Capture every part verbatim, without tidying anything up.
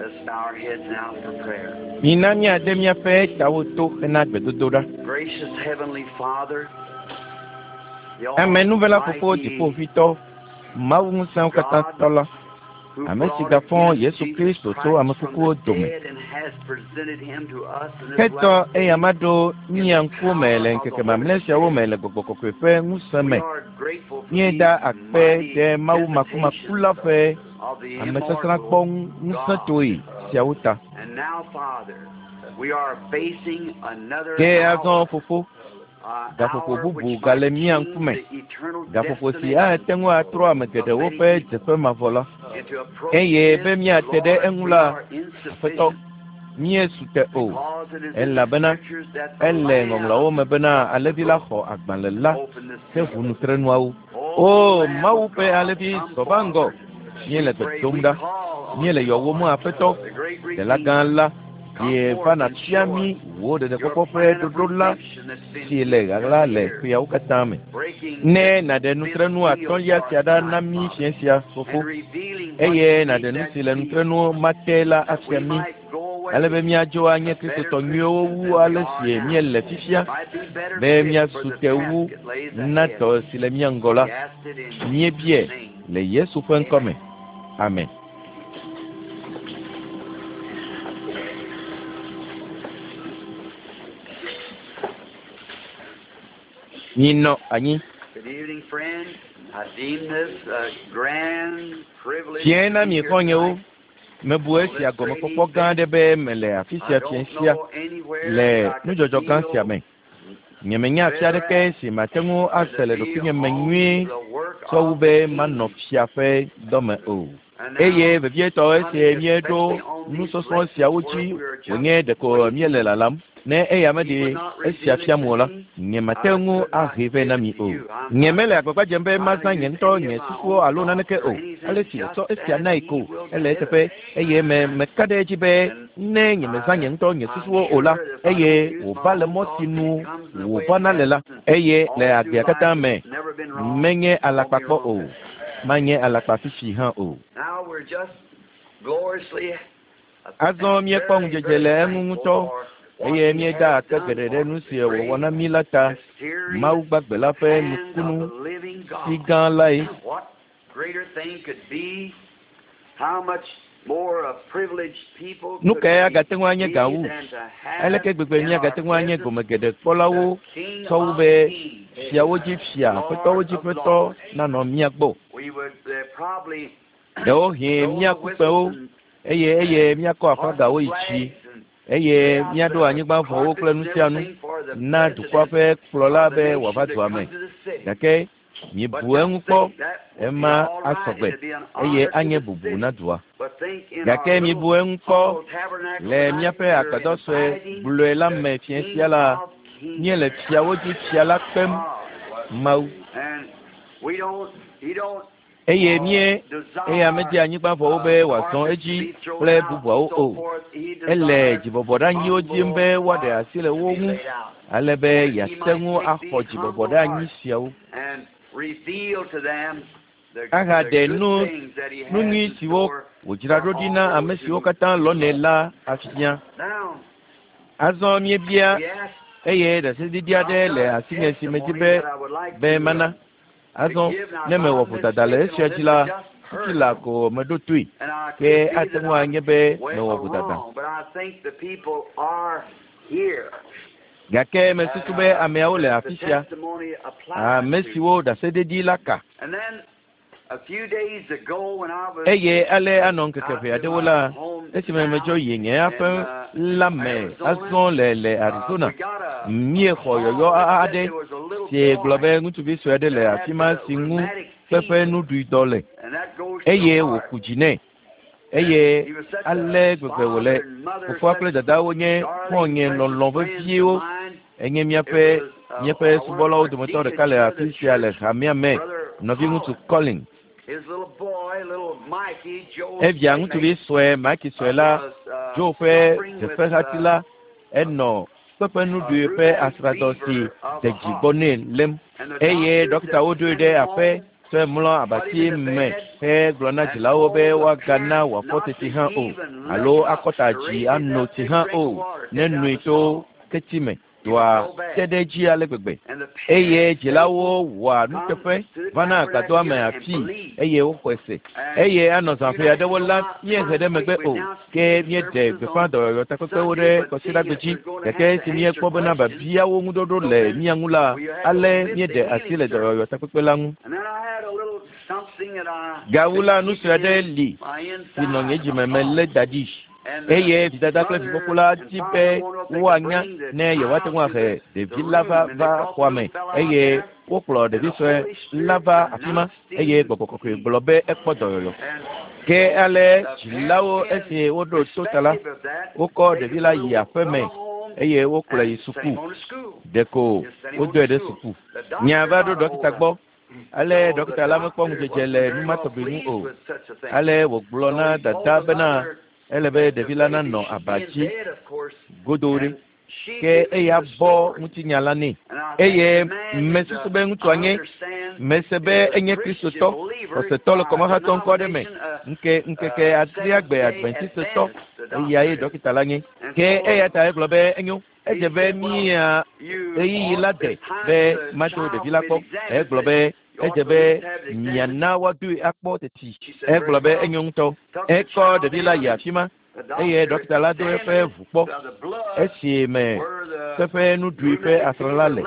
Let's bow our heads now for prayer. Mina míade míaƒe tawo to hena gbedodoɖa. Gracious Heavenly Father, the Amenuvela fofo Almighty dziƒoʋĩtɔ, Mawu ŋusẽwo katã tɔ la, who ame si brought gafɔ again Yesu Jesus Kristo tso Christ ame from kukuwo the dome. dead and has presented him to us in this Hetɔ last day. eya ma ɖo mía ŋkume le ŋkeke mamlɛ siawo me le gbɔgbɔ kɔkɔe ƒe ŋusẽ We me. are grateful for Míeda these akpe mighty ɖe Mawu makumaku la ƒe of the amesasrãkpɔ immortal ŋusẽtoe siawo ta. And now, Father, we are facing another Ke azɔ hour, fofo, uh, gaƒoƒo hour bubu which gale might mía change ŋkume. the eternal Gaƒoƒo si destination ate ŋu atrɔ ame geɖewo ƒe dzeƒe mavɔ la. and to approach Eye this, be míate ɖe Lord, eŋu we la, are Aƒetɔ, insufficient míesu te o. because it is in the Elabena scriptures that the ele Lamb ŋɔŋlɔawo me bena alẽvi la xɔ agbalẽ la opened the he seal. ʋu nutrenuawo. O O Lamb Mawu of ƒe God, alẽvi come zɔ va ŋgɔ. forward. Míele We gbe pray, dom we ɖa. call on Míele you, yɔwòm Lord, Aƒetɔ, the great Ɖela gã Redeemer. la, Come ye va forth and nàfia show mí us wò your ɖeɖekpɔkpɔ ƒe plan of ɖoɖo la redemption that's been si le hidden ɣaɣla le here, ƒeawo katã me. breaking Ne this nàɖe fifth nutrenu seal atɔ̃lia for sia us ɖa na tonight, mí Father, fiẽ sia, fofo, and revealing what's eye nàɖe beneath nu that si le seal, nutrenu ma te la that afia we mí, might go ale be away míadzo anye a better Kristotɔ nyuiwo Christian wu than we ale are si now. míele fifia, Might be better be fit for míasu the te wu task that lays na ahead. dɔ si le mía ŋgɔ la. We ask it in Jesus' Míebie name. le Yesu ƒe ŋkɔ me. Amen. Amen. Minɔ anyi. Good evening, friend. I deem this a grand privilege Fiẽ to na be mi here xɔ̃nyewo. tonight Mebu on esia this great gɔmekpɔkpɔ gã event. aɖe be mele afi I sia fiẽ don't sia know anywhere le that I could nudzɔdzɔ gã sia feel me. Nyemenya afi better aɖeke at si mate ŋu than ase to le be ɖokuinye me on nyuie the work tsɔ wu of be the manɔ King. fia ƒe dɔme o. And Eye now, vevietɔ coming esi míeɖo especially on these nusɔsrɔ̃ lessons siawo where dzi we are just wònye ɖeko waiting. míele lalam. Ne eya He meɖe would not esia reveal it fiam to o la, me. nyemate I ŋu could not ahee vɛ give na it mi to o. you. I'm not Nyemele agbagba dzem be trying to mazã nye use ŋutɔ any nye of my susuwo own alo thoughts naneke or o. Ale anything, si just wòtsɔ esia as nae He ko will ele give eteƒe it. eye me meka ɖe edzi be And ne nyemezã nye I, ŋutɔ nye I'm susuwo o la, sure that if I eye don't use my wòva le own mɔ si thoughts, nu it comes in the way it wòvana le has la, and eye le all through agbea katã life me it's never been wrong, menye won't be alakpa kpɔ wrong o, this time. manye alakpa fifi hã o. Now we're just gloriously Azɔ and míekpɔ very, ŋudzedze very le eŋu thankful ŋutɔ for what eye He míeda has akpe done geɖe ɖe for nu us, si the wòwɔ great na mí la ta. Mawu mysterious gbagbe la ƒe hand of nukunu the living si God. gã lae. What greater thing could be? How much more a privileged people Nu could kae we agate ŋu anye be gã wu? than to have Aleke gbegbe in míagate our ŋu anye presence gome geɖe kpɔlawo the King tsɔ wu of be Kings, fiawo dzi fia, aƒetɔwo Lord dzi of ƒetɔ Lords? nanɔ mía gbɔ. We would uh, probably Ɖewohĩ blow the míaku kpẽwo whistles and, eye eye and míakɔ hoist aflagawo yi dzi flags and eye lay out míaɖo the anyigbavɔwo kple carpets nu and sia nu everything for the na dukɔa president ƒe kplɔla of the be nation wòava to dua me. come to the city. Gake But miebu just eŋu kpɔ, think that would be ema all right. asɔgbe It'd be an eye honor to anye the bubu na city. dua. But think in Gake our miebu little eŋu kpɔ humble tabernacle le tonight, míaƒe we're agbadɔ sue inviting gblɔe la the me fiẽ King sia la, of Kings. míele fiawo dzi fia la kpem Ah, Mawu. and we don't, he don't Eye uh, mie eya medi desire anyigbavɔwo uh, be wòazɔ carpets to edzi be thrown kple out and bubuawo so o. forth. He Ele desires dzibɔbɔɖeanyiwo dzim humble be woaɖe hearts asi le to wo be ŋu laid out, ale be that he yeate might ŋu take axɔ these humble dzibɔbɔɖeanyi hearts siawo and reveal to them the, the ahaɖe good nu things that he nu has nyui in siwo store wòdzra for ɖo ɖi all na those ame siwo who katã lɔ̃nɛ love. la afia. Now, Azɔ míebia we ask, eye ɖaseɖiɖi I've aɖe got le a asinye si medi testimony be that I would like be to, uh, mana. to Azɔ give. Now, ne if mewɔ I'm vodada le mistaken esia on dzi this, la I just fifi heard la it, ko meɖo toe and I ke could be ate that ŋu I'm anye be way mewɔ vodada. wrong, but I think the people are here. Gake And mesusu be uh, ameawo le that the afi sia, testimony applies ame to. siwo ɖaseɖiɖi la ka. And then a few days ago when I was Eye ale anɔ ŋkeke out ʋɛ to aɖewo my la, esime medzɔ hometown yi nye in aƒe uh, la me Arizona, azɔ le le uh, Arizona, we got a, a míexɔ call yɔyɔ that said aɖe there was a little si gblɔ boy be ŋutsuvi sue aɖe le that afi had ma the si ŋu rheumatic kpeƒe fever, nuɖuidɔ le and that goes to the eye heart. wòku dzi nɛ And eye he was such a ale gbegbe father wòle. and mother, Fofoa such kple dadawo nye darling, xɔ̃nye precious lɔlɔ̃ friends of veviewo. mine. Enye It míaƒe was uh, míaƒe uh, one of subɔlawo our dometɔ deacons ɖeka le here at the afi sia le church, hamea me, Brother nɔviŋutsu Collins. Colin. His little boy, little Mikey, Joe's Evia ŋutsuvi playmate, sue Mike sue uh, la, was uh, Joe ƒe suffering with dzeƒehati uh, la, enɔ kpeƒe a nuɖui ƒe rheumatic asradɔ si fever of de the dzi gbɔ heart. nɛ lém And the eye doctors ɖɔkitawo had ɖoe sent ɖe him aƒe home tsɔe tsɔe mlɔ abati me hegblɔ na dzilawo be woagana wòafɔ teti hã o alo akɔta dzi ano tsi hã o ne noe tso keti me. Dɔa te ɖe edzi ale gbegbe eye dzilawo wɔa nuteƒe vana agbadɔa me afii eye woxɔe se eye anɔ zãƒe aɖewo la míehe ɖe megbe o ke míeɖe gbeƒã dɔyɔyɔ takpekpewo ɖe kɔsiɖagbe dzi gake esi míekpɔ bena biabiawo ŋuɖoɖo le mía ŋu la ale míeɖe asi le dɔyɔyɔ takpekpe la ŋu. Gawu la nu sue aɖe li si nɔ nye dzime melé da ɖi. Eye vidada kple vifofo la di be woanya ne yewoate ŋu ahe ɖevi la va va xɔa me eye wokplɔ ɖevi sue la va afi ma eye gbɔgbɔ kɔkɔe gblɔ be ekpɔ dɔyɔyɔ. Ke ale dzilawo esi woɖo to ta la, wokɔ ɖevi la yi aƒe me eye wokplɔe yi suku. Ɖeko wodɔe ɖe suku. Nya va ɖo ɖɔkita gbɔ. Ale ɖɔkita la mekpɔ ŋudzedze le nu ma tɔgbi ŋu o. Ale wògblɔ na dada bena ele be ɖevi la nanɔ aba dzi godoo ɖe ke eya bɔ ŋutinya la nɛ eye mesusu be ŋutsua nye mese be enye kristotɔ xɔsetɔ le kɔmahatɔ ŋkɔ aɖe me ŋke ŋkeke adrea gbe adventistotɔ eya ye ɖɔkita la nye ke eya ta egblɔ be enyo edze be mía ɣeyiɣi la de be matso ɖevi la gbɔ egblɔ be edze be miana woadoe akpɔ teti egblɔ be enyo ŋutɔ ekɔ ɖevi la yi afi ma eye ɖɔkita la do eƒe ʋu kpɔ esi me seƒe nuɖui ƒe asrã la le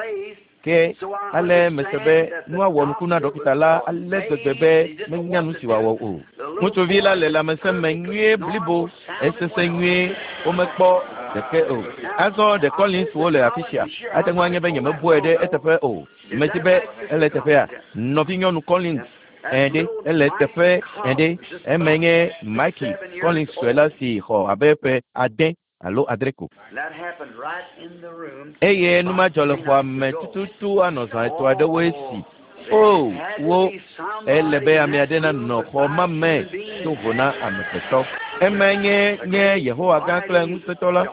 ke ale mese be nua wɔ nuku na ɖɔkita la ale gbegbe be menya nu si wòawɔ o. Ŋutsuvi la le lãmesẽ me nyuie blibo esese nyuie womekpɔ ɖeke o. Azɔ ɖe Collinswo le afi sia ate ŋu anye be nyemebɔe ɖe eteƒe o. Medi be ele teƒea nɔvinyɔnu Collins ɛɖe ele teƒe ɛɖe eme nye Mikey Collins sue la si xɔ abe ƒe ade alo adre ko. Eye nu ma dzɔ le xɔa me tututu anɔ zã etɔ̃ aɖewoe si. O wo ele be ame aɖe nanɔ xɔ ma me to vo na amegbetɔ. Eme nye nye Yehowa gã kple ŋusẽtɔ la.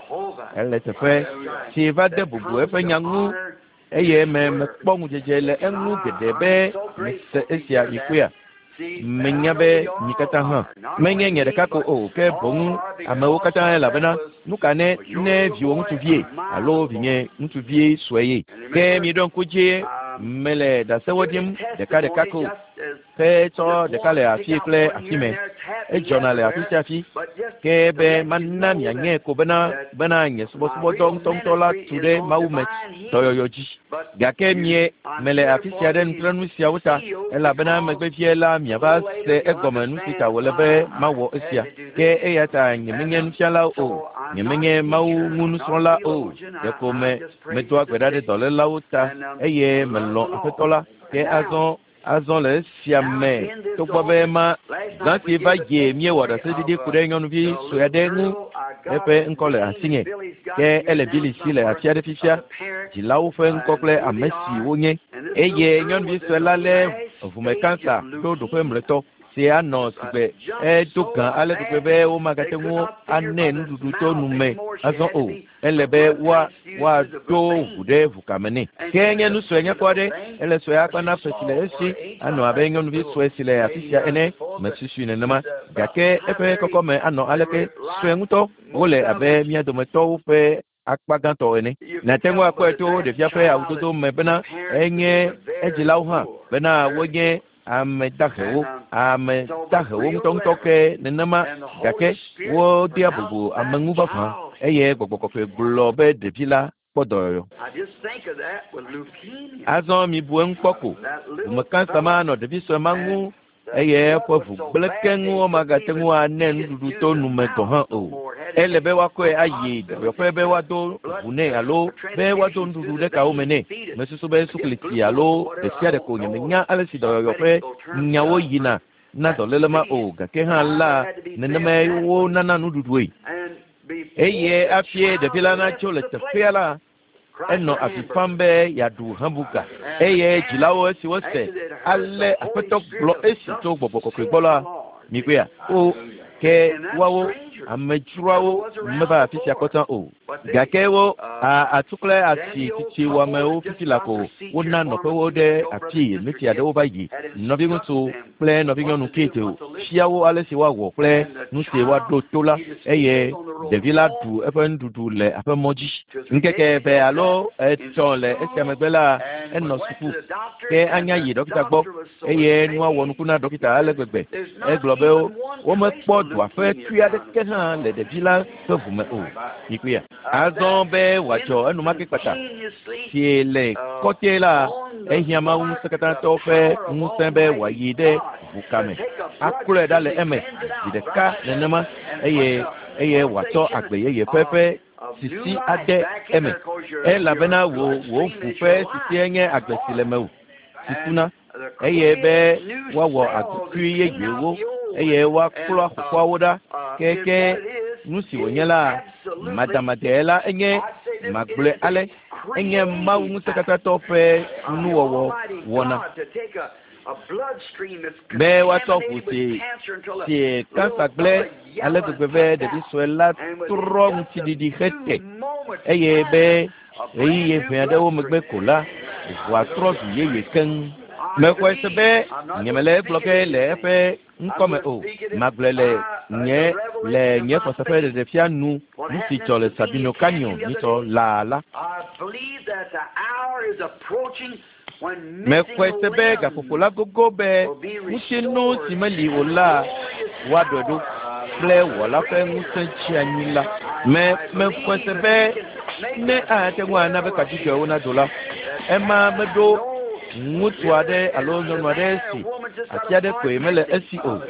Ele teƒe si va de bubu eƒe nya ŋu eye me mekpɔ ŋudzedze le eŋu geɖe be mese esia yi koea. Menya be mi katã hã menye nye ɖeka ko o ke boŋ amewo katã elabena nu ka ne ne viwò ŋutsuvie alo vinye ŋutsuvie sue ye ke miɖo ŋku dzi mele ɖasewo dim ɖeka ɖeka ko ke tsɔ ɖeka le afi kple afi me edzɔna le afi sia afi ke be mana mianye ko bena bena nye subɔsubɔdɔ ŋutɔŋutɔ la tu ɖe Mawu me dɔyɔyɔ dzi gake mie mele afi sia ɖe nutrenu siawo ta elabena megbevie la miava se egɔme nu si ta wòle be mawɔ esia ke eya ta nyemenye nufiala o nyemenye Mawu ŋu nusrɔ̃la o ɖeko me medoa gbe ɖa ɖe dɔlélawo ta eye melɔ̃ Aƒetɔ la ke azɔ azɔ le esia me togbɔ be ma zã si va yi míewɔ ɖaseɖiɖi ku ɖe nyɔnuvi sue aɖe ŋu eƒe ŋkɔ le asinye ke ele Billy si le afi aɖe fifia dzilawo ƒe ŋkɔ kple ame si wonye eye nyɔnuvi sue la lé ʋume kansa ɖo ɖoƒe mlɔetɔ si anɔ sigbe edo gã ale gbegbe be womagate ŋu anɛ nuɖuɖu tso nu me azɔ o ele be woa woaɖo ʋu ɖe ʋukame nɛ ke nye nu sue nyakpɔ aɖe ele sue akpa na ƒe si le esi anɔ abe nyɔnuvi sue si le afi sia ene mesusui nenema gake eƒe kɔkɔme anɔ aleke sue ŋutɔ wole abe mía dometɔwo ƒe akpa gãtɔ ene. Nàte ŋu akpɔe to ɖevia ƒe awudodo me bena enye edzilawo hã bena wonye ame dahewo ame dahewo ŋutɔŋutɔ ke nenema gake wodea bubu ame ŋu vavã eye gbɔgbɔ kɔkɔe gblɔ be ɖevi la kpɔ dɔyɔyɔ. Azɔ mibu eŋu kpɔ ko ʋume kansa ma nɔ ɖevi sue ma ŋu eye eƒe ʋu gblẽ keŋ womagate ŋu anɛ nuɖuɖu to nu me gɔ̃ hã o. Ele be woakɔe ayi dɔyɔƒe be woado ʋu nɛ alo be woado nuɖuɖu ɖe kawo me nɛ. Mesusu be suklitsi alo ɖe sia ɖe ko nyemenya ale si dɔyɔyɔ ƒe nyawo yina na dɔléle ma o gake hã la nenemae wonana nuɖuɖue. Eye hafi ɖevi la natso le teƒea la enɔ avi fam be yeaɖu hamburger eye dzilawo esi wose ale Aƒetɔ gblɔ esi tso gbɔgbɔ kɔkɔe gbɔ la mikpɔea o ke woawo amedzroawo meva afi sia kpɔtã o. Gake wo atsu kple asi tsitsi wɔamewo fifi la ko wona nɔƒewo ɖe afi ɣleti aɖewo va yi. Nɔviŋutsu kple nɔvinyɔnu Kate fia wo ale si woawɔ kple nu si woaɖo to la eye ɖevi la ɖu eƒe nuɖuɖu le aƒemɔ dzi. Ŋkeke eve alo etɔ̃ le esia megbe la enɔ suku ke anya yi ɖɔkita gbɔ eye nua wɔ nuku na ɖɔkita ale gbegbe. Egblɔ be womekpɔ dɔa ƒe tui aɖeke hã le ɖevi la ƒe ʋume o. Mikuia. Azɔ be wòadzɔ enumake kpata si le kɔtɛ la ehiã Mawu ŋusẽkatãtɔ ƒe ŋusẽ be wòayi ɖe ʋukame aklɔe ɖa le eme zi ɖeka nenema eye eye wòatsɔ agbe yeye ƒe ƒe sisi ade eme elabena wò wò ʋu ƒe sisie nye agbe si le mewò si kuna eye be woawɔ agbekui yeyewo eye woaklɔ xoxoawo ɖa keke nu si wònye la madamadae la enye magblɔe ale enye Mawu ŋusẽkatãtɔ ƒe nuwɔwɔ wɔna be woatsɔ ʋu si si kansa gblẽ ale gbegbe be ɖevi sue la trɔ ŋutiɖiɖi hete eye be ɣeyiɣi ʋɛ aɖewo megbe ko la ʋua trɔ zu yeye keŋ. Mexɔe se be nyemele egblɔ ge le eƒe ŋkɔme o. Magblɔe le nye le nye xɔse ƒe ɖeɖefia nu nu si dzɔ le Sabino Canyon nyitsɔ laa la. Mexɔe se be gaƒoƒo la gogo be ŋutinu si meli o la woaɖɔe ɖo kple wɔla ƒe ŋusẽ tsi anyi la. Me mexɔe se be ne ate ŋu ana be kadzidzɔewo nado la, ema meɖo ŋutsu aɖe alo nyɔnu aɖe si ati aɖe koe mele esi o.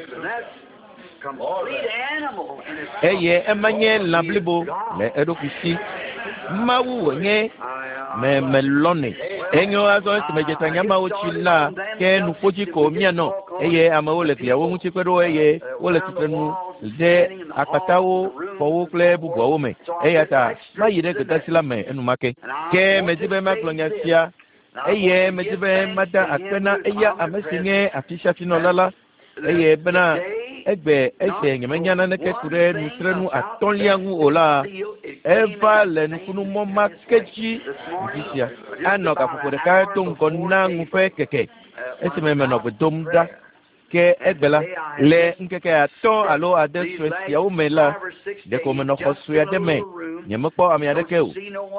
Eye ema nye lã blibo le eɖokui si. Mawu wònye me melɔnɛ. Enyo azɔ esime dzetanyamawo tsi la ke nuƒodzi ko míanɔ eye amewo le gliawo ŋuti kpe ɖo eye wole tsitrenu ɖe akpatawo, xɔwo kple bubuawo me. Eya ta mayi ɖe gbedeasi la me enumake. Ke medi be magblɔ nya sia eye medi be mada akpe na eya ame si nye afisiafinɔla la eye bena egbe ese nyemenya naneke ku ɖe nutrenu atɔ̃lia ŋu o la eva le nukunumɔ ma ke dzi ŋdi sia. Anɔ gaƒoƒo ɖeka do ŋgɔ na ŋu ƒe keke esime menɔ gbe dom ɖa. Ke egbe la le ŋkeke atɔ̃ alo ade sue siawo me la ɖeko menɔ xɔ sue aɖe me nyemekpɔ ame aɖeke o.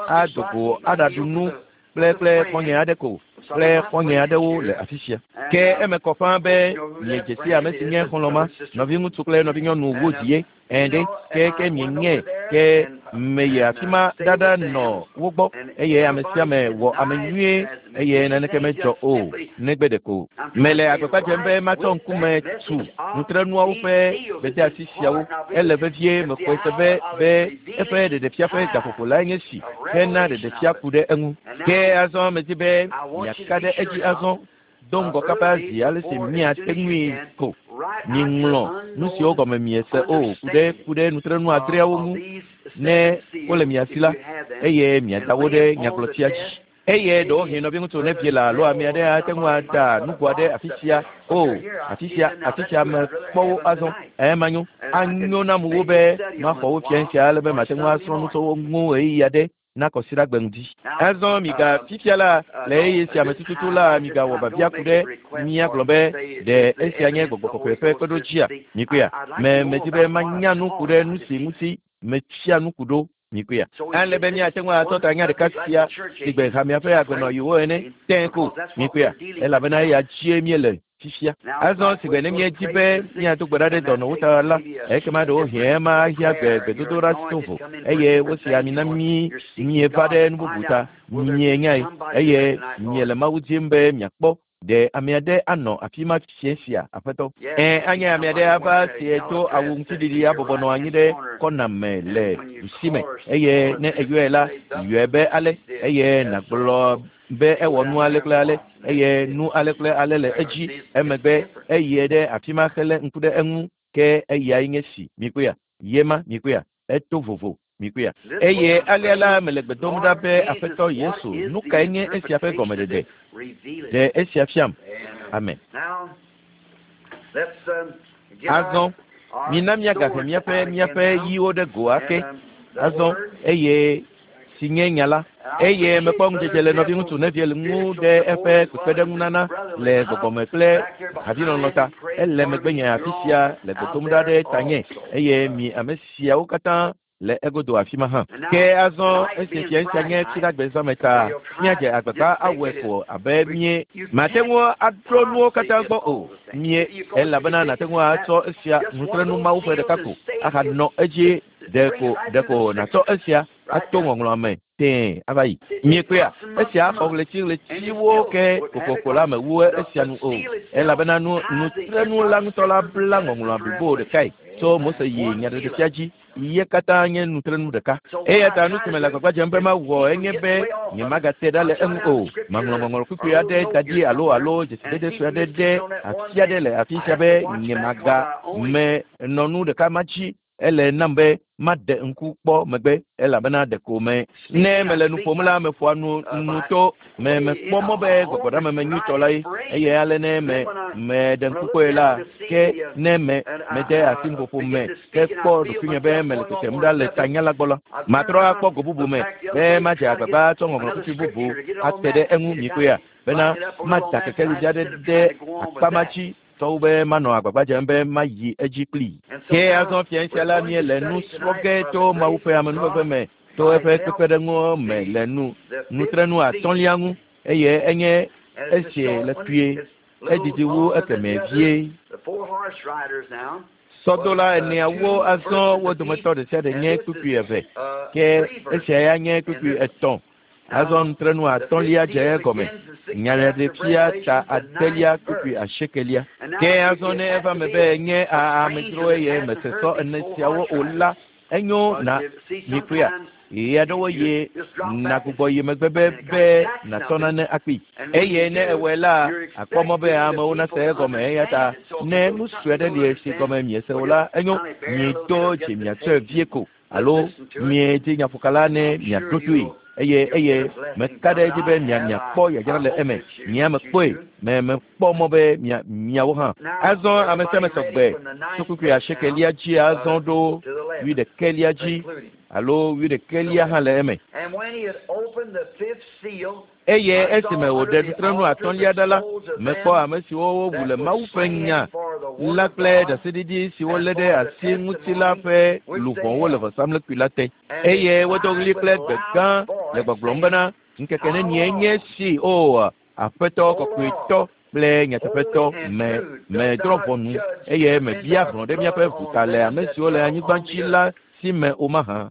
Ado go aɖaɖu nu kple kple xɔ̃nye aɖe ko kple xɔ̃nye aɖewo le afi sia. Ke eme kɔ ƒãa be miedze si ame si nye xɔlɔ̃ ma, nɔviŋutsu kple nɔvinyɔnu wodzi ye. Ɛ̃ ɖe ke ke mienye ke meyi afi ma ɖaɖa nɔ wo gbɔ eye ame sia ame wɔ ame nyuie eye naneke medzɔ o negbe ɖeko. Mele agbagba dzem be matsɔ ŋkume tu nutrenuawo ƒe gbedeasi siawo. Ele vevie mexɔe se be be eƒe ɖeɖefia ƒe gaƒoƒo lae nye si hena ɖeɖefia ku ɖe eŋu. Ke azɔ medi be miaka ɖe edzi azɔ do ŋgɔ kaba zi ale si miate ŋui ko. Miŋlɔ nu siwo gɔme miese o ku ɖe ku ɖe nutrenu adreawo ŋu ne wole mia si la eye miada wo ɖe nyagblɔtia dzi. Eye ɖewohĩ nɔviŋutsu nevie la alo ame aɖe ate ŋu ada nugo aɖe afi sia o afi sia afi sia mekpɔ wo azɔ. Ema nyo anyo nam wu be maxɔ wo fia sia ale be mate ŋu asrɔ̃ nu tso wo ŋu ɣeyiɣi aɖe na kɔsiɖagbe ŋdi. Azɔ miga fifia la le ɣeyiɣi sia me tututu la migawɔ biabia ku ɖe míagblɔ be ɖe esia nye gbɔgbɔ kɔkɔe ƒe kpeɖodzia mikuia. Me medi be manya nu ku ɖe nu si ŋuti metsia nu ku ɖo mikuia. Ale be míate ŋu atɔ ta nya ɖeka sia si gbe hamea ƒe agbenɔyiwo ene tẽ ko mikuia elabena eya dzie míele fifia. Azɔ si gbe ne míedi be míado gbe ɖa ɖe dɔnɔwo ta la ekema ɖewohĩ ema hiã gbe gbedodoɖa to vo eye wosi ami na mí mieva ɖe nu bubu ta mienyae eye miele Mawu dim be miakpɔ ɖe ame aɖe anɔ afi ma fia sia aƒetɔ. Ɛ anye ame aɖe ava sie do awu ŋutiɖiɖi abɔbɔ nɔ anyi ɖe kɔna me le ɖusime eye ne eyɔe la yɔe be ale eye nàgblɔ be ewɔ nu ale kple ale eye nu ale kple ale le edzi emegbe eye ɖe afi ma hele ŋku ɖe eŋu ke eyae nye si mikuia yema mikuia eto vovo mikuia. Eye alea la mele gbe dom ɖa be aƒetɔ Yesu nu kae nye esia ƒe gɔmeɖeɖe ɖe esia fiam. Amen. Azɔ mina míagahe míaƒe míaƒe ɣiwo ɖe go ake Azɔ eye si nye nya la eye mekpɔ ŋudzedze le nɔviŋutsu Neville ŋu ɖe eƒe kpekpeɖeŋunana le gbɔgbɔme kple havilɔlɔ̃ ta. Ele megbenye afi sia le gbe dom ɖa ɖe tanye eye mi ame siawo katã le egodo afi ma hã. Ke azɔ esi fia sia nye Fiɖagbe zãme ta míadze agbagba awɔe ko abe mie mate ŋu aɖo nuwo katã gbɔ o. Mie elabena nate ŋu atsɔ esia nutrenu Mawu ƒe ɖeka ko ahanɔ edzi ɖeko ɖeko nàtsɔ esia ato ŋɔŋlɔa me tẽe ava yi. Miekpɔea, esia xɔ ɣleti ɣletiwo ke kokoko la mewu esia nu o. Elabena nu nutrenu la ŋutɔ la bla ŋɔŋlɔa blibo ɖekae tso Mose yi Nyaɖeɖefia dzi. Ye katã nye nutrenu ɖeka. Eya ta nu si me le agbagba dzem be mawɔ enye be nyemagate ɖa le eŋu o. Maŋlɔ ŋɔŋlɔ kpukpui aɖe da ɖi alo alo dzesidede sue aɖe ɖe afi aɖe le afi sia be nyemaga me nɔ nu ɖeka ma dzi. Ele nam be maɖe ŋku kpɔ megbe elabena ɖeko me ne mele nu ƒom la meƒoa nu nu to me mekpɔ mɔ be gbɔgbɔɖameme nyuitɔ la ye eye ale ne me meɖe ŋku kpɔe la ke ne me mede asi nuƒoƒo me ke kpɔ ɖokuinye be mele tetem ɖa le tanya la gbɔ la matrɔ akpɔ go bubu me be madze agbagba tsɔ ŋɔŋlɔ kpukpui bubu ate ɖe eŋu mikpɔea bena mada kekelivi aɖe ɖe akpa ma dzi tɔwo be manɔ agbagba dzem be mayi edzi kplii. Ke azɔ fia sia la míele nu srɔ̃ ge tso Mawu ƒe amenuveve me to eƒe kpekpeɖeŋu me le nu nutrenu atɔ̃lia ŋu eye enye esi le kpuie edidi wu ekemɛ vie. Sɔdola eneawo azɔ wo dometɔ ɖe sia ɖe nye kpukpui eve ke esia ya nye kpukpui etɔ̃. Azɔ nutrenu atɔ̃lia dze egɔme. Nyaɖeɖefia ta adelia kpukpui asiekelia. Ke azɔ ne eva me be nye amedzro eye mese sɔ ene siawo o la, enyo na mikpɔea. Ɣeyiɣi aɖewo ye nagbugbɔ yi megbe be be nàtsɔ nane akpee. Eye ne ewɔe la, akpɔ mɔ be amewo nase egɔme eya ta ne nu sue aɖe li si gɔme miese o la, enyo miedo dzi miatsɔe vie ko alo miedzi nyaƒokala ne miaɖo toe. Eye eye meka ɖe edzi be mia miakpɔ yadzra le eme. Nyea mekpɔe me mekpɔ mɔ be mia miawo hã. Azɔ ame sia ame sɔgbe tso kpukpui asiekelia dzi azɔ ɖo wuiɖekɛlia dzi alo wuiɖekɛlia hã le eme. Eye esime wòɖe nutrenu atɔ̃lia ɖa la, mekpɔ ame siwo wowu le Mawu ƒe nya la kple ɖaseɖiɖi si wolé ɖe asi ŋuti la ƒe luʋɔwo le vɔsamlekpui la te. Eye wodo ɣli kple gbe gã le gbɔgblɔm bena ŋkeke nenie nye si o Aƒetɔ kɔkɔetɔ kple nyateƒetɔ me medrɔ̃ ʋɔnu eye mebia hlɔ̃ ɖe míaƒe ʋu ta le ame siwo le anyigba dzi la si me o mahã.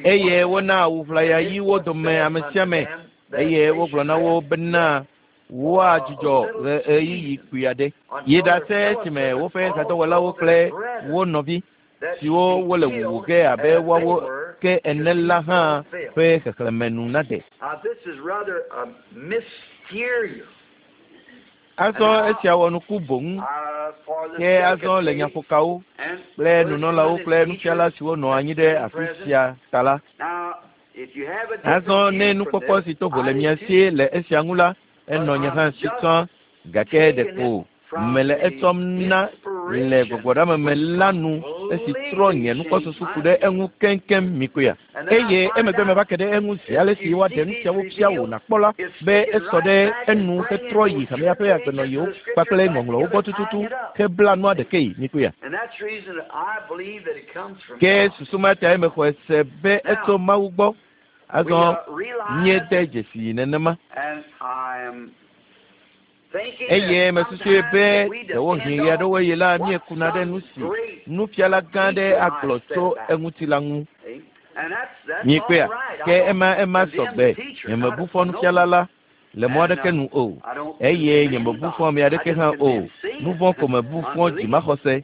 Eye wona awu ʋlaya ɣiwo dome ame sia ame eye wogblɔ na wo bena woadzudzɔ ɣeyiɣi kpui aɖe. Yi ɖase esime woƒe hadɔwɔlawo kple wo nɔvi siwo wole wuwu ge abe woawo ke ene la hã ƒe xexlẽme nu nade. Azɔ esia wɔ nuku boŋ ke azɔ le nyaƒokawo kple nunɔlawo kple nufiala siwo nɔ anyi ɖe afi sia ta la. Azɔ ne nukpɔkpɔ si to vo le mia si le esia ŋu la, enɔ nye hã si tsã gake ɖeko mele etsɔm na le gbɔgbɔɖameme la nu esi trɔ nye nukpɔsusu ku ɖe eŋu keŋkeŋ mikpɔea. Eye emegbe meva ke ɖe eŋu zi ale si woaɖe nu siawo fia wò nàkpɔ la be esɔ ɖe enu hetrɔ yi hamea ƒe agbenɔɣiwo kpakple ŋɔŋlɔwo gbɔ tututu hebla nua ɖekee mikpɔea. Ke susu ma tae mexɔe se be etso Mawu gbɔ. Azɔ míede dzesi nenema. Eye mesusue be ɖewohĩ ɣe aɖewo ɣi la míekuna ɖe nu si nufiala gã aɖe agblɔ tso eŋuti la ŋu. Mikpɔea, ke ema ema sɔgbe nyemebu fɔ nufiala la le mɔ aɖeke nu o eye nyemebu fɔ ame aɖeke hã o. Nu vɔ̃ ko mebu fɔ dzimaxɔse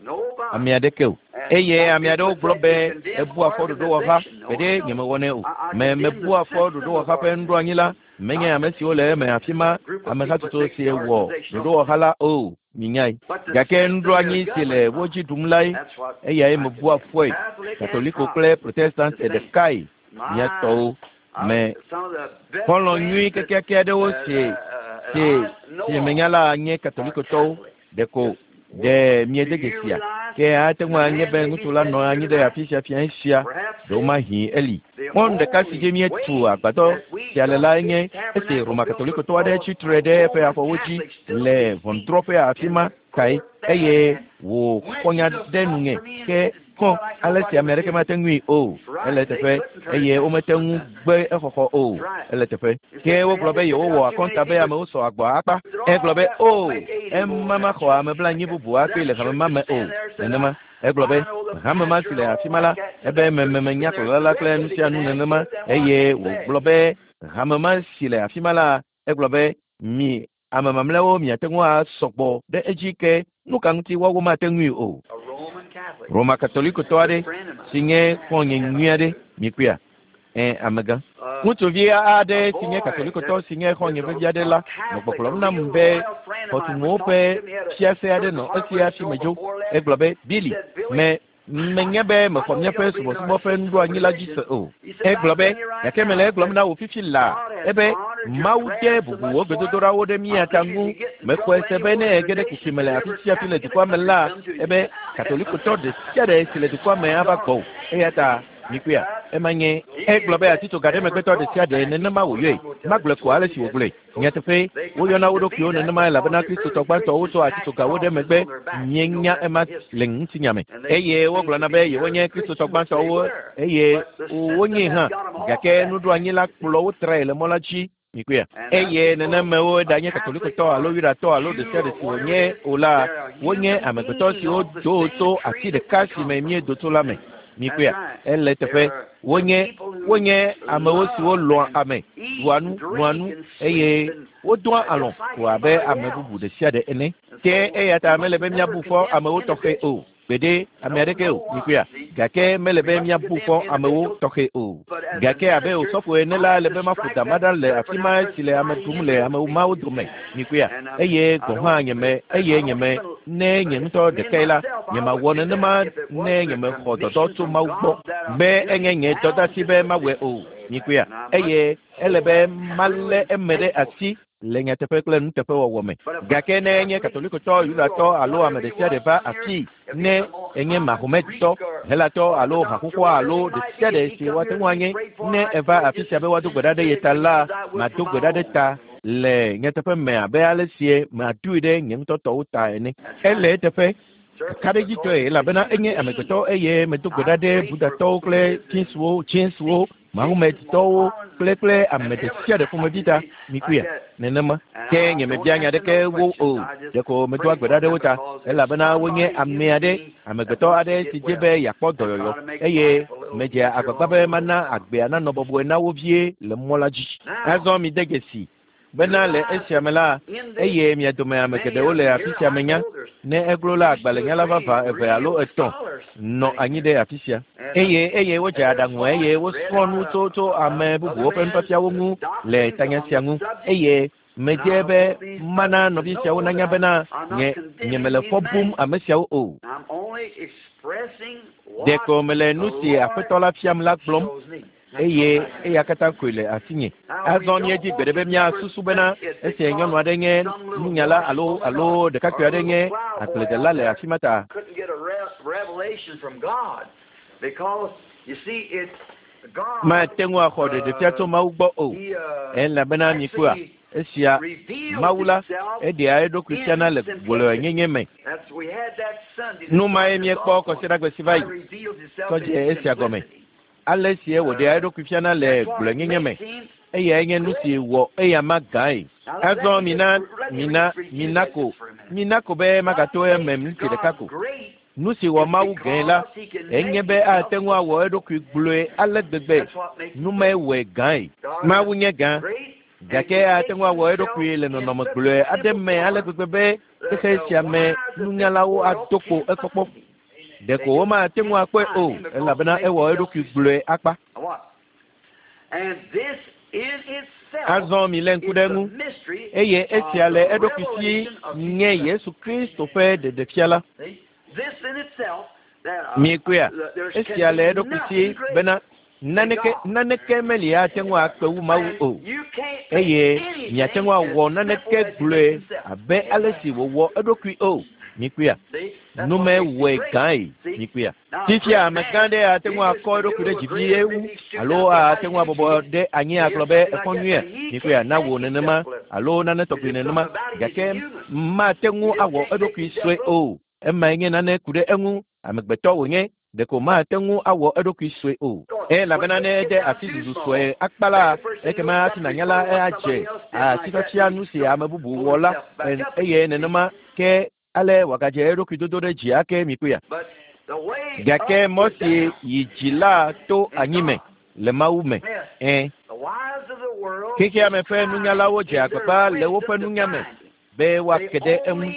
ame aɖeke o. Eye ame aɖewo gblɔ be ebua fɔ ɖoɖowɔha gbeɖe nyemewɔnɛ o. Me mebua fɔ ɖoɖowɔha ƒe nuɖoanyi la menye ame siwo le eme afi ma amehatsotso si wɔ ɖoɖowɔha la o minyae. Gake nuɖoanyi si le wo dzi ɖum lae eyae mebua fɔe. Katoliko kple Protestant ɖekae mía tɔwo me xɔlɔ̃ nyui kekeake aɖewo si si si menya la nye katolikotɔwo ɖeko ɖe miede dzesia. Ke ate ŋu anye be ŋutsu la nɔ anyi ɖe afi sia fia sia, ɖewomahi eli. Mɔnu ɖeka si dzi míetu agbadɔ sia le lae nye esi Roma Katolikotɔ aɖe tsi tre ɖe eƒe afɔwo dzi le ʋɔnudrɔ̃ƒe afi ma kae eye wòxɔ nya ɖe nunye ke kɔ ale si ame aɖeke mate ŋui o. Ele teƒe eye womete ŋu gbe exɔxɔ o. Ele teƒe. Ke wogblɔ be yewowɔ akɔnta be amewo sɔ agbɔ akpa. Egblɔ be o, ema maxɔ ame blanyi bubu akpe le hame ma me o. Nenema. Egblɔ be hame ma si le afi ma la, ebe mememenya kplɔla la kple nu sia nu nenema eye wògblɔ be hame ma si le afi ma la, egblɔ be mi ame mamlɛawo miate ŋu asɔgbɔ ɖe edzi ke nu ka ŋuti woawo mate ŋui o. Roma Katolikotɔ aɖe si nye xɔ̃nye nyui aɖe mikpɔea? Ẽ, amegã. Ŋutsuvi aɖe si nye Katolikotɔ si nye xɔ̃nye vevi aɖe la nɔ gbɔgblɔm nam be xɔtunuwo ƒe fiase aɖe nɔ esi hafi medzo. Egblɔ be, Billy, me menye be mexɔ míaƒe subɔsubɔ ƒe nuɖoanyi la dzi se o. Egblɔ be, gake mele egblɔm na wò fifi laa ebe Mawu de bubu wò gbedodoɖawo ɖe mía ta ŋu. Mexɔe se be ne ege ɖe kuxi me le afi sia afi le dukɔa me la, ebe Katolikotɔ ɖe sia ɖe si le dukɔa me ava gbɔwò. Eya ta mikpɔea, ema nye egblɔ be atitsoga ɖe megbetɔ ɖe sia ɖe nenema wòyɔe. Magblɔe ko ale si wògblɔe. Nyateƒe, woyɔna wo ɖokuiwo nenema elabena Kristotɔ gbãtɔwo tsɔ atitsogawo ɖe megbe mienya ema le ŋutinya me. Eye wogblɔna be yewonye Kristotɔ gbãtɔwo eye wonye hã, gake nuɖoanyi la kplɔ wo trae le mɔ la dzi. Mikpɔea? Eye nenemewo ɖanye Katolikotɔ alo Yudatɔ alo ɖe sia ɖe si wònye o la, wonye amegbetɔ siwo do tso ati ɖeka si me míedo tso la me. Mikpɔea? Ele teƒe. Wonye wonye amewo siwo lɔ̃a ame, ɖua nu, nɔa nu eye wodoa alɔ̃ ko abe ame bubu ɖe sia ɖe ene. Ke eya ta mele be míabu fɔ amewo tɔxɛ o. Gbeɖe ame aɖeke o. Mikpɔea? Gake mele be míabu fɔ amewo tɔxɛ o. Gake abe osɔfo ene la, ele be maƒo dama ɖa le afi ma si le ame ɖum le ame mawo dome. Mikpɔea? Eye gɔ̃ hã nyeme eye nyeme ne nye ŋutɔ ɖekae la, nyemawɔ nenema ne nyemexɔ dɔdɔ tso Mawu gbɔ be enye nye dɔdeasi be mawɔe o. Mikpɔea? Eye ele be malé eme ɖe asi le nyateƒe kple nuteƒewɔwɔ me. Gake ne enye Katolikotɔ, Yudatɔ alo ame ɖe sia ɖe va afii, ne enye Mahometɔ, Helatɔ alo haxoxoa alo ɖe sia ɖe si woate ŋu anye, ne eva afi sia be woado gbe ɖa ɖe ye ta la, mado gbe ɖa ɖe ta le nyateƒe me abe ale sie madoe ɖe nye ŋutɔ tɔwo ta ene. Ele eteƒe kakaɖedzitɔe elabena enye amegbetɔ eye medo gbe ɖa ɖe Budatɔwo kple Chinsuwo, Chinsuwo, Mahometɔwo kple kple ame ɖe sia ɖe ƒomevi ta. Mikpɔea? Nenema. Ke nyemebia nya ɖeke wo o. Ɖeko medoa gbe ɖa ɖe wo ta elabena wonye ame aɖe, amegbetɔ aɖe si dze be yeakpɔ dɔyɔyɔ eye medzea agbagba be mana agbea nanɔ bɔbɔe na wo vie le mɔ la dzi. Azɔ mide dzesi bena le esia me la, eye mia dome ame geɖewo le afi sia menya, ne eglo la agbalẽnyala vavã eve alo etɔ̃ nɔ anyi ɖe afi sia. Eye eye wodze aɖaŋu eye wosrɔ̃ nu tso tso ame bubuwo ƒe nufiafiawo ŋu le tanya sia ŋu. Eye medze be mana nɔvi siawo nanya bena nye nyemele fɔ bum ame siawo o. Ɖeko mele nu si Aƒetɔ la fiam la gblɔm eye eya katã koe le asinye. Azɔ míedzi gbe ɖe be míasusu bena esi nyɔnu aɖe nye nunyala alo alo ɖekakpui aɖe nye agbledela le afi ma ta. Mate ŋu axɔ ɖeɖefia tso Mawu gbɔ o. Elabena mikpɔa, esia Mawu la eɖea eɖokui fiana le gblɔenyenye me. Nu mae míekpɔ kɔsiɖagbe si va yi tsɔ dze esia gɔme. Ale sie wòɖea eɖokui fiana le gblɔenyenye me. Eyae nye nu si wɔ eyama gãe. Azɔ mina mina mina ko mina ko be magato eme miniti ɖeka ko. Nu si wɔ Mawu gãe la, enye be ate ŋu awɔ eɖokui gblɔe ale gbegbe. Nu mae wɔe gãe. Mawu nye gã, gake ate ŋu awɔ eɖokui le nɔnɔme gblɔe aɖe me ale gbegbe be xexe sia me nunyalawo ado kpo ekpɔkpɔ. Ɖeko womate ŋu akpɔe o elabena ewɔ eɖokui gblɔe akpa. Azɔ milé ŋku ɖe eŋu eye esia le eɖokui si nye Yesu Kristo ƒe ɖeɖefia la. Mikpɔea, esia le eɖokui si bena naneke naneke meli ate ŋu akpe wu Mawu o. Eye miate ŋu awɔ naneke gblɔe abe ale si wòwɔ eɖokui o. Mikpɔea, nume wɔe gãe. Mikpɔea, fifia amegã ɖe ate ŋu akɔ eɖokui ɖe dzi vie wu alo ate ŋu abɔbɔ ɖe anyi agblɔ be ekpɔ nyuie. Mikpɔea, na wò nenema alo nane tɔgbi nenema, gake mate ŋu awɔ eɖokui sue o. Emae nye nane ku ɖe eŋu. Amegbetɔ wònye, ɖeko mate ŋu awɔ eɖokui sue o. Elabena ne ede asi zuzu sue akpa la, ekema hafi nànya la adze asifiafia nu si ame bubu wɔ la, eye nenema ke ale wòagadze eɖokui dodo ɖe dzi ake. Mikpɔea, gake mɔ si yi dzi la to anyi me le Mawu me. Ẽ, xexeame ƒe nunyalawo dze agbagba le woƒe nunya me be woake ɖe eŋu.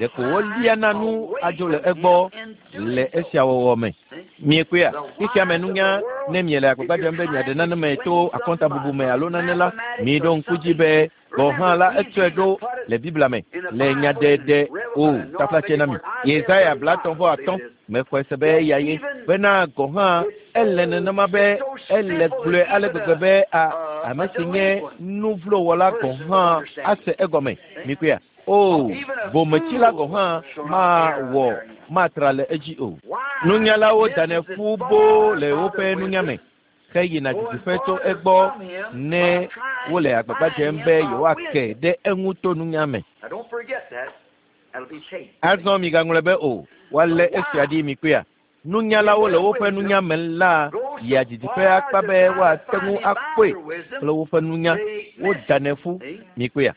Ɖeko woliana nu adzo le egbɔ le esia wɔwɔ me. Miekpɔea, xexeame nunya, ne miele agbagba dzem be miaɖe nane me to akɔntabubu me alo nane la, miɖo ŋku dzi be gɔ̃ hã la etsɔe ɖo le Biblia me le nyaɖeɖe o taflatse na mi. Yesaya blatɔ̃ vɔ atɔ̃ mexɔe se be eya ye bena gɔ̃ hã ele nenema be ele gblɔe ale gbegbe be a ame si nye nuvlowɔla gɔ̃ hã ase egɔme. Mikpɔea, o bometsila gɔ̃ hã mawɔ matra le edzi o. Nunyalawo danɛ ƒu boo le woƒe nunya me heyina didiƒe tso egbɔ ne wole agbagba dzem be yewoake ɖe eŋu to nunya me. Azɔ migaŋlɔe be o, woalé esia ɖi. Mikpɔea, nunyalawo le woƒe nunya me la yia didiƒe akpa be woate ŋu akpɔe kple woƒe nunya. Wodanɛ ƒu. Mikpɔea,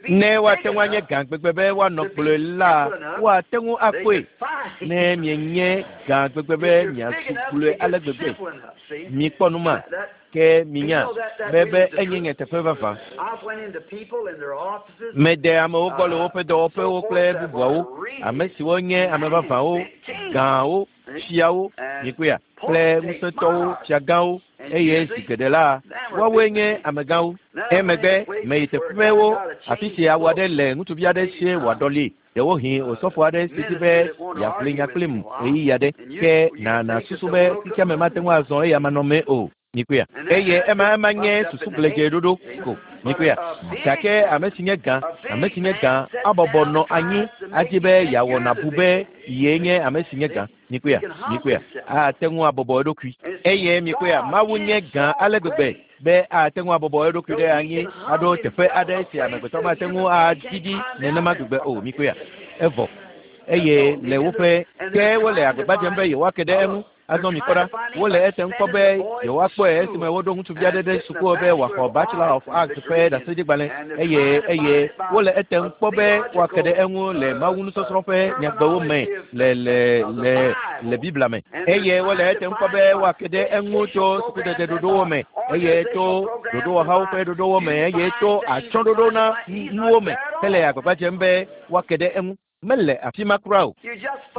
ne woate ŋu anye gã gbegbe be woanɔ gblɔe la, woate ŋu akpɔe. Ne mienye gã gbegbe be miasu gblɔe ale gbegbe, mikpɔ nu ma ke minya be be enye nyateƒe vavã. Mede amewo gbɔ le woƒe dɔwɔƒewo kple bubuawo, ame siwo nye ame vavãwo, gãwo, fiawo, mikpɔea, kple ŋusẽtɔwo, fiagãwo, eye zi geɖe la, woawoe nye amegãwo. Emegbe meyi teƒewo afi si awu aɖe le ŋutsuvi aɖe sie wòaɖɔli. Ɖewohĩ osɔfo aɖe si di be yeaƒli nya kplim ɣeyiɣi aɖe, ke nàna susu be xexeame mate ŋu azɔ eya manɔmee o. Mikpɔea, eye ema ema nye susu gblẽdze ɖoɖo ko. Mikpɔea, gake ame si nye gã, ame si nye gã abɔbɔ nɔ anyi adi be yeawɔ nàbu be yee nye ame si nye gã. Mikpɔea, mikpɔea, ate ŋu abɔbɔ eɖokui. Eye mikpɔea, Mawu nye gã ale gbegbe be ate ŋu abɔbɔ eɖokui ɖe anyi aɖo teƒe aɖe si amegbetɔ mate ŋu adidi nenema gbegbe o. Mikpɔea, evɔ eye le woƒe ke wole agbagba dzem be yewoake ɖe eŋu. Azɔ mikpɔ ɖa, wole etem kpɔ be yewoakpɔe esime woɖo ŋutsuvi aɖe ɖe suku be wòaxɔ Bachelor of Arts ƒe ɖaseɖigbalẽ, eye eye wole etem kpɔ be woake ɖe eŋu le Mawu nusɔsrɔ̃ ƒe nyagbewo me le le le le Biblia me, eye wole etem kpɔ be woake ɖe eŋu tso sukudede ɖoɖowo me, eye tso ɖoɖowɔhawo ƒe ɖoɖowo me, eye tso atsyɔ̃ɖoɖo na nuwo me hele agbagba dzem be woake ɖe eŋu. Mele afi ma kura o.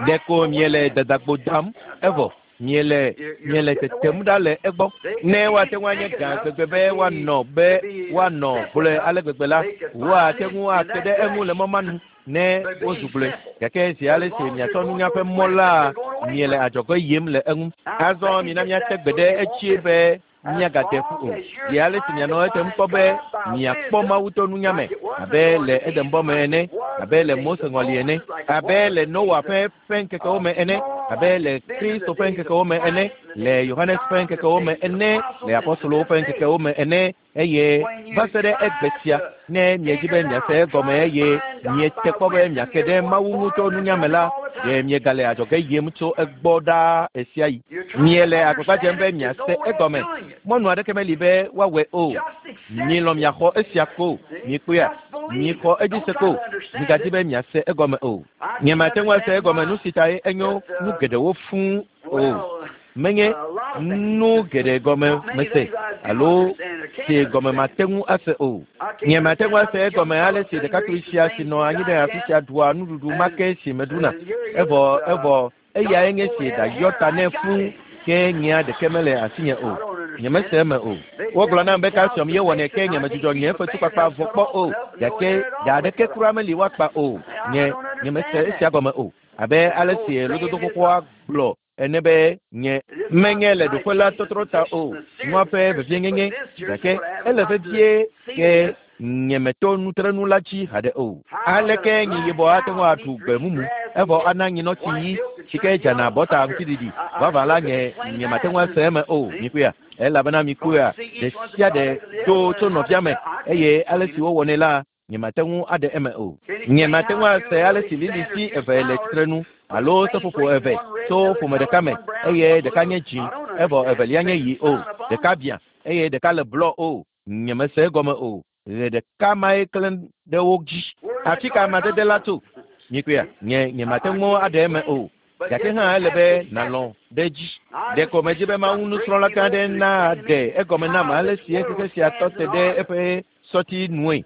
Ɖeko miele dadagbo dam evɔ miele miele tetem ɖa le egbɔ. Ne woate ŋu anye gã gbegbe be woanɔ be woanɔ gblɔe ale gbegbe la, woate ŋu ake ɖe eŋu le mɔ ma nu ne wozu gblɔe. Gake zi ale si miatsɔ nunya ƒe mɔ la, miele adzɔge yim le eŋu. Azɔ mina míate gbe ɖe etsie be miagate ƒu o. Zi ale si mianɔ etem kpɔ be miakpɔ Mawu to nunya me abe le Edenbɔ me ene, abe le Mose ŋɔli ene, abe le Noa ƒe ƒe ŋkekewo me ene, abe le Kristo ƒe ŋkekewo me ene, le Yohanes ƒe ŋkekewo me ene, le apostolowo ƒe ŋkekewo me ene, eye va se ɖe egbe sia, ne miedzi be miase egɔme eye miete kpɔ be miake ɖe Mawu ŋu tso nunya me la, ɖe miegale adzɔge yim tso egbɔ ɖaa ɣesiaɣi. Miele agbagba dzem be miase egɔme. Mɔnu aɖeke meli be woawɔe o. Mielɔ̃ miaxɔ esia ko. Mikpɔea, mixɔ edzi se ko. Migadi be miase egɔme o. Nyemate ŋu ase egɔme nu si tae enyo nu geɖewo fũu o. Menye nu geɖe gɔme mese alo si gɔme mate ŋu ase o. Nyemate ŋu ase egɔme ale si ɖekakpui sia si nɔ anyi ɖe afi sia ɖua nuɖuɖu ma ke si meɖuna. Evɔ evɔ eyae nye si ɖayɔ ta nɛ fũu ke nyea ɖeke mele asinye o. Nyemese eme o. Wogblɔ nam be calcium ye wɔnɛ ke nyemedzudzɔ nye fetukpakpa vɔ kpɔ o. Gake ɖa aɖeke kura meli woakpa o. Nye nyemese esia gɔme o. Abe ale si lododo xoxoa gblɔ ene be nye menye le ɖoƒe la tɔtrɔ ta o. Nua ƒe vevienyenye gake ele vevie ke Nyemeto nutrenu la dzi haɖe o. Aleke nyi yibɔ ate ŋu aɖu gbe mumu evɔ ana nyinɔtsi ɣi si ke dzana bɔta ŋutiɖiɖi vavã la nye nyemate ŋu ase eme o. Mikpɔea? Elabena mikpɔea, ɖe sia ɖe do tso nɔvia me eye ale si wowɔnɛ la nyemate ŋu aɖe eme o. Nyemate ŋu ase ale si liliti eve le tsitrenu alo seƒoƒo eve tso ƒome ɖeka me eye ɖeka nye dzĩ evɔ evelia nye ɣi o. Ɖeka biã eye ɖeka le blɔ o. Nyemese egɔme o. Ɣe ɖeka mae klẽ ɖe wo dzi. Afi ka amadede la tso? Mikpɔea? Nye nyemate ŋu aɖe eme o. Gake hã ele be nàlɔ̃ ɖe edzi. Ɖeko medzi be Mawu nusrɔ̃la gã aɖe naɖe egɔme nam ale si xexe sia tɔ te ɖe eƒe sɔti nue.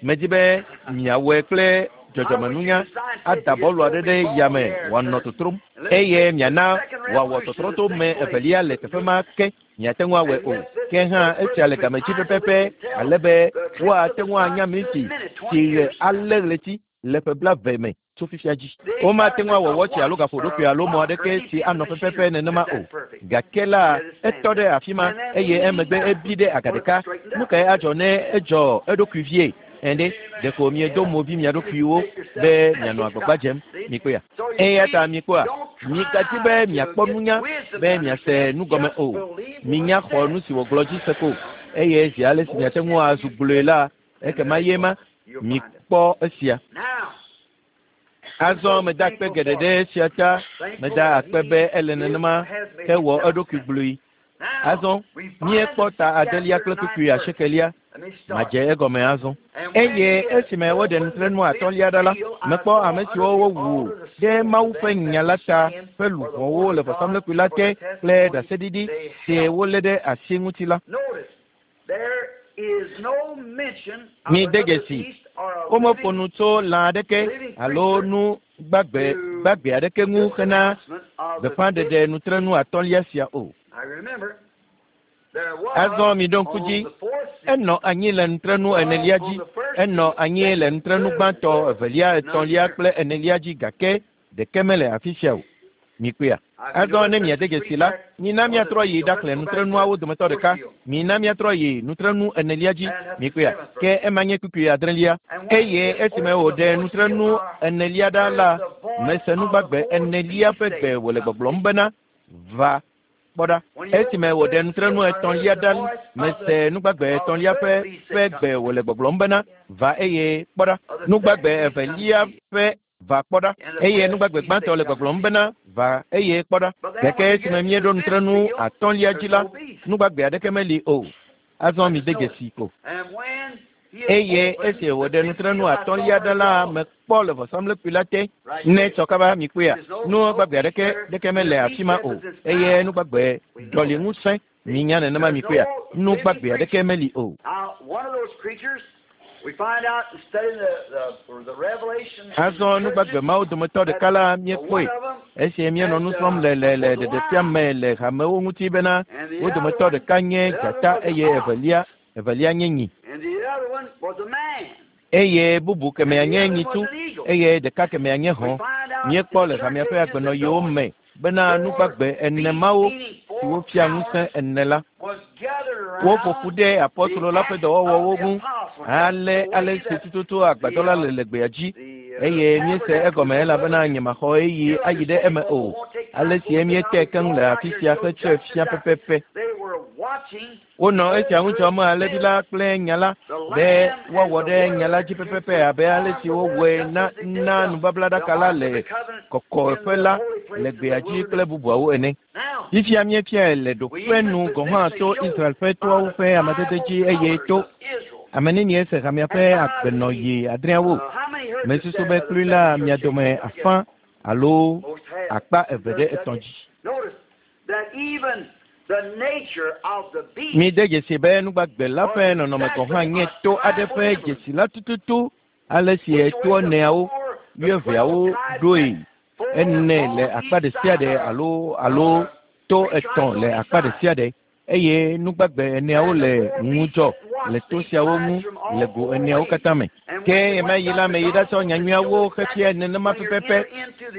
Medzi be miawɔe kple dzɔdzɔmenunya ada bɔlu aɖe ɖe yame wòanɔ totrom eye miana wòawɔ tɔtrɔ to me evelia le teƒe ma ke miate ŋu awɔe o. Ke hã esia le game dzi pɛpɛpɛ ale be woate ŋu anya minti si ɣe alé ɣleti le ƒe blaeve me tso fifia dzi. Womate ŋu awɔ wɔtsi alo gaƒoɖokui alo mɔ aɖeke si anɔ pɛpɛpɛ nenema o. Gake la etɔ ɖe afi ma eye emegbe ebi ɖe aga ɖeka. Nu kae adzɔ ne edzɔ eɖokui vie? Ende ɖeko miedo movi mia ɖokuiwo be mianɔ agbagba dzem. Mikpɔea? Eya ta mikpɔa, migadzi be miakpɔ nunya be miase nu gɔme o. Minya xɔ nu si wògblɔ dzi se ko eye zi ale si miate ŋu azu gblɔe la, ekema ye ma mikpɔ esia. Azɔ meda akpe geɖe ɖe esia ta. Meda akpe be ele nenema ke wɔ eɖokui gblɔe. Azɔ míekpɔ ta adelia kple kpukpui asiekelia. Madze egɔme azɔ. Eye esime woɖe nutrenu atɔ̃lia ɖa la, mekpɔ ame siwo wowu ɖe Mawu ƒe nya la ta ƒe luʋɔwo le vɔsamlekpui la te kple ɖaseɖiɖi si wolé ɖe asi ŋuti la. Mide dzesi, womeƒo nu tso lã aɖeke alo nu gbagbe gbagbe aɖeke ŋu hena gbeƒãɖeɖe nutrenu atɔ̃lia sia o. Azɔ miɖo ŋku dzi, enɔ anyi le nutrenu enelia dzi, enɔ anyi le nutrenu gbãtɔ, evelia, etɔ̃lia kple enelia dzi gake ɖeke mele afi sia o. Mikpɔea? Azɔ ne miade dzesi la, mina miatrɔ yi ɖaxlẽ nutrenuawo dometɔ ɖeka. Mina miatrɔ yi nutrenu enelia dzi. Mikpɔea? Ke ema nye kpukpui adrelia. Eye esime wòɖe nutrenu enelia ɖa la, mese nugbagbe enelia ƒe gbe wòle gbɔgblɔm bena, va kpɔ ɖa. Esime wòɖe nutrenu etɔ̃lia ɖa, mese nugbagbe etɔ̃lia ƒe ƒe gbe wòle gbɔgblɔm bena, va eye kpɔ ɖa. Nugbagbe evelia ƒe va kpɔ ɖa. Eye nugbagbe gbãtɔ le gbɔgblɔm bena, va eye kpɔ ɖa. Gake esime míeɖo nutrenu atɔ̃lia dzi la, nugbagbe aɖeke meli o. Azɔ mide dzesi ko. Eye esi wòɖe nutrenu atɔ̃lia ɖa la, mekpɔ le vɔsamlekpui la te. Ne tsɔ kaba mikpɔea, nu gbagbe aɖeke ɖeke mele afi ma o. Eye nugbagbe ɖɔli ŋusẽ minya nenema mikpɔea, nu gbagbe aɖeke meli o. Azɔ nugbagbe mawo dometɔ ɖeka la míekpɔe esi míenɔ nu srɔ̃m le le le ɖeɖefia me le hamewo ŋuti bena wo dometɔ ɖeka nye dzata eye evelia evelia nye nyi. Eye bubu kemɛa nye nyitsu eye ɖeka kemɛa nye hɔ̃. Míekpɔ le hamea ƒe agbenɔɣiwo me bena nugbagbe ene mawo siwo fia ŋusẽ ene la, woƒo ƒu ɖe apɔstolo la ƒe dɔwɔwɔwo ŋu ale ale si tututu agbadɔ la le le gbea dzi eye míese egɔme elabena nyemaxɔ ɣeyiɣi ayi ɖe eme o. Ale si míete keŋ le afi sia hetsɔe fia pɛpɛpɛ. Wonɔ esia ŋu dzɔm alẽvi la kple nya la be woawɔ ɖe nya la dzi pɛpɛpɛ abe ale si wowɔe na na nubablaɖaka la le kɔkɔeƒe la le gbea dzi kple bubuawo ene. Fifia míefiae le ɖoƒe nu gɔ̃ hã to Israel ƒe toawo ƒe amadede dzi eye to ame nenie se hamea ƒe agbenɔɣi adreawo. Mesusu be klui la mia dome afã alo akpa eve ɖe etɔ̃ dzi. Mide dzesi be nugbagbe la ƒe nɔnɔme gɔ̃ hã nye to aɖe ƒe dzesi la tututu ale si etoa eneawo, wuieveawo ɖoe ene le akpa ɖe sia ɖe alo alo to etɔ̃ le akpa ɖe sia ɖe eye nugbagbe eneawo le ŋudzɔ le to siawo ŋu le go eneawo katã me. Ke ɣemaɣi la meyi ɖatsɔ nyanyuiawo xefia nenema pɛpɛpɛ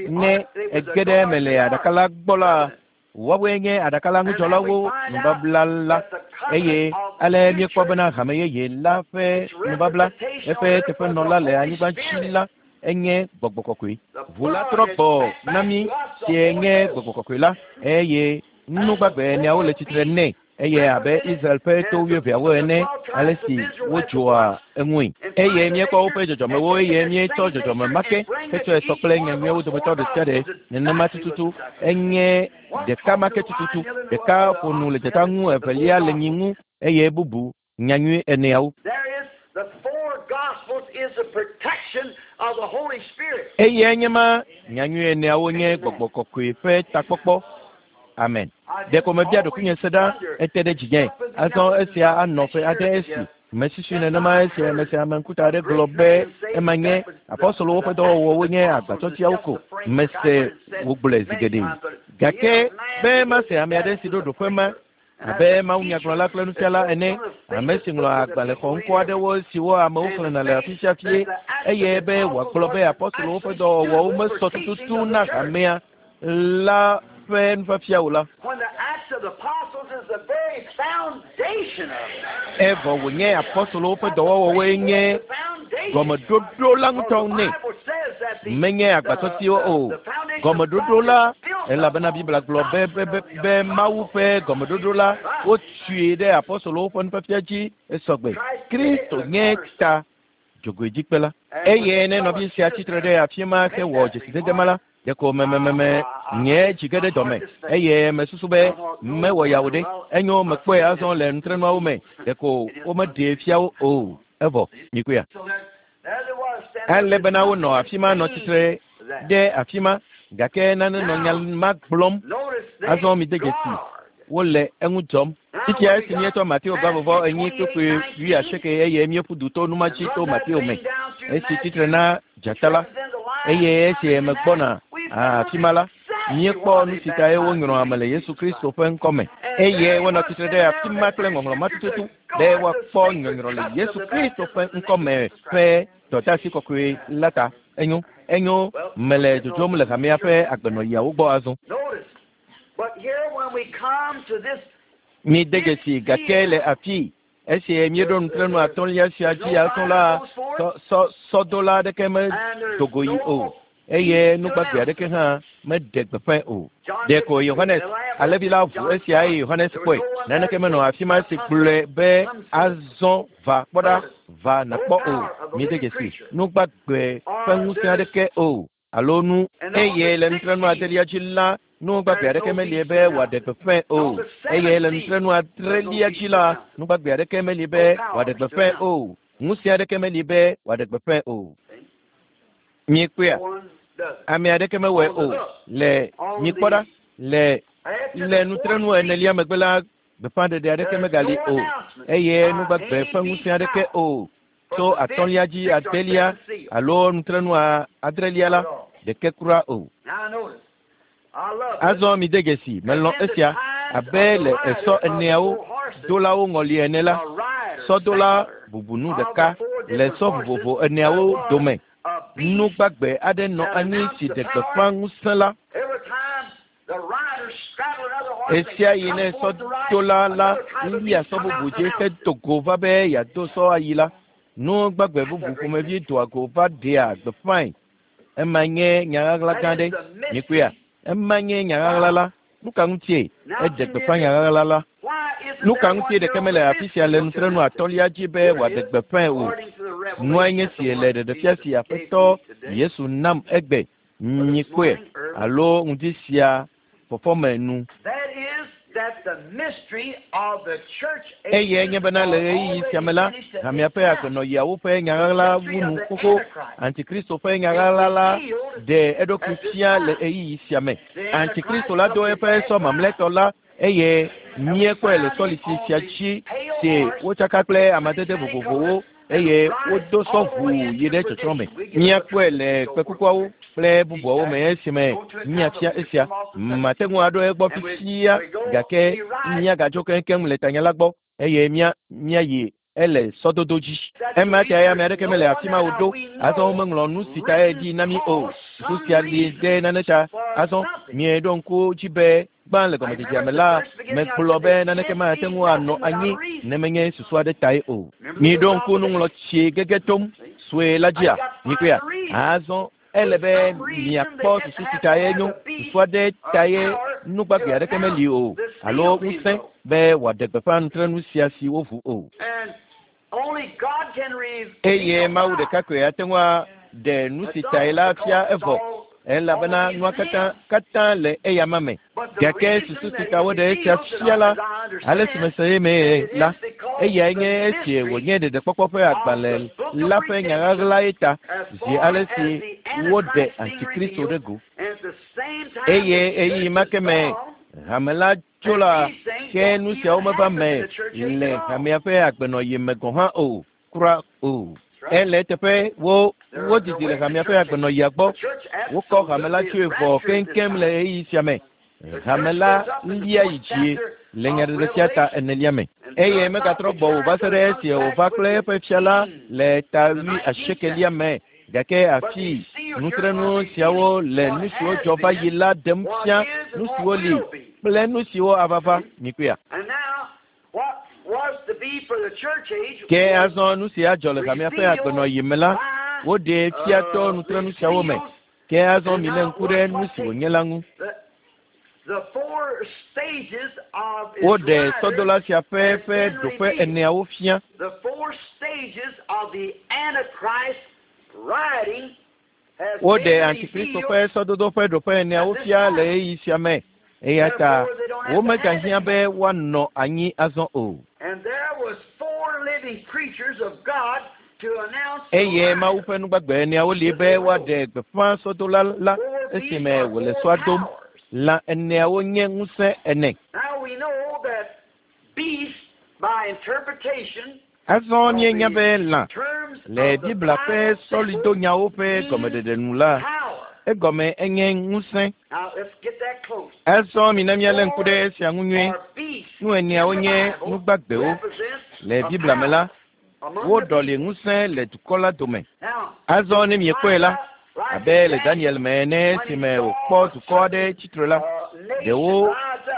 ne ege ɖe eme le aɖaka la gbɔ la, Woawoe nye aɖaka la ŋudzɔlawo nubabla la eye ale míekpɔ bena hame yeye la ƒe nubabla eƒe teƒenɔla le anyigba dzi la enye gbɔgbɔ kɔkɔe. Ʋu la trɔ gbɔ na mí sie nye gbɔgbɔ kɔkɔe la eye nugbagbe eneawo le tsitre nɛ eye abe Israel ƒe to wuieveawo ene ale si wodzoa eŋui. Eye míekpɔ woƒe dzɔdzɔmewo eye míetsɔ dzɔdzɔme ma ke hetsɔe sɔ kple nyanyuiawo dometɔ ɖe sia ɖe nenema tututu enye ɖeka ma ke tututu ɖeka ƒo nu le dzata ŋu evelia le nyi ŋu eye bubu nyanyui eneawo. There is the four Gospels is the protection of the Holy Spirit. Eye nye ma nyanyui eneawo nye gbɔgbɔ kɔkɔe ƒe takpɔkpɔ. Amen. Ɖeko mebia ɖokuinye se ɖa ete ɖe dzinye. Azɔ esia anɔ ƒe aɖe esi. Mesusui nenema esi ame sia ame ŋkuta aɖe gblɔ be ema nye apɔstolowo ƒe dɔwɔwɔwo nye agbatsɔtsiawo ko. Mese wogblɔe zi geɖe. Gake be mase ame aɖe si ɖo ɖoƒe ma abe mawunyagblɔla kple nufiala ene, ame si ŋlɔ agbalẽ xɔŋkɔ aɖewo siwo amewo xlẽna le afi sia fie eye be wòagblɔ be apɔstolowo ƒe dɔwɔwɔwo mesɔ tututu na hamea la ƒe nufiafia o la. When the Acts of the Apostles is the very foundation of it. Evɔ wònye apɔstolowo ƒe dɔwɔwɔwoe nye gɔmeɖoɖo la ŋutɔ nɛ. Menye agbatsɔtsiwo o. Gɔmeɖoɖo la elabena Biblia gblɔ be be be be Mawu ƒe gɔmeɖoɖo la wotui ɖe apɔstolowo ƒe nufiafia dzi esɔgbe. Kristo nye ta dzogoedzikpe la. Eye ne nɔvi sia tsitre ɖe afi ma hewɔ dzesidede ma la, ɖeko memememe nye dzi ge ɖe dɔme eye mesusu be mewɔ yawo ɖe enyo mekpɔe azɔ le nutrenuawo me ɖeko womeɖee fia wo o evɔ mikoea. So there, there they was standing Ale bena wonɔ afi ma nɔ tsitre ɖe afi ma gake nane nɔ nya ma gblɔm Notice they azɔ mi de dzesi guard. wole eŋu dzɔm. Fifia esi míetsɔ Mateo gavɔvɔ enyi kpukpui wuiasieke eye míeƒu du to numa dzi to Mateo me esi tsitre na dzata la eye esi megbɔna afi ma la míekpɔ nu si tae wonyrɔ ame le Yesu Kristo ƒe ŋkɔme eye wonɔ tsitre ɖe afi ma kple ŋɔŋlɔ ma tututu be woakpɔ nyɔnyrɔ le Yesu Kristo ƒe ŋkɔme ƒe dɔdeasi kɔkɔe la ta. Enyo enyo mele dzodzom le hamea ƒe agbenɔɣiawo gbɔ azɔ. Notice. But here when we come to this Míde dzesi gake le afi esi míeɖo nutrenu atɔ̃lia sia dzi azɔ la sɔ sɔ sɔdola aɖeke medo go yi o eye nugbagbe aɖeke hã meɖe gbeƒãe o. Ɖeko Yohanes alẽvi la ʋu esia eye Yohanes kpɔe. Naneke menɔ afi ma si gblɔe be azɔ va kpɔ ɖa va nàkpɔ o. Míde dzesi nugbagbe ƒe ŋusẽ aɖeke o alo nu eye le nutrenu adelia dzi la nugbagbe aɖeke meli be wòaɖe gbeƒãe o eye le nutrenu adrelia dzi la nugbagbe aɖeke meli be wòaɖe gbeƒãe o ŋusẽ aɖeke meli be wòaɖe gbeƒãe o. Miekpɔea one does. ame aɖeke mewɔe o le mikpɔ ɖa le le nutrenu enelia megbe la gbeƒãɖeɖe aɖeke megali o eye nugbagbe ƒe ŋusẽ aɖeke o tso atɔ̃lia dzi adelia alo nutrenu adrelia la ɖeke kura o. Now notice. I love this. Azɔ mi de dzesi melɔ̃ esia abe le esɔ eneawo dolawo ŋɔli ene la A rider, sɔdola bubunu ɖeka le sɔ vovovo eneawo dome a beast. nugbagbe aɖe nɔ anyi si ɖe gbeƒã ŋusẽ la Every time the rider straddled another horse, esia yi ne come forth to ride, sɔdola la another type of lia beast sɔ come bubu out dzi and hedo go va be yeado sɔ ayi la nugbagbe bubu ƒomevi doa go va ɖea gbeƒãe ema nye nya ɣaɣla gã ɖe mikpɔea ema nye nya ɣaɣla la nu ka ŋutie eɖe gbeƒã nya ɣaɣla la Why isn't nu ka there ŋutie one ɖeke here mele on afi sia le this nutrenu atɔ̃lia dzi be wòaɖe gbeƒãe o According to the nua nye revelation si the le Lord ɖeɖefia Jesus si gave aƒetɔ me today. Yesu nam egbe nyikpɔe alo ŋdi sia fɔfɔme nu That is that the mystery of the church eye nye bena le ɣeyiɣi sia me la hamea ƒe agbenɔɣiawo ƒe nya ɣaɣla wu nu xoxo antikristo ƒe nya ɣaɣla la ɖe eɖokui fia le ɣeyiɣi sia me antikristo la do eƒe sɔ mamlɛtɔ la eye míekpɔe le sɔlisi sia dzi si wotsaka kple amadede vovovowo eye wodo sɔ ʋuu yi ɖe tsɔtsrɔ̃ me. Míakpɔe le kpekukuawo kple bubuawo me esime míafia esia. Mate ŋu aɖo egbɔ fifia gake míagadzo keŋkeŋ le tanya la gbɔ eye mía míayi ele sɔdodo dzi. Ema ta ame aɖeke mele afi ma o ɖo. Azɔ womeŋlɔ nu si tae ɖi na mí o. Susu sia li ɖe nane ta. Azɔ mieɖo ŋku dzi be Gbã le gɔmedzedzea me la, megblɔ be naneke mate ŋu anɔ anyi ne menye susu aɖe tae o. Miɖo ŋku nuŋlɔtsi gege tom sue la dzia? Mikpɔea? Azɔ ele be miakpɔ susu si tae nyo. Susu aɖe tae nugbagbe aɖeke meli o alo ŋusẽ be wòaɖe gbeƒã nutrenu sia si woʋu o. Eye Mawu ɖeka koe ate ŋu aɖe nu si tae la fia evɔ elabena nua katã katã le eyama me. Gake susu si ta woɖe esia fia la, ale si mese eme la, eyae nye esi wònye ɖeɖekpɔkpɔ ƒe agbalẽ la ƒe nya ɣaɣlae ta zi ale si woɖe Antikristo ɖe go. Eye ɣeyiɣi ma ke me hame la tso la, ke nu siawo meva me le hamea ƒe agbenɔɣi me gɔ̃ hã o, kura o. Ele eteƒe wo wodidi le hamea ƒe agbenɔɣia gbɔ. Wokɔ hame la tsoe vɔ keŋkeŋ le ɣeyiɣi sia me. Hame la lia yi dzi le nyaɖeɖefia ta enelia me. Eye megatrɔ gbɔ o va se ɖe esi wòva kple eƒe fia la le ta wui asiekelia me. Gake afi nutrenu siawo le nu siwo dzɔ va yi la ɖem fia nu siwo li kple nu siwo ava va. Mikpɔea? Ke azɔ nu si adzɔ le hamea ƒe agbenɔɣi me la, woɖee fia to nutrenu siawo me. Ke azɔ milé ŋku ɖe nu si wònye la ŋu. Woɖe sɔdola sia ƒe ƒe ɖoƒe eneawo fia. Woɖe Antikristo ƒe sɔdodo ƒe ɖoƒe eneawo fia le ɣeyiɣi sia me. Eya ta womegahiã be woanɔ anyi azɔ o. Eye Mawu ƒe nugbagbe eneawo li be woaɖe gbeƒã sɔdola la esime wòle sɔa dom. Lã eneawo nye ŋusẽ ene. Azɔ míenya be lã le Biblia ƒe sɔlidonyawo ƒe gɔmeɖeɖe nu la, egɔme enye ŋusẽ. Azɔ mina míalé ŋku ɖe esia ŋu nyuie. Nu eneawo nye nugbagbewo. Le Biblia me la, woɖɔli ŋusẽ le dukɔ la dome. Azɔ ne miekpɔe la, abe le Daniel me ene esime wòkpɔ dukɔ aɖe tsitre la, ɖewo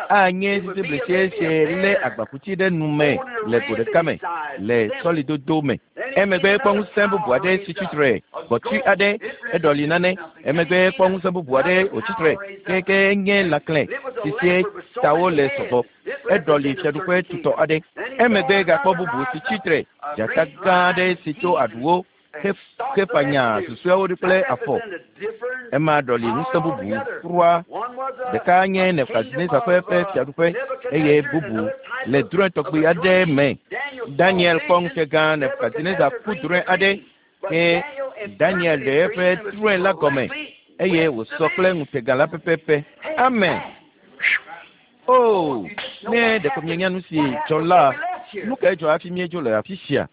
anye sisiblisi si lé agbakuti ɖe nu me le go ɖeka me le sɔlidodo me. Emegbe kpɔ ŋusẽ bubu aɖe si tsitre, gbɔtui aɖe eɖɔli nane. Emegbe kpɔ ŋusẽ bubu aɖe wòtsitre keke nye lãklẽ si sie tawo le sɔgbɔ. Eɖɔli fiaɖuƒe tutɔ aɖe. Emegbe gakpɔ bubu si tsitre, dzata gã aɖe si tso aɖuwo hefanya susɔeawo ɖi kple afɔ. Ema ɖɔli ŋusẽ bubu kura. Ɖeka nye Nebukadnezar ƒe ƒe fiaɖuƒe eye bubu le drɔ̃e tɔgbi aɖe me. Daniel kpɔ ŋutegã Nebukadnezar ku drɔ̃e aɖe ke Daniel ɖe eƒe drɔ̃e la gɔme eye wòsɔ kple ŋutega la pɛpɛpɛ. Amen. O, ne ɖeko mienya nu si dzɔ la, nu kae dzɔ hafi míedzo le afi sia?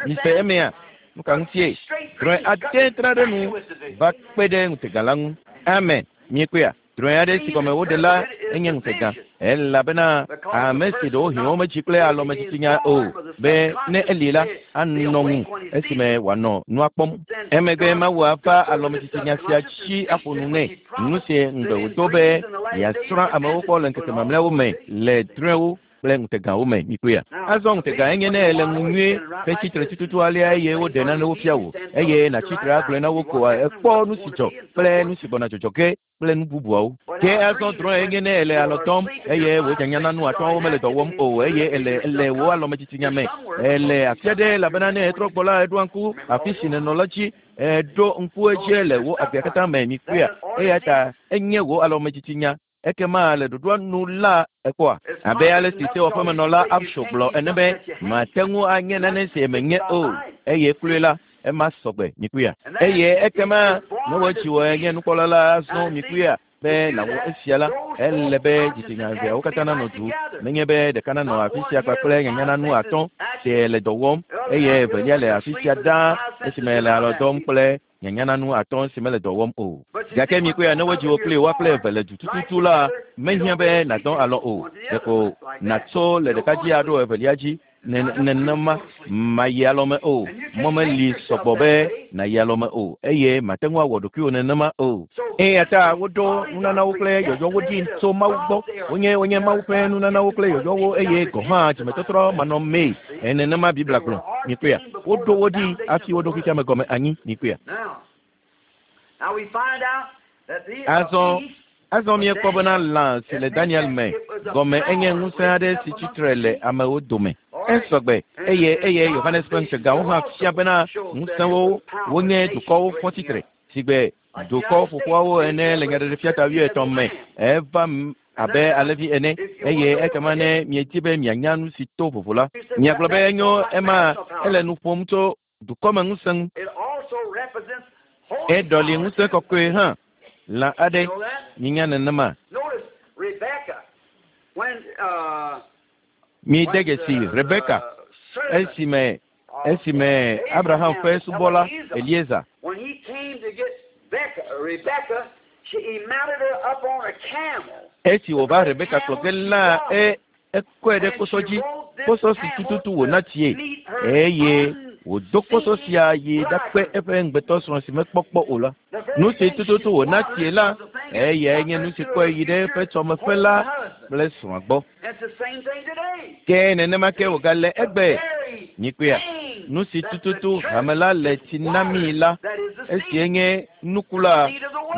Mise emea? Nu ka ŋutie? Drɔ̃e ade tra ɖe nu va kpe ɖe ŋutega la ŋu. Amen. Miekpɔea? Drɔ̃e aɖe si gɔme woɖe la enye ŋutega elabena ame si ɖewohĩ womedzi kple alɔmedzitsinya o be ne eli la anɔ ŋu esime wòanɔ nua kpɔm. Emegbe Mawu ava alɔmedzitsinya sia dzi aƒo nu nɛ. Nu si ŋugbe wòdo be yeasrɔ̃ amewo kpɔ le ŋkeke mamlɛawo me le drɔ̃ewo kple ŋutegawo me. Mikpɔea? Azɔ ŋutega enye ne ele ŋu nyuie hetsitre tututu alea eye woɖe nanewo fia wò eye nàtsitre agblɔe na wo ko ekpɔ nu si dzɔ kple nu si gbɔna dzɔdzɔ ge kple nu bubuawo. Ke azɔ drɔ̃e enye ne ele alɔ dɔm eye wò nyanyana nu atɔ̃awo mele dɔ wɔm o eye ele ele wò alɔmedzitsinya me. Ele afi aɖe elabena ne etrɔ gbɔ la eɖoa ŋku afi si nènɔ la dzi. Eɖo ŋku edzi le wò agbea katã me. Mikpɔea? Eya ta enye wò alɔmedzitsinya. Ekema le ɖoɖoa nu la ekpɔa abe ale si sewɔƒemenɔla Absho gblɔ ene be mate ŋu anye nane si menye o eye kloe la ema sɔgbe. Mikpɔea? Eye ekema ne wodzi wɔ nye nukpɔla la azɔ mikpɔea be nàwɔ esia la ele be dzitsinya eveawo katã nanɔ du nenye be ɖeka nanɔ afi sia kpakple nyanyananu atɔ̃ si le dɔ wɔm eye evelia le afi sia ɖaa esime le alɔ dɔm kple nyanyananu atɔ̃ si mele dɔ wɔm o. Gake mikpɔea ne wodzi wò kple woa kple eve le du tututu la, mehiã be nàdɔ alɔ o. Ɖeko nàtso le ɖeka dzi aɖo evelia dzi Nenema mayi alɔme o. Mɔ meli sɔgbɔ be nàyi alɔme o eye mate ŋu awɔ ɖokuiwò nenema o. Eya ta woɖo nunanawo kple yɔyɔwo ɖi tso Mawu gbɔ. Wonye wonye Mawu ƒe nunanawo kple yɔyɔwo eye gɔ̃ hã dzimetɔtrɔ manɔmee. Nenema Biblia gblɔ. Mikpɔea, woɖo wo ɖi hafi woɖo xexea me gɔme anyi. Mikpɔea. Azɔ azɔ míekpɔ bena lã si le Daniel me gɔme enye ŋusẽ aɖe si tsitre le amewo dome. Esɔgbe eye eye Yohanes ƒe ŋutegawo hã fia bena ŋusẽwo wonye dukɔwo fɔ tsitre sigbe dukɔ ƒoƒoawo ene le nyaɖeɖefia ta wuietɔ̃ me. Eva abe alẽvi ene eye ekema ne miedi be mianya nu si to vovo la, miagblɔ be enyo ema ele nu ƒom tso dukɔmeŋusẽ ŋu. Eɖɔli ŋusẽ kɔkɔe hã lã aɖe minya nenema. Mide dzesi Rebeka esime esime Abraham ƒe subɔla Eliezer esi wòva Rebeka kplɔ ge la e ekɔe ɖe kposɔ dzi, kposɔ si tututu wòna tsie eye wòdo kposɔ sia yi ɖakpe eƒe ŋugbetɔsrɔ̃ si mekpɔ kpɔ o la. Nu si tututu wòna tsie la, eyae nye nu si kɔe yi ɖe eƒe tsɔmeƒe la kple srɔ̃a gbɔ. Ke nenema ke wògale egbe. Mikpɔea, nu si tututu hame la le tsi na mí la, esie nye nuku la,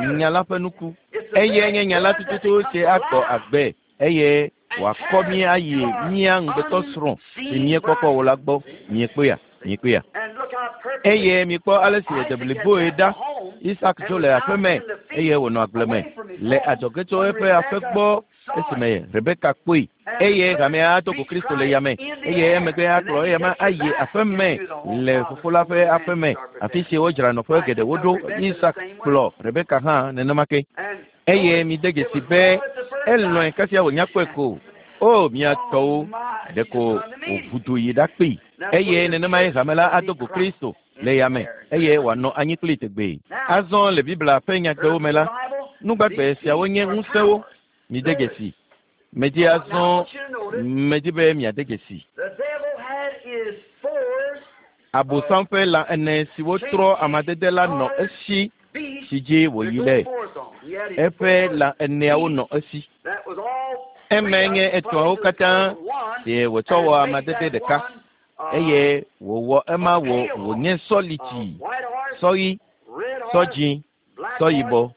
nya la ƒe nuku. Eyae nye nya la tututu si agbɔ agbe eye wòakɔ mí ayi mía ŋugbetɔsrɔ̃ si míekpɔ kpɔ o la gbɔ. Miekpɔea, miekpɔea. Eye mikpɔ ale si wòde bliboe ɖa. Isak dzo le aƒe me eye wònɔ agble me le adzɔge tso eƒe aƒe gbɔ esime Rebeka kpɔe. Eye hamea ado go Kristo le yame eye emegbe akplɔ eyama ayi aƒe me le fofo la ƒe aƒe me, afi si wodzra nɔƒe geɖewo ɖo. Isak kplɔ Rebeka hã nenema ke. Eye mide dzesi be elɔ̃e kasia wònya kpɔe ko. O mia tɔwo, ɖeko wòʋu yi ɖakpee. Eye nenemae hame la ado go Kristo le yame eye wòanɔ anyi kplii tegbee. Azɔ le Biblia ƒe nyagbewo me la, nugbagbe siawo nye ŋusẽwo. Mide dzesi. Medi azɔ medi be miade dzesi. Abosam ƒe lã ene siwo trɔ amadede la nɔ esi si dzi wòyi ɖe. Eƒe lã eneawo nɔ esi. Eme nye etɔ̃awo katã sie wòtsɔ wɔ amadede ɖeka eye wòwɔ ema wò wònye sɔlitsi, sɔɣi, sɔdzĩ, sɔyibɔ.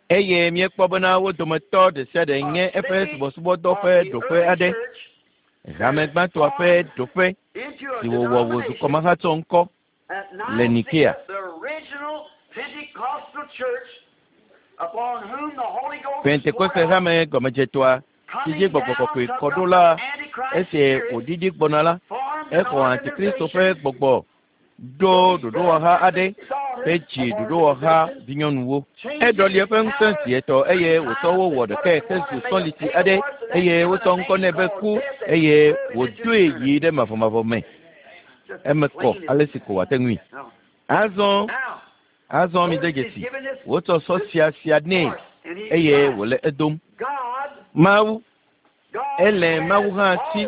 Eye míekpɔ bena wo dometɔ ɖe sia ɖe nye eƒe subɔsubɔdɔ ƒe ɖoƒe aɖe, hame gbãtɔa ƒe ɖoƒe si wòwɔ wòzu kɔmahatsɔ ŋkɔ le Nikea. Pentekoste hame gɔmedzetɔa si dzi gbɔgbɔ kɔkɔe kɔ ɖo la, esi wòɖiɖi gbɔna la, exɔ Antikristo ƒe gbɔgbɔ ɖo ɖoɖowɔha aɖe ƒe dzi ɖoɖowɔha vinyɔnuwo. Eɖɔli eƒe ŋusẽ zi etɔ̃ eye wòtsɔ wo wɔ ɖekae hezu sɔlitsi aɖe eye wotsɔ ŋkɔ nɛ be ku eye wòdoe yi ɖe mavɔmavɔ me. Eme kɔ ale si ko wòate ŋui. Azɔ azɔ mide dzesi wotsɔ sɔ sia sia nɛ eye wòle edom. Mawu ele Mawu hã si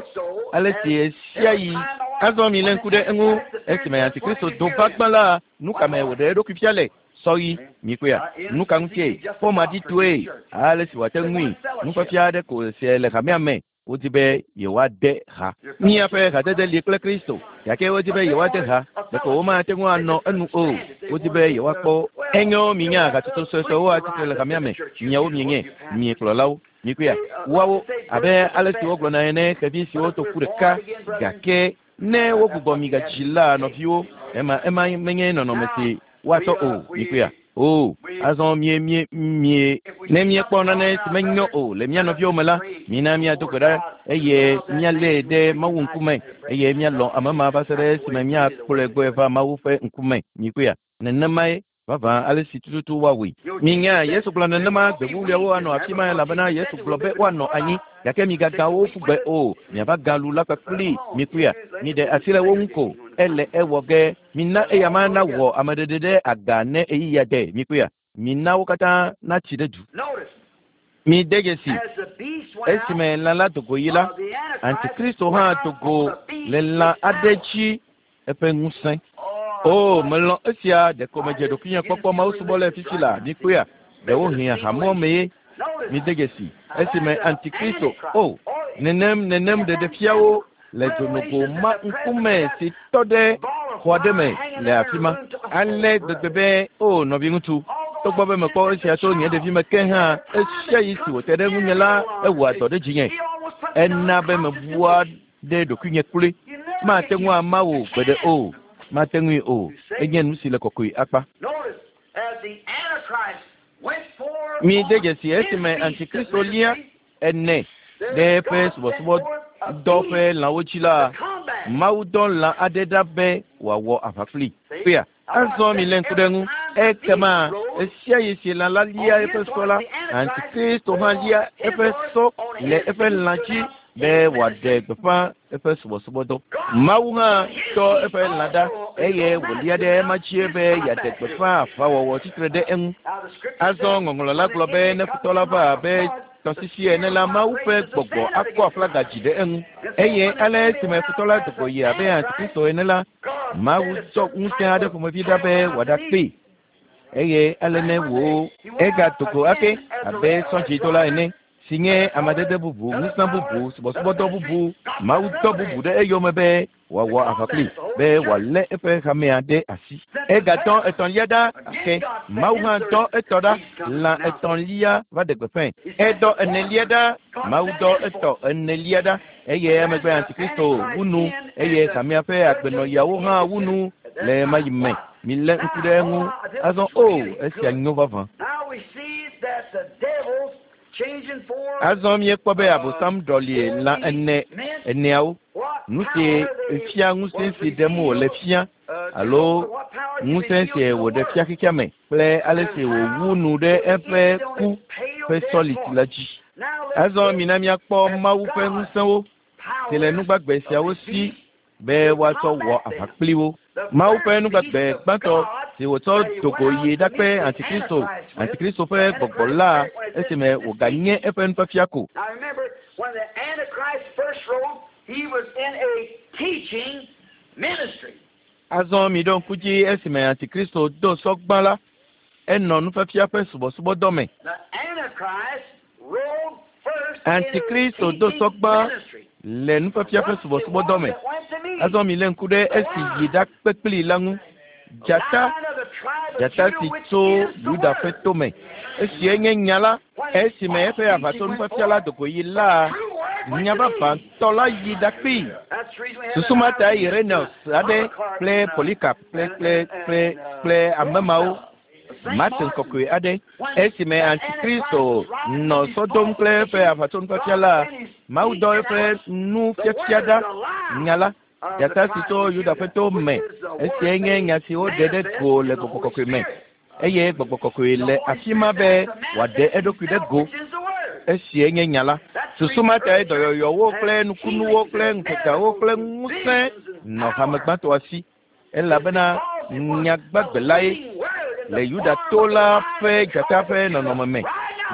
ale si ɣe sia ɣi. Azɔ milé ŋku ɖe eŋu esime Antikristo do va gbã la, nu ka me wòɖe eɖokui fia le? Sɔɣi, mikpɔea, nu ka ŋutie? Fɔmaɖitɔe ale si wòate ŋui. Nufiafia aɖe ko sie le hamea me. Wodi be yewoade ha. Míaƒe hadede li kple Kristo, gake wodi be yewoade ha. Ɖeko womate ŋu anɔ enu o. Wodi be yewoakpɔ. Enyo minya hatsotso suesuewo atsitre le hamea me. Miawo mienye miekplɔlawo. Mikpɔea, woawo abe ale si wogblɔna ene, xevi siwo to ƒu ɖeka gake ne wogbugbɔ mi gadzi la nɔviwo, ema ema menye nɔnɔme si woatɔ o. Mikpɔea, o azɔ mie mie mie ne míekpɔ nane si menyo o le mía nɔviwo me la, mina míado gbe ɖa eye míalée ɖe Mawu ŋkume eye míalɔ̃ ame ma va se ɖe esime míakplɔe gbɔe va Mawu ƒe ŋkume. Mikpɔea, nenemae vavã ale si tututu woawɔe. Minya Yesu gblɔ nenema gbevuwuliawo anɔ afi ma elabena Yesu gblɔ be woanɔ anyi gake migagã wo ƒu gbe o. Miava gã lu la kpakpli. Mikpɔea, miɖe asi le wo ŋu ko. Ele ewɔ ge. Mina eyama nawɔ ameɖeɖe ɖe aga ne ɣeyiɣia de. Mikpɔea, mina wo katã natsi ɖe du. Mi de dzesi esime lã la do go yi la, Antikristo hã do go le lã aɖe dzi eƒe ŋusẽ. O, melɔ̃ esia ɖeko medze ɖokuinye kpɔkpɔ Mawu subɔ le fifi la mikpɔea ɖewohĩ ahamɔ me ye. Mi de dzesi esime Antikristo o nenem nenem ɖeɖefiawo le dzonogo ma ŋkume si tɔ ɖe xɔ aɖe me le afi ma. Ale gbegbe be o nɔviŋutsu togbɔ be mekpɔ esia tso nye ɖevime ke hã esia yi si wòte ɖe ŋunye la ewɔa dɔ ɖe dzinye. Ena be mebua ɖe ɖokuinye kloe. Mate ŋu ama wò gbeɖe o. Mate ŋui o. Enye nu si le kɔkɔe akpa. Mi de dzesi esime Antikristo lia ene ɖe eƒe subɔsubɔdɔ ƒe lãwo dzi la, Mawu dɔ lã aɖe ɖa be wòawɔ aʋa kplii. Kpea azɔ mi lé ŋku ɖe ŋu. Ekema esia yi si lã la lia eƒe sɔ la, Antikristo hã lia eƒe sɔ le eƒe lã dzi be wòaɖe gbeƒã eƒe subɔsubɔdɔ. Mawu hã tɔ eƒe lã ɖa eye wòlia ɖe ema dzi be yeaɖe gbeƒã aʋawɔwɔ tsitre ɖe eŋu. Azɔ ŋɔŋlɔ la gblɔ be ne futɔ la va abe tɔsisi ene la, Mawu ƒe gbɔgbɔ akɔ aflaga dzi ɖe eŋu. Eye ale esime futɔ la do go yi abe Antikristo ene la, Mawu tsɔ ŋusẽ aɖe ƒomevi ɖa be wòaɖakpee. Eye ale ne wò egado go ake abe sɔdzidola ene si nye amadede bubu, ŋusẽ bubu, subɔsubɔdɔ bubu, Mawu dɔ bubu ɖe eyome be wòawɔ aʋa kplii be wòalé eƒe hamea ɖe asi. Egadɔ etɔ̃lia ɖa ake. Mawu hã dɔ etɔ ɖa. Lã etɔ̃lia va ɖe gbeƒãe. Edɔ enelia ɖa. Mawu dɔ etɔ enelia ɖa. Eye emegbe Antikristo wu nu eye hamea ƒe agbenɔyawo hã wu nu le ema yi me. Milé ŋku ɖe eŋu. Azɔ o esia nyo vavã. Azɔ míekpɔ be Abosam ɖɔli lã ene eneawo. Nu si fia ŋusẽ si ɖem wòle fia alo ŋusẽ si wòɖe fia xexea me kple ale si wòwu nu ɖe eƒe ku ƒe sɔliti la dzi. Azɔ mina míakpɔ Mawu ƒe ŋusẽwo si le nugbagbe siawo si be woatsɔ wɔ aʋa kpli wo. Mawu ƒe nugbagbe gbãtɔ si wòtsɔ do go yi ɖakpe Antikristo, Antikristo ƒe gbɔgbɔ la esime wòganye eƒe nufiafia ko. Azɔ miɖo ŋku dzi esime Antikristo do sɔ gbã la, enɔ nufiafia ƒe subɔsubɔdɔ me. Antikristo do sɔ gbã le nufiafia ƒe subɔsubɔdɔ me. Azɔ milé ŋku ɖe esi yi ɖakpe kplii la ŋu. Dzata, dzata si tso Yuda ƒe tome. Esie nye nya la. Esime eƒe aʋatsonufiafia la do go yi la, nya vavãtɔ la yi ɖakpee. Susu ma ta Irenaeus aɖe kple Polycarp kple kple kple kple ame mawo Martin kɔkɔe aɖe esime Antikristo nɔ sɔ dom kple eƒe aʋatsonufiafia la, Mawu dɔ eƒe nufiafia ɖa nya la. Dzata si tso Yuda ƒe to me. Esiae nye nya si woɖe ɖe go le gbɔgbɔ kɔkɔe me. Eye gbɔgbɔ kɔkɔe le afi ma be wòaɖe eɖokui ɖe go. Esiae nye nya la. Susu ma tae dɔyɔyɔwo kple nukunuwo kple ŋutegawo kple ŋusẽ nɔ hame gbãtɔa si elabena nya gbagbe lae le Yuda to la ƒe dzata ƒe nɔnɔme me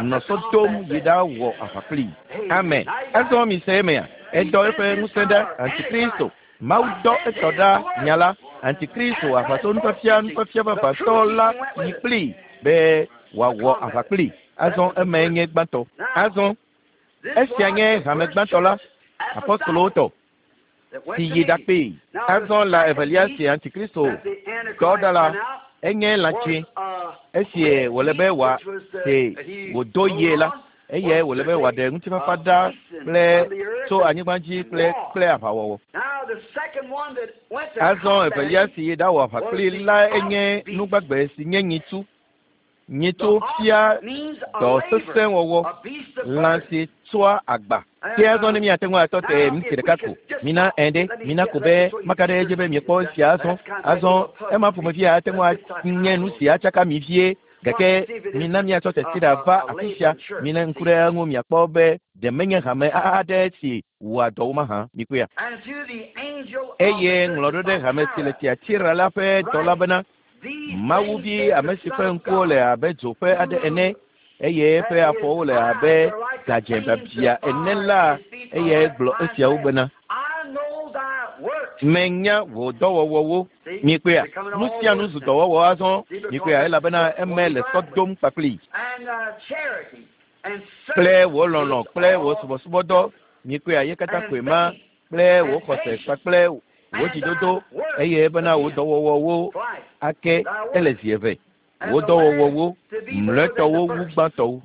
nɔ sɔ dom yi ɖawɔ aʋa kplii. Amen. Azɔ mise emea. Edɔ eƒe ŋusẽ ɖa Antikristo. Mawu dɔ etɔ ɖa nya la. Antikristo aʋatsonufiafia nufiafia vavãtɔ la yi kplii be wòawɔ aʋa kplii. Azɔ emae nye gbãtɔ. Azɔ esia nye hame gbãtɔ la, apostolowo tɔ si yi ɖakpee. Azɔ lã evelia si Antikristo dɔ ɖa la, enye lã tsɛ. Esie wòle be wòase wòdo yie la, eye wòle be wòaɖe ŋutifafa ɖa kple tso anyigba dzi kple kple aʋawɔwɔ. Azɔ evelia si yi ɖawɔ aʋa kplii la enye nugbagbe si nye nyitsu. Nyitsu fia dɔ sesẽ wɔwɔ, lã si tsoa agba. Ke azɔ ne míate ŋu atɔ te miniti ɖeka ko. Mina ẽ ɖe, mina ko be maka ɖe edzi be miekpɔ esia azɔ. Azɔ ema ƒomevi ate ŋu anye nu si atsaka mi vie. Gake mina míatsɔ teti ɖa va afi sia. Milé ŋku ɖe eŋu miakpɔ be ɖe menye hame aɖe si wɔa dɔ wo mahã. Mikpɔea. Eye ŋlɔ ɖo ɖe hame si le Tiatira la ƒe dɔla bena, Mawuvi ame si ƒe ŋkuwo le abe dzo ƒe aɖe ene eye eƒe afɔwo le abe gadzẽ biabia ene la, eyae gblɔ esiawo bena, menya wò dɔwɔwɔwo. Mikpɔea, nu sia nu zu dɔwɔwɔ azɔ. Mikpɔea, elabena eme le sɔ dom kpakpli kple wò lɔlɔ̃ kple wò subɔsubɔdɔ. Mikpɔea, ye katã koe ma kple wò xɔse kpakple wò dzidodo, eye bena wò dɔwɔwɔwo ake ele zi eve. Wò dɔwɔwɔwo mlɔetɔwo wu gbãtɔwo.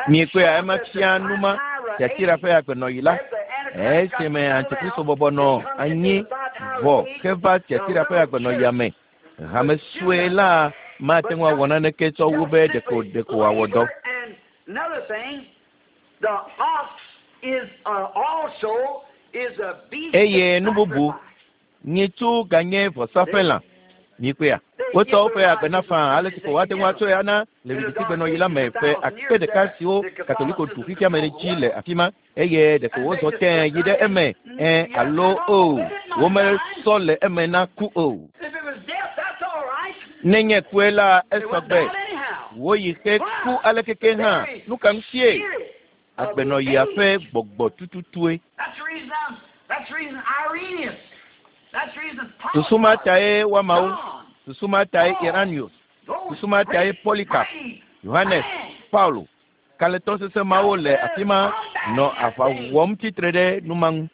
Mikpɔea, ema fia numa Tiatira ƒe agbenɔɣi la, esime Antikristo bɔbɔ nɔ anyi vɔ heva Tiatira ƒe agbenɔɣia me. Hame sue la mate ŋu awɔ naneke tsɔ wu be ɖeko ɖeko wòawɔ dɔ. Eye nu bubu, nyitsu ganye vɔsaƒe lã. Mikpɔea, wotsɔ woƒe agbe na faa ale si ko woate ŋu atsɔe ana le vivitigbenɔɣi la me ƒe akpe ɖeka siwo Katoliko ɖu fifia me dzi le afi ma, eye ɖeko wozɔ tẽe yi ɖe eme ẽ alo o, womesɔ le eme na ku o. Nenye kue la, esɔgbe. Woyi xe ku alekeke hã. Nu ka ŋutie? Agbenɔɣia ƒe gbɔgbɔ tututue. Susu ma tae woamawo, susu ma tae Irenaeus, susu ma tae Polycarp, Yohanes, Paulo, kalẽtɔ sesẽ mawo le afi ma nɔ aʋa wɔm tsitre ɖe nu ma ŋu.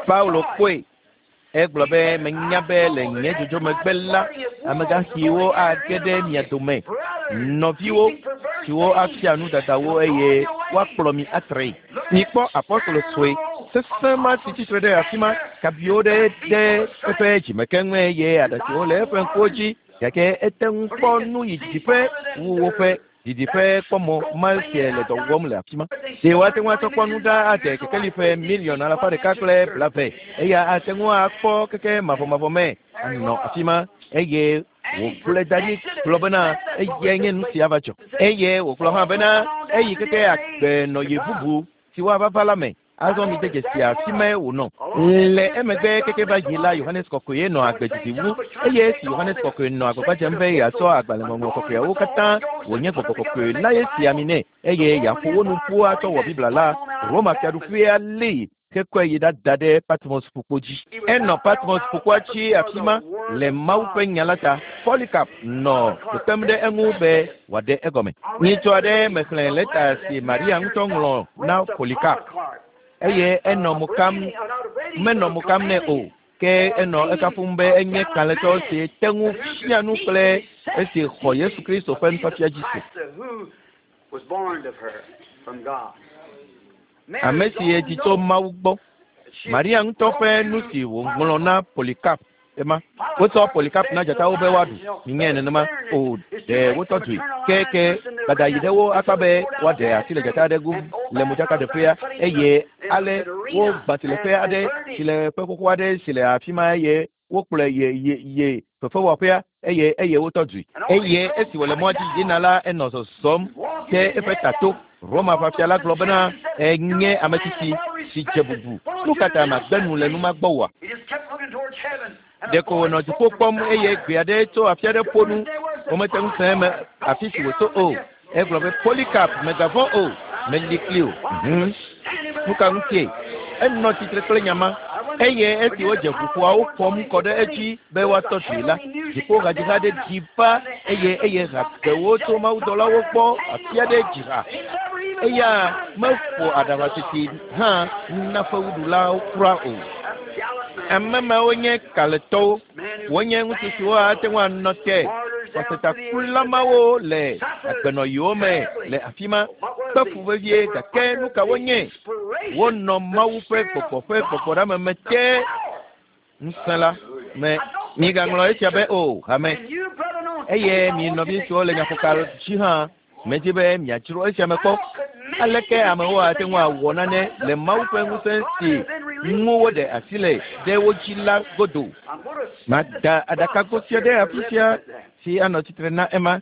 Paulo kpɔe. Egblɔ be menya be le nye dzodzo megbe la, amegãxiwo age ɖe mia dome, nɔviwo siwo afia nudadawo eye woakplɔ mi atree. Mikpɔ apɔstolo sue sesẽ ma si tsitre ɖe afi ma, kabiwo ɖe ɖe eƒe dzimekeŋue eye aɖatsiwo le eƒe ŋkuwo dzi, gake ete ŋu kpɔ nu yi didiƒe wu woƒe didiƒe kpɔmɔ ma sie le dɔ wɔm le afi ma. Ɖe woate ŋu atsɔ kpɔ nu ɖa ade kekeli ƒe miliɔn alafa ɖeka kple blave, eya ate ŋu akpɔ keke mavɔmavɔ me anɔ afi ma, eye wògblɔe da ɖi gblɔ bena eyae nye nu si ava dzɔ. Eye wògblɔ hã bena eyi keke agbenɔɣi bubu si woava va la me. Azɔ mi de dzesi afi mae wònɔ. Le emegbe keke va yi la, Yohanes Kɔkɔe nɔ agbe didi wu, eye esi Yohanes Kɔkɔe nɔ agbagba dzem be yeatsɔ agbalẽŋɔŋlɔ kɔkɔeawo katã wònye gbɔgbɔ kɔkɔe la ye si ami nɛ, eye yeaƒo wo nu ƒu atsɔ wɔ Biblia la, Roma fiaɖuƒea lée hekɔe yi ɖada ɖe Patmos ƒukpo dzi. Enɔ Patmos ƒukpoa dzi afi ma le Mawu ƒe nya la ta. Polycarp nɔ kpekpem ɖe eŋu be wòaɖe egɔme. Nyitsɔ aɖe mexlẽ lɛta si Maria ŋutɔ ŋlɔ na Polycarp, eye enɔ mo kam, menɔ mo kam nɛ o, ke enɔ ekafum be enye kalẽtɔ si te ŋu fia nu kple esi xɔ Yesu Kristo ƒe nufiafia dzi se. Ame si edzi tso Mawu gbɔ. Maria ŋutɔ ƒe nu si wòŋlɔ na Polycarp ema. Wotsɔ Polycarp na dzatawo be woaɖu. Minyae nenema o, ɖe wotɔ dzoe. Ke ke dada yi ɖe wo akpa be woaɖe asi le dzata aɖe ŋu le modzakaɖeƒea, eye ale wogbã tsileƒe aɖe, tsileƒe xoxo aɖe si le afi ma, eye wokplɔe ye ye ye fefewɔƒea, eye eye wotɔ dzoe. Eye esi wòle mɔa dzi yina la, enɔ zɔzɔm te eƒe tato. Roma ʋafia la gblɔ bena enye ame tsitsi si dze bubu. Nu ka ta magbe nu le nu ma gbɔ oa? Ɖeko wònɔ dziƒo kpɔm eye gbe aɖe tso afi aɖe ƒo nu. Womete ŋu se eme afi si wòtso o. Egblɔ be Polycarp, mègavɔ̃ o, meli kpli o. Hmm. Nu ka ŋutie? Enɔ tsitre kple nya ma. Eye esi wodze ʋuƒoawo ƒom kɔ ɖe edzi be woatɔ dzoe la, dziƒohadziha aɖe ɖi va eye eye hagbewo tso mawudɔlawo gbɔ afi aɖe dzi ha. Eya meƒo aɖaʋatiti hã na fewuɖulawo kura o. Ame mawo nye kalẽtɔwo. Wonye ŋutsu siwo ate ŋu anɔ te xɔsetakula mawo le agbenɔɣiwo me le afi ma kpe fu vevie, gake nu ka wonye? Wonɔ Mawu ƒe gbɔgbɔ ƒe gbɔgbɔɖeameme te ŋusẽ la me. Migaŋlɔ esia be o, hame. Eye mi nɔvi siwo le nyaƒoka dzi hã, medzi be miadzro esia me kpɔ. Aleke amewo ate ŋu awɔ nane le Mawu ƒe ŋusẽ si ŋu woɖe asi le ɖe wo dzi la godo? Mada aɖakago sia ɖe afi sia si anɔ tsitre na ema.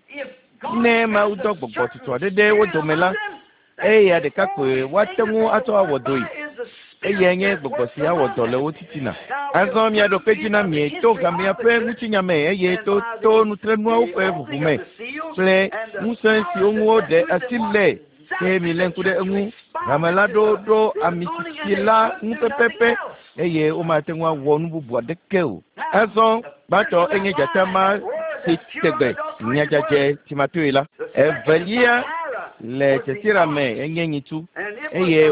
Ne Mawu dɔ gbɔgbɔ tutu aɖe ɖe wo dome la, eya ɖeka koe woate ŋu atsɔ awɔ dɔe. Eye nye gbɔgbɔ sia wɔ dɔ le wo titina. Azɔ miaɖo kpe dzi na mi to hamea ƒe ŋutinya me eye to to nutrenuawo ƒe ʋuʋu me kple ŋusẽ siwo ŋu woɖe asi le ke mi lé ŋku ɖe eŋu. Hame la ɖo ɖo amisisi la ŋu pɛpɛpɛ eye womate ŋu awɔ nu bubu aɖeke o. Azɔ gbãtɔ enye dzata ma si tegbe nyadzadze timatoe la. Evelia le Tiatira me enye nyitsu eye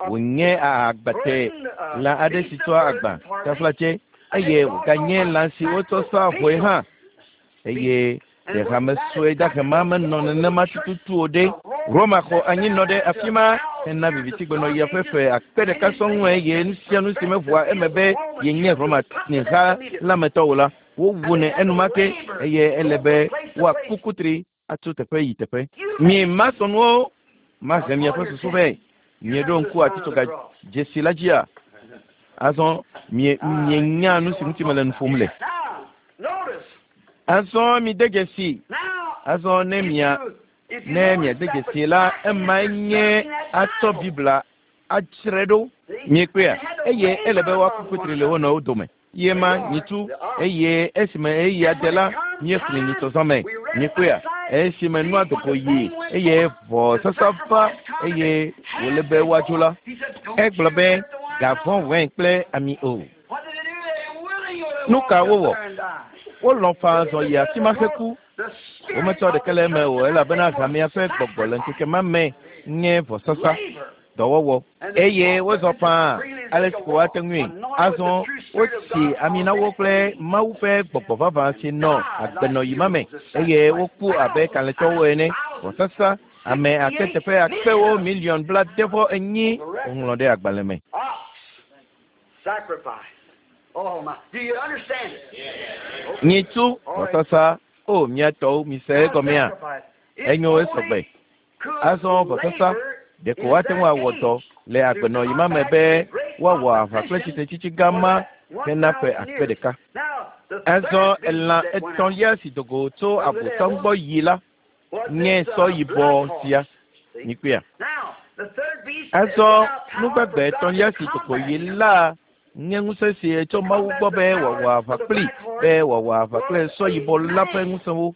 wònye agbate lã aɖe si tsɔa agba taflatse eye wòganye lã si wotsɔ saa vɔe hã eye ɖe hame sue dahe ma menɔ nenema tututu o ɖe. Roma xɔ anyinɔ ɖe afi ma hena vivitigbenɔɣia ƒe ƒe akpe ɖeka sɔŋ eye nu sia nu si meʋua eme be yenye Roma ha la me tɔ o la, wowunɛ enumake eye ele be woaku kutri atso teƒe yi teƒe. Mi masɔnuwo mahe miaƒe susu vɛ. Mieɖo ŋku atitsoga dzesi la dzia? Azɔ mie mienya nu si ŋuti mele nu ƒom le. Azɔ mide dzesi. Azɔ ne mia ne miade dzesi la, emae nye atsɔ Biblia adzrae ɖo. Miekpɔea? Eye ele be woaku kutri le wo nɔewo dome. Ye ma nyitsu eye esime eya de la míexlẽ nyitsɔzã me. Miekpɔea? Esime nua dogo yi eye vɔsasa va eye wòle be woadzo la, egblɔ be gavɔ̃ wɛn kple ami o. Nu ka wowɔ? Wolɔ̃ faa zɔ yi afi ma heku. Wometsɔ ɖeke le eme o elabena hamea ƒe gbɔgbɔ le ŋkeke ma me nye vɔsasa dɔwɔwɔ eye wozɔ faa ale si ko woate ŋui. Azɔ wotsi ami na wo kple Mawu ƒe gbɔgbɔ vavã si nɔ agbenɔyi ma me eye woku abe kalẽtɔwo ene. Vɔsasa ame akpe teƒe akpewo miliɔn blaade vɔ enyi woŋlɔ ɖe agbalẽ me. Sacrifice. Oh my. Do you understand it? Nyitsu vɔsasa o miatɔwo mise egɔmea? Enyo esɔgbe. Azɔ vɔsasa ɖeko woate ŋu awɔ dɔ le agbenɔyi ma me be woawɔ aʋa kple tsitretsitsi gã ma hena ƒe akpe ɖeka. Azɔ elã etɔ̃lia si dogo tso abosam gbɔ yi la nye sɔ yibɔ sia. Mikpɔea? Azɔ nugbagbe etɔ̃lia si dogo yi la nye ŋusẽ si tso Mawu gbɔ be wòawɔ aʋa kpli be wòawɔ aʋa kple sɔ yibɔ la ƒe ŋusẽwo.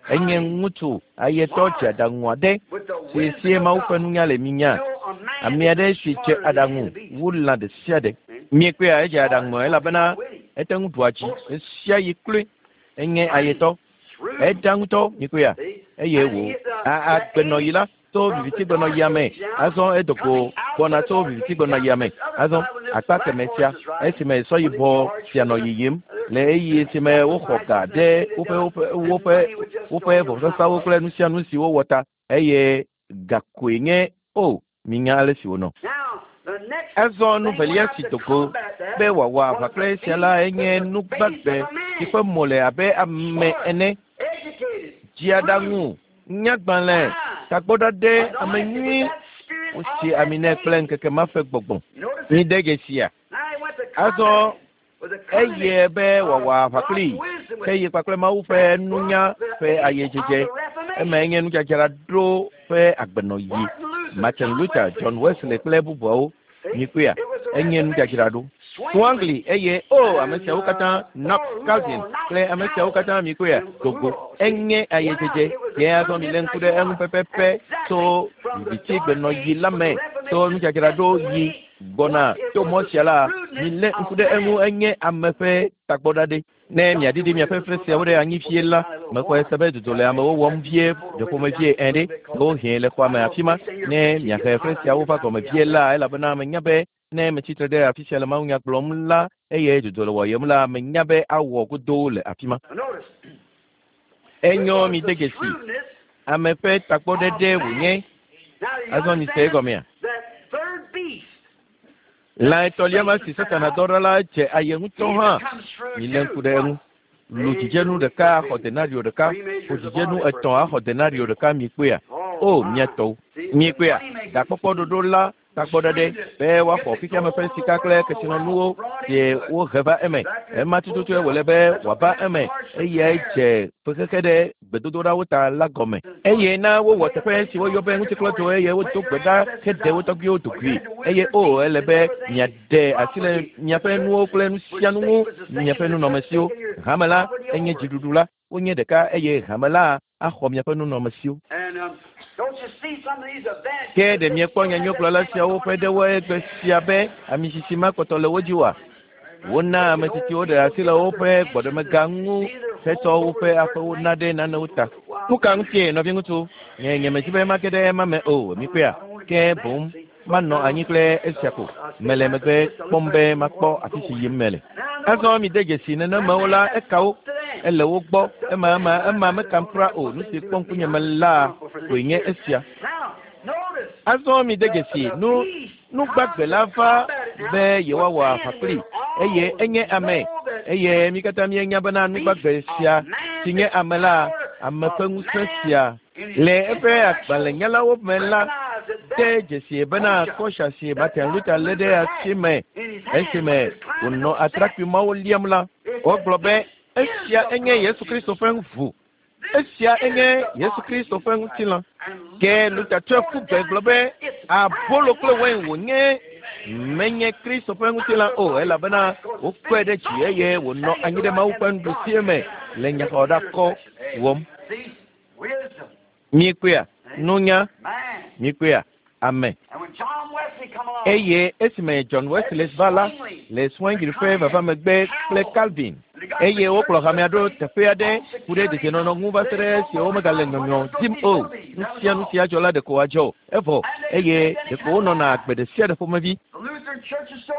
Enye ŋutsu ayetɔ dze aɖaŋu aɖe si sie Mawu ƒe nunya le minya. Ame aɖe si dze aɖaŋu wu lã ɖe sia ɖe. Miekpɔea edze aɖaŋu elabena ete ŋu ɖua dzi ɣe sia ɣi kloe. Enye ayetɔ. Eɖa ŋutɔ mikpɔea eye wò agbenɔyi la tso vivitigbenɔɣia me. Azɔ edogo gbɔna tso vivitigbenɔɣia me. Azɔ akpa keme sia esime sɔ yibɔ sia nɔ yiyim le ɣeyiɣi si me woxɔ ga ɖe woƒe woƒe woƒe woƒe vɔsasawo kple nu sia nu si wowɔ ta eye gakoe nye o minya ale si wònɔ. Azɔ nu velia si dogo be wòawɔ aʋa kple esia la enye nugbagbe si ƒe mo le abe ame ene. Dziaɖaŋu, nyagbalẽ, tagbɔɖaɖɛ, ame nyui wotsi ami nɛ kple ŋkeke ma ƒe gbɔgbɔ. Mide dzesia? Azɔ eye be wòawɔ aʋa kpli ke yi kpakple Mawu ƒe nunya ƒe ayedzedze. Emae nye nudzadzraɖo ƒe agbenɔyi. Martin Luther, John Wesley kple bubuawo. Mikpɔea? Enye nudzadzraɖo. Zwingli eye o ame siawo katã Knox Calvin kple ame siawo katã mikpɔea? Dogo. Enye ayedzedze. Ke azɔ milé ŋku ɖe eŋu pɛpɛpɛ tso vivitigbenɔyi la me tso nudzadzraɖo yi gbɔna to mɔ sia la milé ŋku ɖe eŋu enye ame ƒe tagbɔɖaɖɛ. Ne miaɖiɖi miaƒe fre siawo ɖe anyi vie la, mexɔe se be dodo le amewo wɔm vie ɖeƒomevie ene ɖe ɖewohĩ le xɔa me afi ma. Ne miahe fre siawo va gɔme vie la, elabena menya be ne metsitre ɖe afi sia le mawunya gblɔm la eye dodo le wɔyem la, menya be awɔ godoo le afi ma. Enyo mi de dzesi. Ame ƒe tagbɔɖeɖe wònye. Azɔ mise egɔmea? Lã etɔ̃lia ma si Satana dɔ ɖa la dze aye ŋutɔ hã. Milé ŋku ɖe eŋu. Lu dzidzenu ɖeka axɔ denario ɖeka, ƒo dzidzenu etɔ̃ axɔ denario ɖeka mikpɔea? O miatɔwo. Mikpɔea? Gakpɔkpɔ ɖoɖo la Tagbɔɖeɖe be woaxɔ fifiame ƒe sika kple kesinɔnuwo sie wohe va eme. Ema tututue wòle be wòava eme eyae dze fexexe ɖe gbedodoɖawo ta la gɔme. Eye na wowɔ teƒe si woyɔ be ŋutiklɔdzo eye wodo gbe ɖa heɖe wo tɔgbuiwo dugui. Eye o ele be miaɖe asi le miaƒe nuwo kple nu sia nu ŋu, miaƒe nunɔamesiwo. Hame la enye dziɖuɖu la, wonye ɖeka eye hame la axɔ miaƒe nunɔamesiwo. Ke ɖe miekpɔ nyanyuigblɔla siawo ƒe ɖewo egbe sia be amisisi ma kpɔtɔ le wo dzi oa? Wona ame tsitsiwo ɖe asi le woƒe gbɔɖemega ŋu hetsɔ woƒe aƒewo na ɖe nanewo ta. Nu ka ŋutie nɔviŋutsu? Nye nyemedi be mage ɖe ema me o, mikpɔea? Ke boŋ manɔ anyi kple esia ko. Mele megbe kpɔm be makpɔ afi si yim mele. Azɔ mide dzesi nenemewo la eka wo. Ele wo gbɔ. Ema ema ema mekam kura o. Nu si kpɔ ŋkunye me la koe nye esia. Azɔ mide dzesi nu nugbagbe la va be yewoawɔ aʋa kpli eye enye ame. Eye mi katã míenya bena nugbagbe sia si nye ame la, ame ƒe ŋusẽ sia le eƒe agbalẽnyalawo me la de dzesi bena kɔsia si Martin Luther lé ɖe asi me esime wònɔ atrakpui mawo liam la, wogblɔ be esia enye Yesu Kristo ƒe ʋu. Esia enye Yesu Kristo ƒe ŋutilã. Ke Luther tsɔe ƒu gbe gblɔ be abolo kple wain wònye menye Kristo ƒe ŋutilã o elabena wokɔe ɖe dzi eye wònɔ anyi ɖe Mawu ƒe nuɖusie me le nyaxɔɖakɔ wɔm. Mikpɔea nunya, mikpɔea ame. Eye esime John Wesley va la le Zwingli ƒe vava megbe kple Calvin eye wokplɔ hamea ɖo teƒe aɖe ku ɖe dedienɔnɔ ŋu va se ɖe esi womegale nyɔnyɔ dim o. Nu sia nu sia dzɔ la ɖeko wòadzɔ evɔ eye ɖeko wonɔna agbe ɖe sia ɖe ƒomevi.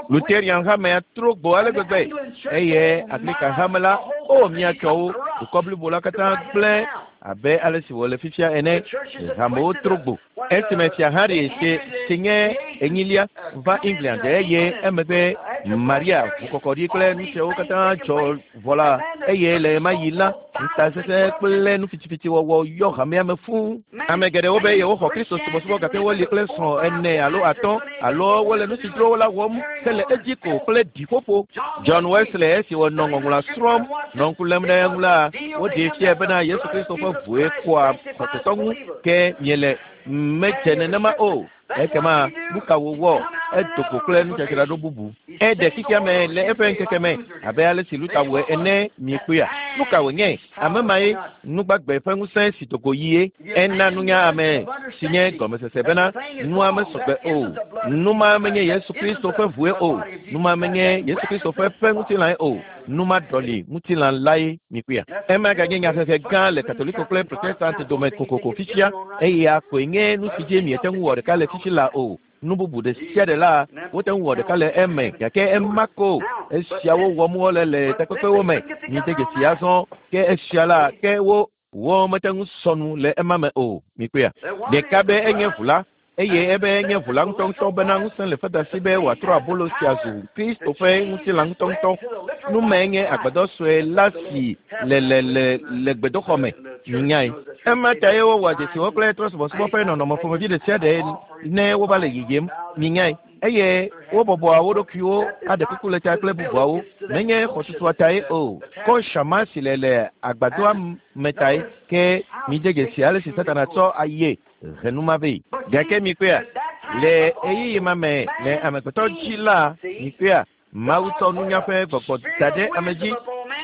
Lutherian hamea trɔ gbo ale gbegbe eye Anglican hame la o miatsɔ wo dukɔ blibo la katã gblẽ abe ale si wòle fifia ene. Hamewo trɔ gbo. Esime fia Harry si si nye enyilia va England eye emegbe Maria ʋukɔkɔɖi kple nu siawo katã dzɔ vɔ la eye le ɣemaɣi yi la ŋutasesẽ kple nufitifitiwɔwɔ yɔ hamea me fũu. Ame geɖewo be yewoxɔ Kristo subɔsubɔ gake woli kple srɔ̃ ene alo atɔ̃ alo wole nu si dzro wo la wɔm hele edzi ko kple ɖiƒoƒo. John Wesley esi wònɔ ŋɔŋlɔa srɔ̃m nɔ ŋku lém ɖe eŋu la woɖee fiae bena Yesu Kristo ƒe ʋue kɔa xɔsetɔ ŋu ke miele medze nenema o. Ekema nu ka wòwɔ? Edo go kple nudzadzraɖo bubu. Eɖe xexea me le eƒe ŋkeke me abe ale si Luther wɔe ene miekpɔea. Nu ka wònye? Ame mae nugbagbe ƒe ŋusẽ si do go yie. Ena nunya ame si nye gɔmesese bena nua mesɔgbe o. Nu ma menye Yesu Kristo ƒe ʋue o. Nu ma menye Yesu Kristo ƒe ƒe ŋutilãe o. Nu ma ɖɔli ŋutilã lae mikpɔea. Ema ganye nyahehe gã le Katoliko kple Protestant dome kokoko fifia eya koe nye nu si dzi miete ŋu wɔ ɖeka le fifi la o. Nu bubu ɖe sia ɖe la wote ŋu wɔ ɖeka le eme gake ema ko esiawo wɔm wole le takpekpewo me. Mide dzesi azɔ ke esia la ke wo wo mete ŋu sɔ nu le ema me o. Mikpɔea. Ɖeka be enye ʋu la eye ebe enye ʋu la ŋutɔŋutɔ bena ŋusẽ le feda si be wòatrɔ abolo sia zu Kristo ƒe ŋutilã ŋutɔŋutɔ. Nu mae nye agbadɔ sue la si le le le le gbedoxɔ me. Nyae. Ema tae wowɔa dzesiwo kple trɔ̃subɔsubɔ ƒe nɔnɔme ƒomevi ɖe sia ɖe ne wova le yiyim. Minyae. Eye wobɔbɔa wo ɖokuiwo aɖe kuku le ta kple bubuawo. Menye xɔtutua tae o. Kɔsha ma si le le agbadɔa me tae ke mide dzesi ale si Satana tsɔ aye he nu ma vɛ. Gake mikpɔea le ɣeyiɣi ma me le amegbetɔ dzi la mikpɔea Mawu tsɔ nunya ƒe gbɔgbɔ da ɖe ame dzi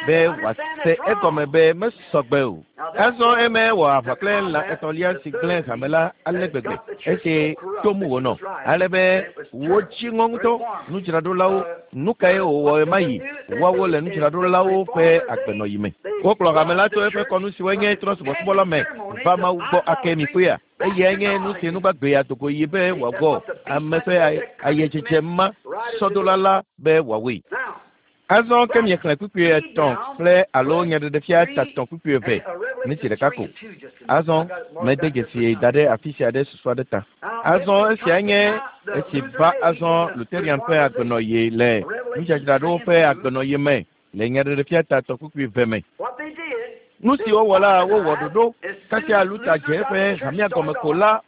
be wòase egɔme be mesɔgbe o. Azɔ eme wɔ aʋa kple lã etɔ̃lia si gblẽ hame la ale gbegbe esi tom wònɔ ale be wodzi ŋɔ ŋutɔ nudzraɖolawo. Nu kae wòwɔ ɣemaɣi? Woawo le nudzraɖolawo ƒe agbenɔyi me. Wokplɔ hame la tso eƒe kɔnu siwoe nye trɔ̃subɔsubɔ la me va Mawu gbɔ ake mikpɔea. Eyae nye nu si nugbagbe adogo yi be wòawɔ ame ƒe ayedzedze ma sɔdola la be wòawɔe. Azɔ ke miexlẽ kpukpui etɔ̃ kple alo nyaɖeɖefia tatɔ̃ kpukpui eve miniti ɖeka ko. Azɔ mede dzesi da ɖe afi sia ɖe susu aɖe ta. Azɔ esia nye esi va azɔ Lutherian ƒe agbenɔɣi le nudzadzraɖowo ƒe agbenɔɣi me le nyaɖeɖefia tatɔ̃ kpukpui eve me. Nu si wowɔ la wowɔ ɖoɖo kasia Luther dze eƒe hamea gɔme ko la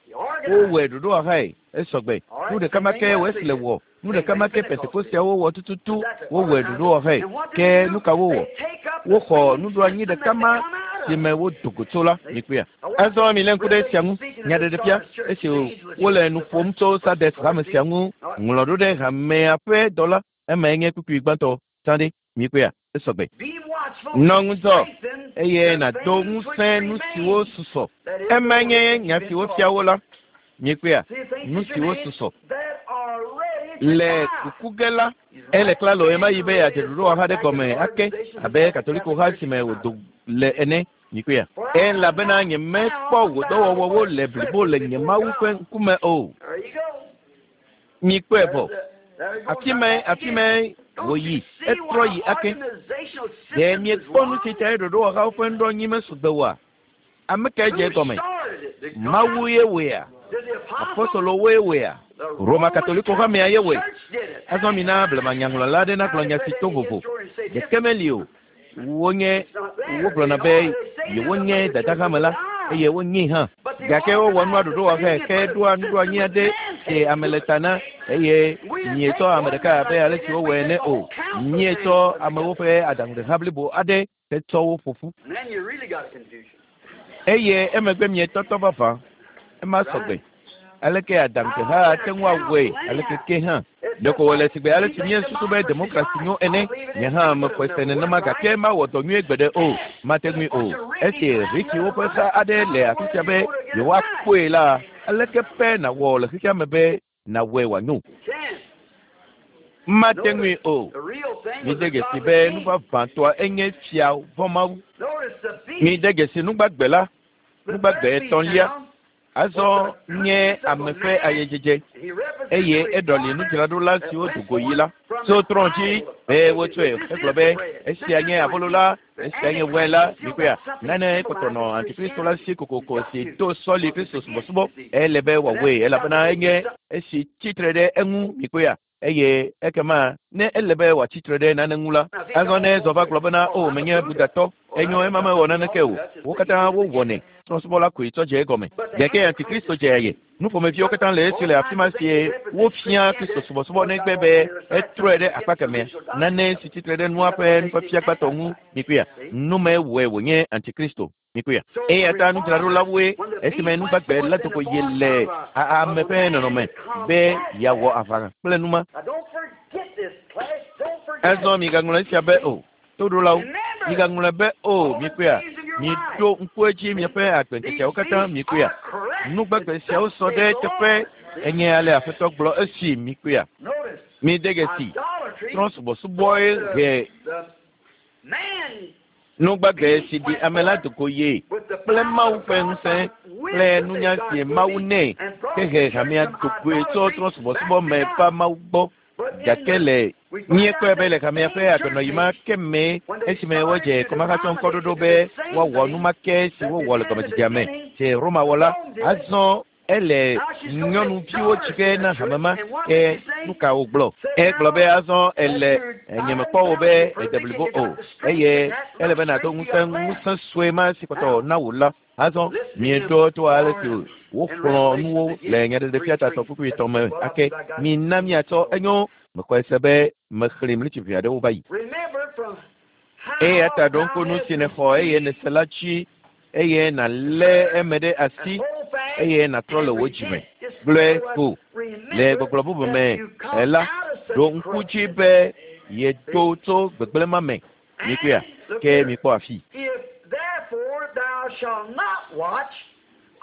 Wowɔe ɖoɖowɔhae esɔgbe. Nu ɖeka ma ke Wesley wɔ. Nu ɖeka ma ke Pentekosteawo wɔ tututu wowɔe ɖoɖowɔhae. Ke nu ka wowɔ? Woxɔ nuɖoanyi ɖeka ma si me wodo go tso la mikpɔea. Azɔ mi lé ŋku ɖe esia ŋu. Nyaɖeɖefia esi wole nu ƒom tso Sardes hame sia ŋu ŋlɔ ɖo ɖe hamea ƒe dɔla. Emae nye kpukpui gbãtɔ tsã ɖe mikpɔea esɔgbe. Nɔ ŋudzɔ eye nàdo ŋusẽ nu siwo susɔ. Emae nye nya si wofia wo la. Mikpɔea nu siwo susɔ. Le kuku ge la, ele klalo ɣemaɣi be yeadze ɖoɖowɔha ɖe gɔme ake abe Katoliko ha si me wòdo le ene. Mikpɔea. Elabena nyemekpɔ wò dɔwɔwɔwo le blibo le nye Mawu ƒe ŋkume o. Mikpɔe vɔ. Afi mae afi mae wòyi etrɔ yi ake. Ɖe miekpɔ nu si tae ɖoɖowɔhawo ƒe nuɖoanyi mesɔgbe oa? Ame kae dze egɔme? Mawu ye wɔea? Apostolowoe wɔea? Roma Katoliko hamea ye wɔe. Azɔ mina blemanyaŋlɔla aɖe nagblɔ nya si to vovo. Ɖeke meli o. Wonye wogblɔna be yewonye dadahame la eye wonyee hã. Gake wowɔ nua ɖoɖowɔhae ke ɖoa nuɖoanyi aɖe si ame le ta na eye mietsɔ ame ɖeka abe ale si wowɔe ene o. Mietsɔ amewo ƒe aɖaŋuɖeha blibo aɖe hetsɔ wo ƒo ƒu. And then you really got a confusion. Eye emegbe mietɔtɔ vavã. Ema sɔgbe. Aleke aɖaŋuɖeha ate ŋu awɔe aleke ke hã. Ɖeko wòle sigbe ale si míesusu be demokrasi nyo ene. Nye hã mexɔe se nenema gake mawɔ dɔ nyuie gbeɖe o. Mate ŋui o. Esi Rikiwo ƒe ha aɖe le afi sia be yewoakpɔe la, aleke pɛ nàwɔ le xexea me be nàwɔe wòanyo? Can't. Mate ŋui o. The real thing was Mide the dzesi godly be king. nu vavãtɔa enye fia vɔ̃ Mawu. Notice the beast. Mide dzesi nugbagbe la, The nugbagbe third beast etɔ̃lia. now, Azɔ nye ame ƒe ayedzedze he represents eye the eɖɔli reformers nudzraɖola that siwo went do go yi la. forth from Tso the trɔ̃ dzi idol be of wotsɔe David. This hegblɔ is be the bread. esia This nye is abolo la, the esia nye wain la. Antichrist still Mikpɔea got something nane kpɔtɔ nɔ symbolizing antikristo la si Christianity. kokoko He's got si to. to sɔli Kristo subɔsubɔ. Ele be wòawɔe elabena enye esi tsitre ɖe eŋu mikpɔea eye ekema ne ele be wòatsi tre ɖe nane ŋu la, azɔ ne ezɔ va gblɔ bena o menye Budatɔ, enyo ema mewɔ naneke o. Wo katã wowɔnɛ. Trɔ̃subɔla koe tsɔ dze egɔme. Gake antikristo dze aye. Nuƒomeviwo katã le esi le afi ma sie wofia Kristo subɔsubɔ negbe be etrɔe ɖe akpa kemɛa. Nane si tsitre ɖe nua ƒe nufiafia gbãtɔ ŋu mikpɔea. Nu mae wɔe wònye antikristo mikpɔea. Eya ta nudzraɖolawoe esime nugbagbe la do go yi le a- ame ƒe nɔnɔme be yeawɔ aʋa kple numa. Now don't forget this, class. Don't forget. Azɔ migaŋlɔ esia be o. Toɖolawo, Remember, migaŋlɔe be o mikpɔea. Miɖo ŋku edzi miaƒe agbeŋkekeawo katã mikpɔea. Nugbagbe siawo sɔ ɖe teƒe enye ale Aƒetɔ gblɔ esi mikpɔea. Notice, Mide dzesi idolatry, trɔ̃subɔsubɔe he the man nugbagbe si ɖi ame la do go ye with the kple power Mawu of ƒe God, ŋusẽ with kple the nunya God si Mawu gave nɛ and brought hehe the church hamea from do goe tso idolatry trɔ̃subɔsubɔ back me to va God. Mawu gbɔ. But in Gake the le we find míekpɔe out be le that hamea same ƒe church agbenɔɣi ma age, ke me when they esime wodze started to kɔmahatsɔŋkɔɖoɖo denominate be the same woawɔ thing nu ma ke si that wowɔ le began at the gɔmedzedzea me beginning, si Roma wɔ la Rome did. azɔ ele Now she's going to make nyɔnuviwo daughters tsi ge in na the hame church. ma And what ke did she say? nu ka wògblɔ Said egblɔ be now azɔ that ele you're nye mekpɔ wò be dying ede perfect blibo and you o got the strength eye and that ele be little nàdo strength you ŋusẽ got left. ŋusẽ sue ma si kpɔtɔ na wò la azɔ Listen to him mieɖo to ale si warn in woxlɔ̃ Revelation nuwo le again, nyaɖeɖefia three tatɔ three. kpukpui That's etɔ̃ me well, I ake believe I got mina miatsɔ enyo mexɔe se be mexlẽ mlitsi ʋɛ aɖewo va yi. Remember from Eya how ta ɖo thou ŋku nu hast si nèxɔ eye received nèse la dzi eye nàlé eme ɖe and asi hold fast eye nàtrɔ and le wò dzime. repent. Just Gblɔe in other words, ko le remember gbɔgblɔ bubu that me you come la out of such ɖo ŋku dzi corruption. be yedo tso gbegblẽ ma me. Mikpɔea And look ke here, mikpɔ afi. if therefore thou shalt not watch,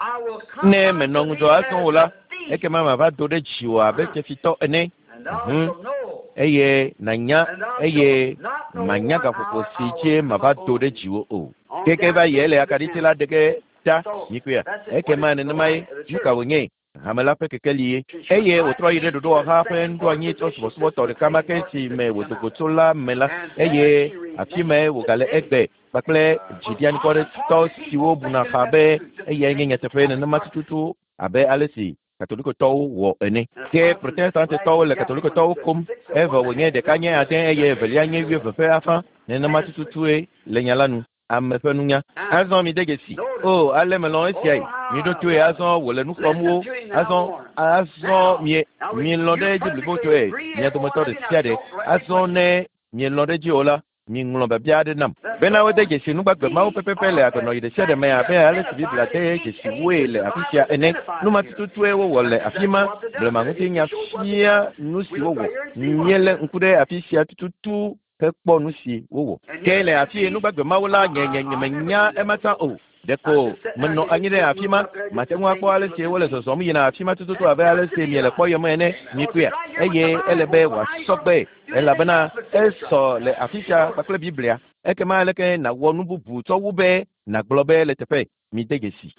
I will come Ne unto menɔ thee ŋudzɔ azɔ o as la, a thief, ekema mava do ɖe dziwò abe fiafitɔ ene. and thou Mhm. shalt know, Eye nànya and thou eye shalt not know manya what gaƒoƒo hour si I dzi will come mava do upon ɖe thee. dziwò o. On Keke down va to yi ele the akaɖiti end. la ɖe ge ta So mikpɔea. that's it. What Ekema is the nenema ye light of the nu church? ka wònye hame la ƒe kekeli ye. Eye wòtrɔ yi ɖe ɖoɖowɔha ƒe nuɖoanyi trɔ subɔsubɔtɔ ɖeka ma ke si me wòdo go tso la me la eye afi mae wògale egbe kpakple dziɖianikɔɖetɔ siwo buna xa be eyae nye nyateƒe nenema tututu abe ale si Katolikotɔwo wɔ ene. Ke Protestantetɔwo le Katolikotɔwo kom evɔ wònye ɖeka nye ade eye evelia nye wuieve ƒe afã nenema tututue le nya la nu. Ame ƒe nunya. Azɔ mi de dzesi. O, ale melɔ̃ esiae. Miɖo toe azɔ wòle nu xlɔ̃m wo. Azɔ, azɔ mie mielɔ̃ ɖe edzi blibotɔe. Mia dometɔ ɖe sia ɖe. Azɔ ne mielɔ̃ ɖe edzi o la, miŋlɔ biabia aɖe nam. Bena wode dzesi nugbagbe mawo pɛpɛpɛ le agbenɔɣi ɖe sia ɖe me abe ale si Biblia de dzesi woe le afi sia ene. Nu ma tututue wowɔ le afi ma. Blema ŋutinya fia nu si wowɔ. Míelé ŋku ɖe afi sia tututu hekpɔ nu si wowɔ. Ke le afi ye nugbagbe mawo la, nye nye nyemenya ema tsã o. Ɖeko menɔ anyi ɖe afi ma, mate ŋu akpɔ ale si wole zɔzɔm yina afi ma tututu abe ale si miele kpɔyem ene. Mikpɔea? Eye ele be wòasɔ gbe elabena esɔ le afi sia kpakple Biblia. Ekema aleke nàwɔ nu bubu tsɔ wu be nàgblɔ be le teƒe mide dzesi.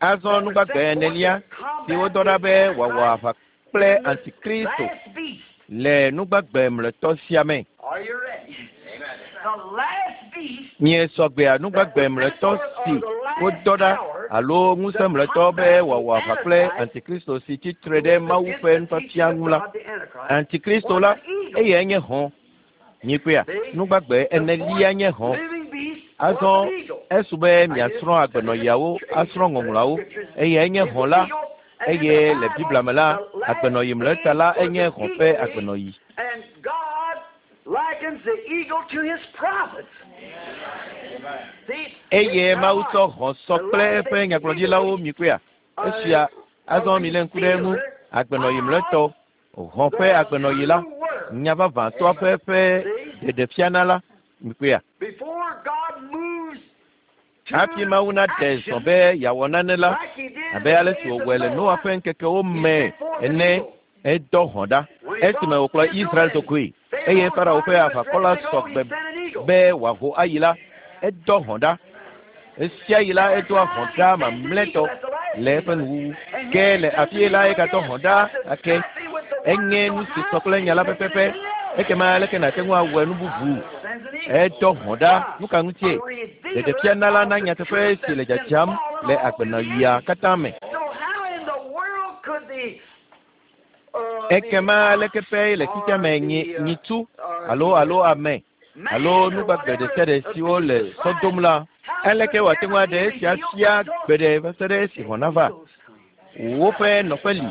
Azɔ nugbagbe enelia si wodɔ ɖa be wòawɔ aʋa kple Antikristo le nugbagbe mlɔetɔ sia me. Miesɔ gbea nugbagbe mlɔetɔ si wodɔ ɖa alo ŋusẽ mlɔetɔ be wòawɔ aʋa kple Antikristo si tsi tre ɖe Mawu ƒe nufiafia ŋu la. Antikristo la, eyae nye hɔ̃. Mikpɔea? Nugbagbe enelia nye hɔ̃. Azɔ esu be miasrɔ̃ agbenɔɣiawo, asrɔ̃ ŋɔŋlɔawo. Eyae nye hɔ̃ la. Eye le Biblia me la, agbenɔɣi mlɔetɔ la enye hɔ̃ ƒe agbenɔɣi. Eye Mawu tsɔ hɔ̃ sɔ kple eƒe nyagblɔɖilawo mikpɔea? Esia azɔ milé ŋku ɖe eŋu. Agbenɔɣi mlɔetɔ, hɔ̃ ƒe agbenɔɣi la, nya vavãtɔa ƒe ƒe ɖeɖefiana la, mikpɔea? Hafi Mawu naɖe zɔ be yeawɔ nane la, abe ale si wòwɔe le Noa ƒe ŋkekewo me ene, edɔ hɔ̃ ɖa. Esime wòkplɔ Israel dogoe, eye Farao ƒe aʋakɔ la sɔ gbe be wòaho ayi la, edɔ hɔ̃ ɖa. Esia yi la, edoa hɔ̃ ɖa mamlɛtɔ le eƒe nuwuwu. Ke le afi la, egadɔ hɔ̃ ɖa ake. Enye nu si sɔ kple nya la pɛpɛpɛ. Ekema aleke nàte ŋu awɔe nu bubu? Edɔ hɔ̃ ɖa. Nu ka ŋutie? Ɖeɖefiana la na nyateƒe si le dzadzam le agbenɔɣia katã me. Ekema aleke ƒe le xexea me nyi nyitsu alo alo ame alo nugbagbe ɖe sia ɖe siwo le sɔ dom la, aleke wòate ŋu aɖe esia fia gbe ɖe va se ɖe esi hɔ̃ nava? Woƒe nɔƒe li.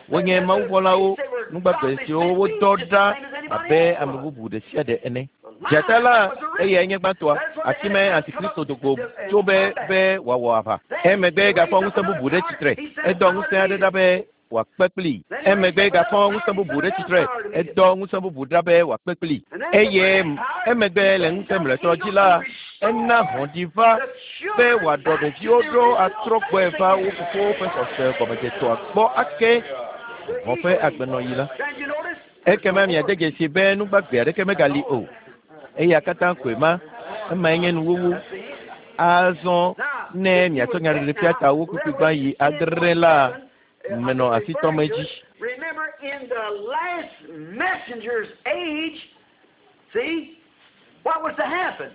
Wonye mawuvɔ̃lawo, nugbagbe siwo wodɔ ɖa abe ame bubu ɖe sia ɖe ene. Dzata la, eyae nye gbãtɔa. Afi mae Antikristo do go tso be be wòawɔ aʋa. Emegbe gafɔ ŋusẽ bubu ɖe tsitre. Edɔ ŋusẽ aɖe ɖa be wòakpe kplii. Emegbe gafɔ ŋusẽ bubu ɖe tsitre. Edɔ ŋusẽ bubu ɖa be wòakpe kplii. Eye emegbe le ŋusẽ mlɔetɔ dzi la, ena hɔ̃ ɖi va be wòaɖɔ ɖeviwo ɖo atrɔ gbɔe va wo fofowo ƒe xɔse gɔmedzetɔa gbɔ ake hɔ̃ ƒe agbenɔɣi la. Ekema miade dzesi be nugbagbe aɖeke megali o. Eya katã koe ma. Emae nye nuwuwu. Azɔ ne miatsɔ nyaɖeɖefia ta wo kpukpui gbã yi adre la, menɔ asi tɔm edzi. Remember, in the last messenger's age, see, what was to happen?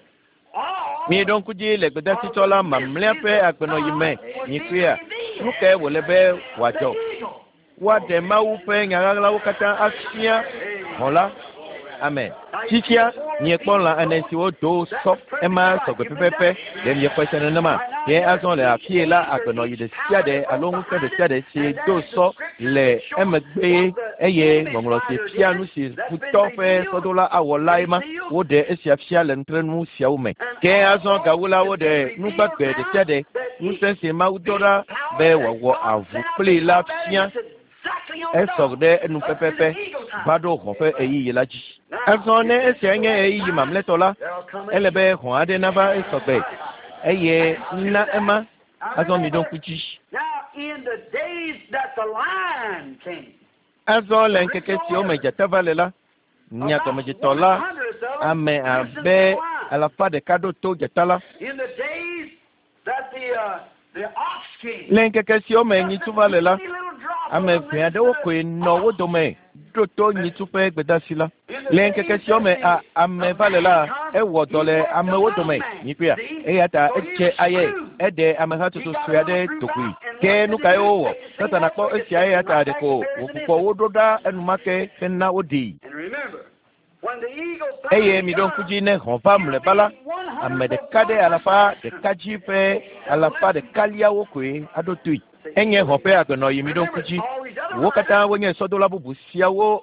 All Mieɖo ŋku dzi le gbedasitsɔla mamlɛa ƒe agbenɔɣi me. Mikpɔea? Nu kae wòle be wòadzɔ? Woaɖe Mawu ƒe nya ɣaɣlawo katã afia hɔ̃ la. Amen. Fifia, miekpɔ lã ene siwo do sɔ ema sɔgbe pɛpɛpɛ. Ɖe miexɔe se nenema? Ke azɔ le afie la, agbenɔɣi ɖe sia ɖe alo ŋusẽ ɖe sia ɖe si do sɔ le emegbe eye ŋɔŋlɔ si fia nu si futɔ ƒe sɔdola awɔ lae ma. Woɖe esia fia le nutrenu siawo me. Ke azɔ gawu la, woɖe nugbagbe ɖe sia ɖe ŋusẽ si Mawu dɔ ɖa be wòawɔ avu kplii la fia. Esɔ ɖe enu pɛpɛpɛ va ɖo hɔ̃ ƒe ɣeyiɣi la dzi. Azɔ ne esia nye ɣeyiɣi mamlɛtɔ la, ele be hɔ̃ aɖe nava esɔgbe eye na ema. Azɔ miɖo ŋku dzi. Now, in the days that the lion came, Azɔ le ŋkeke siwo me dzata va le la, nya gɔmedzetɔ la, ame abe alafa ɖeka ɖo to dzata la. in the days that the uh, the ox came, Le ŋkeke siwo me nyitsu va le la, ame ʋɛ aɖewo koe nɔ wo dome ɖo to nyitsu ƒe gbedasi la. Le ŋkeke siwo me a ame va le la, ewɔ dɔ le amewo dome. Mikpɔea? Eya ta edze aye, eɖe amehatsotso sue aɖe do goe. Ke nu kae wowɔ? Satana kpɔ esia eya ta ɖeko wògbugbɔ wo ɖo ɖa enumake hena woɖee. And remember, when the eagle Eye miɖo ŋku dzi ne hɔ̃ va mlɔeba la, Ame ɖeka ɖe alafa ɖeka dzi ƒe alafa ɖekaliawo koe aɖo toe. Enye xɔ ƒe agbenɔyi mi ɖo ŋku dzi. Wo katã wonye sɔdola bubu siawo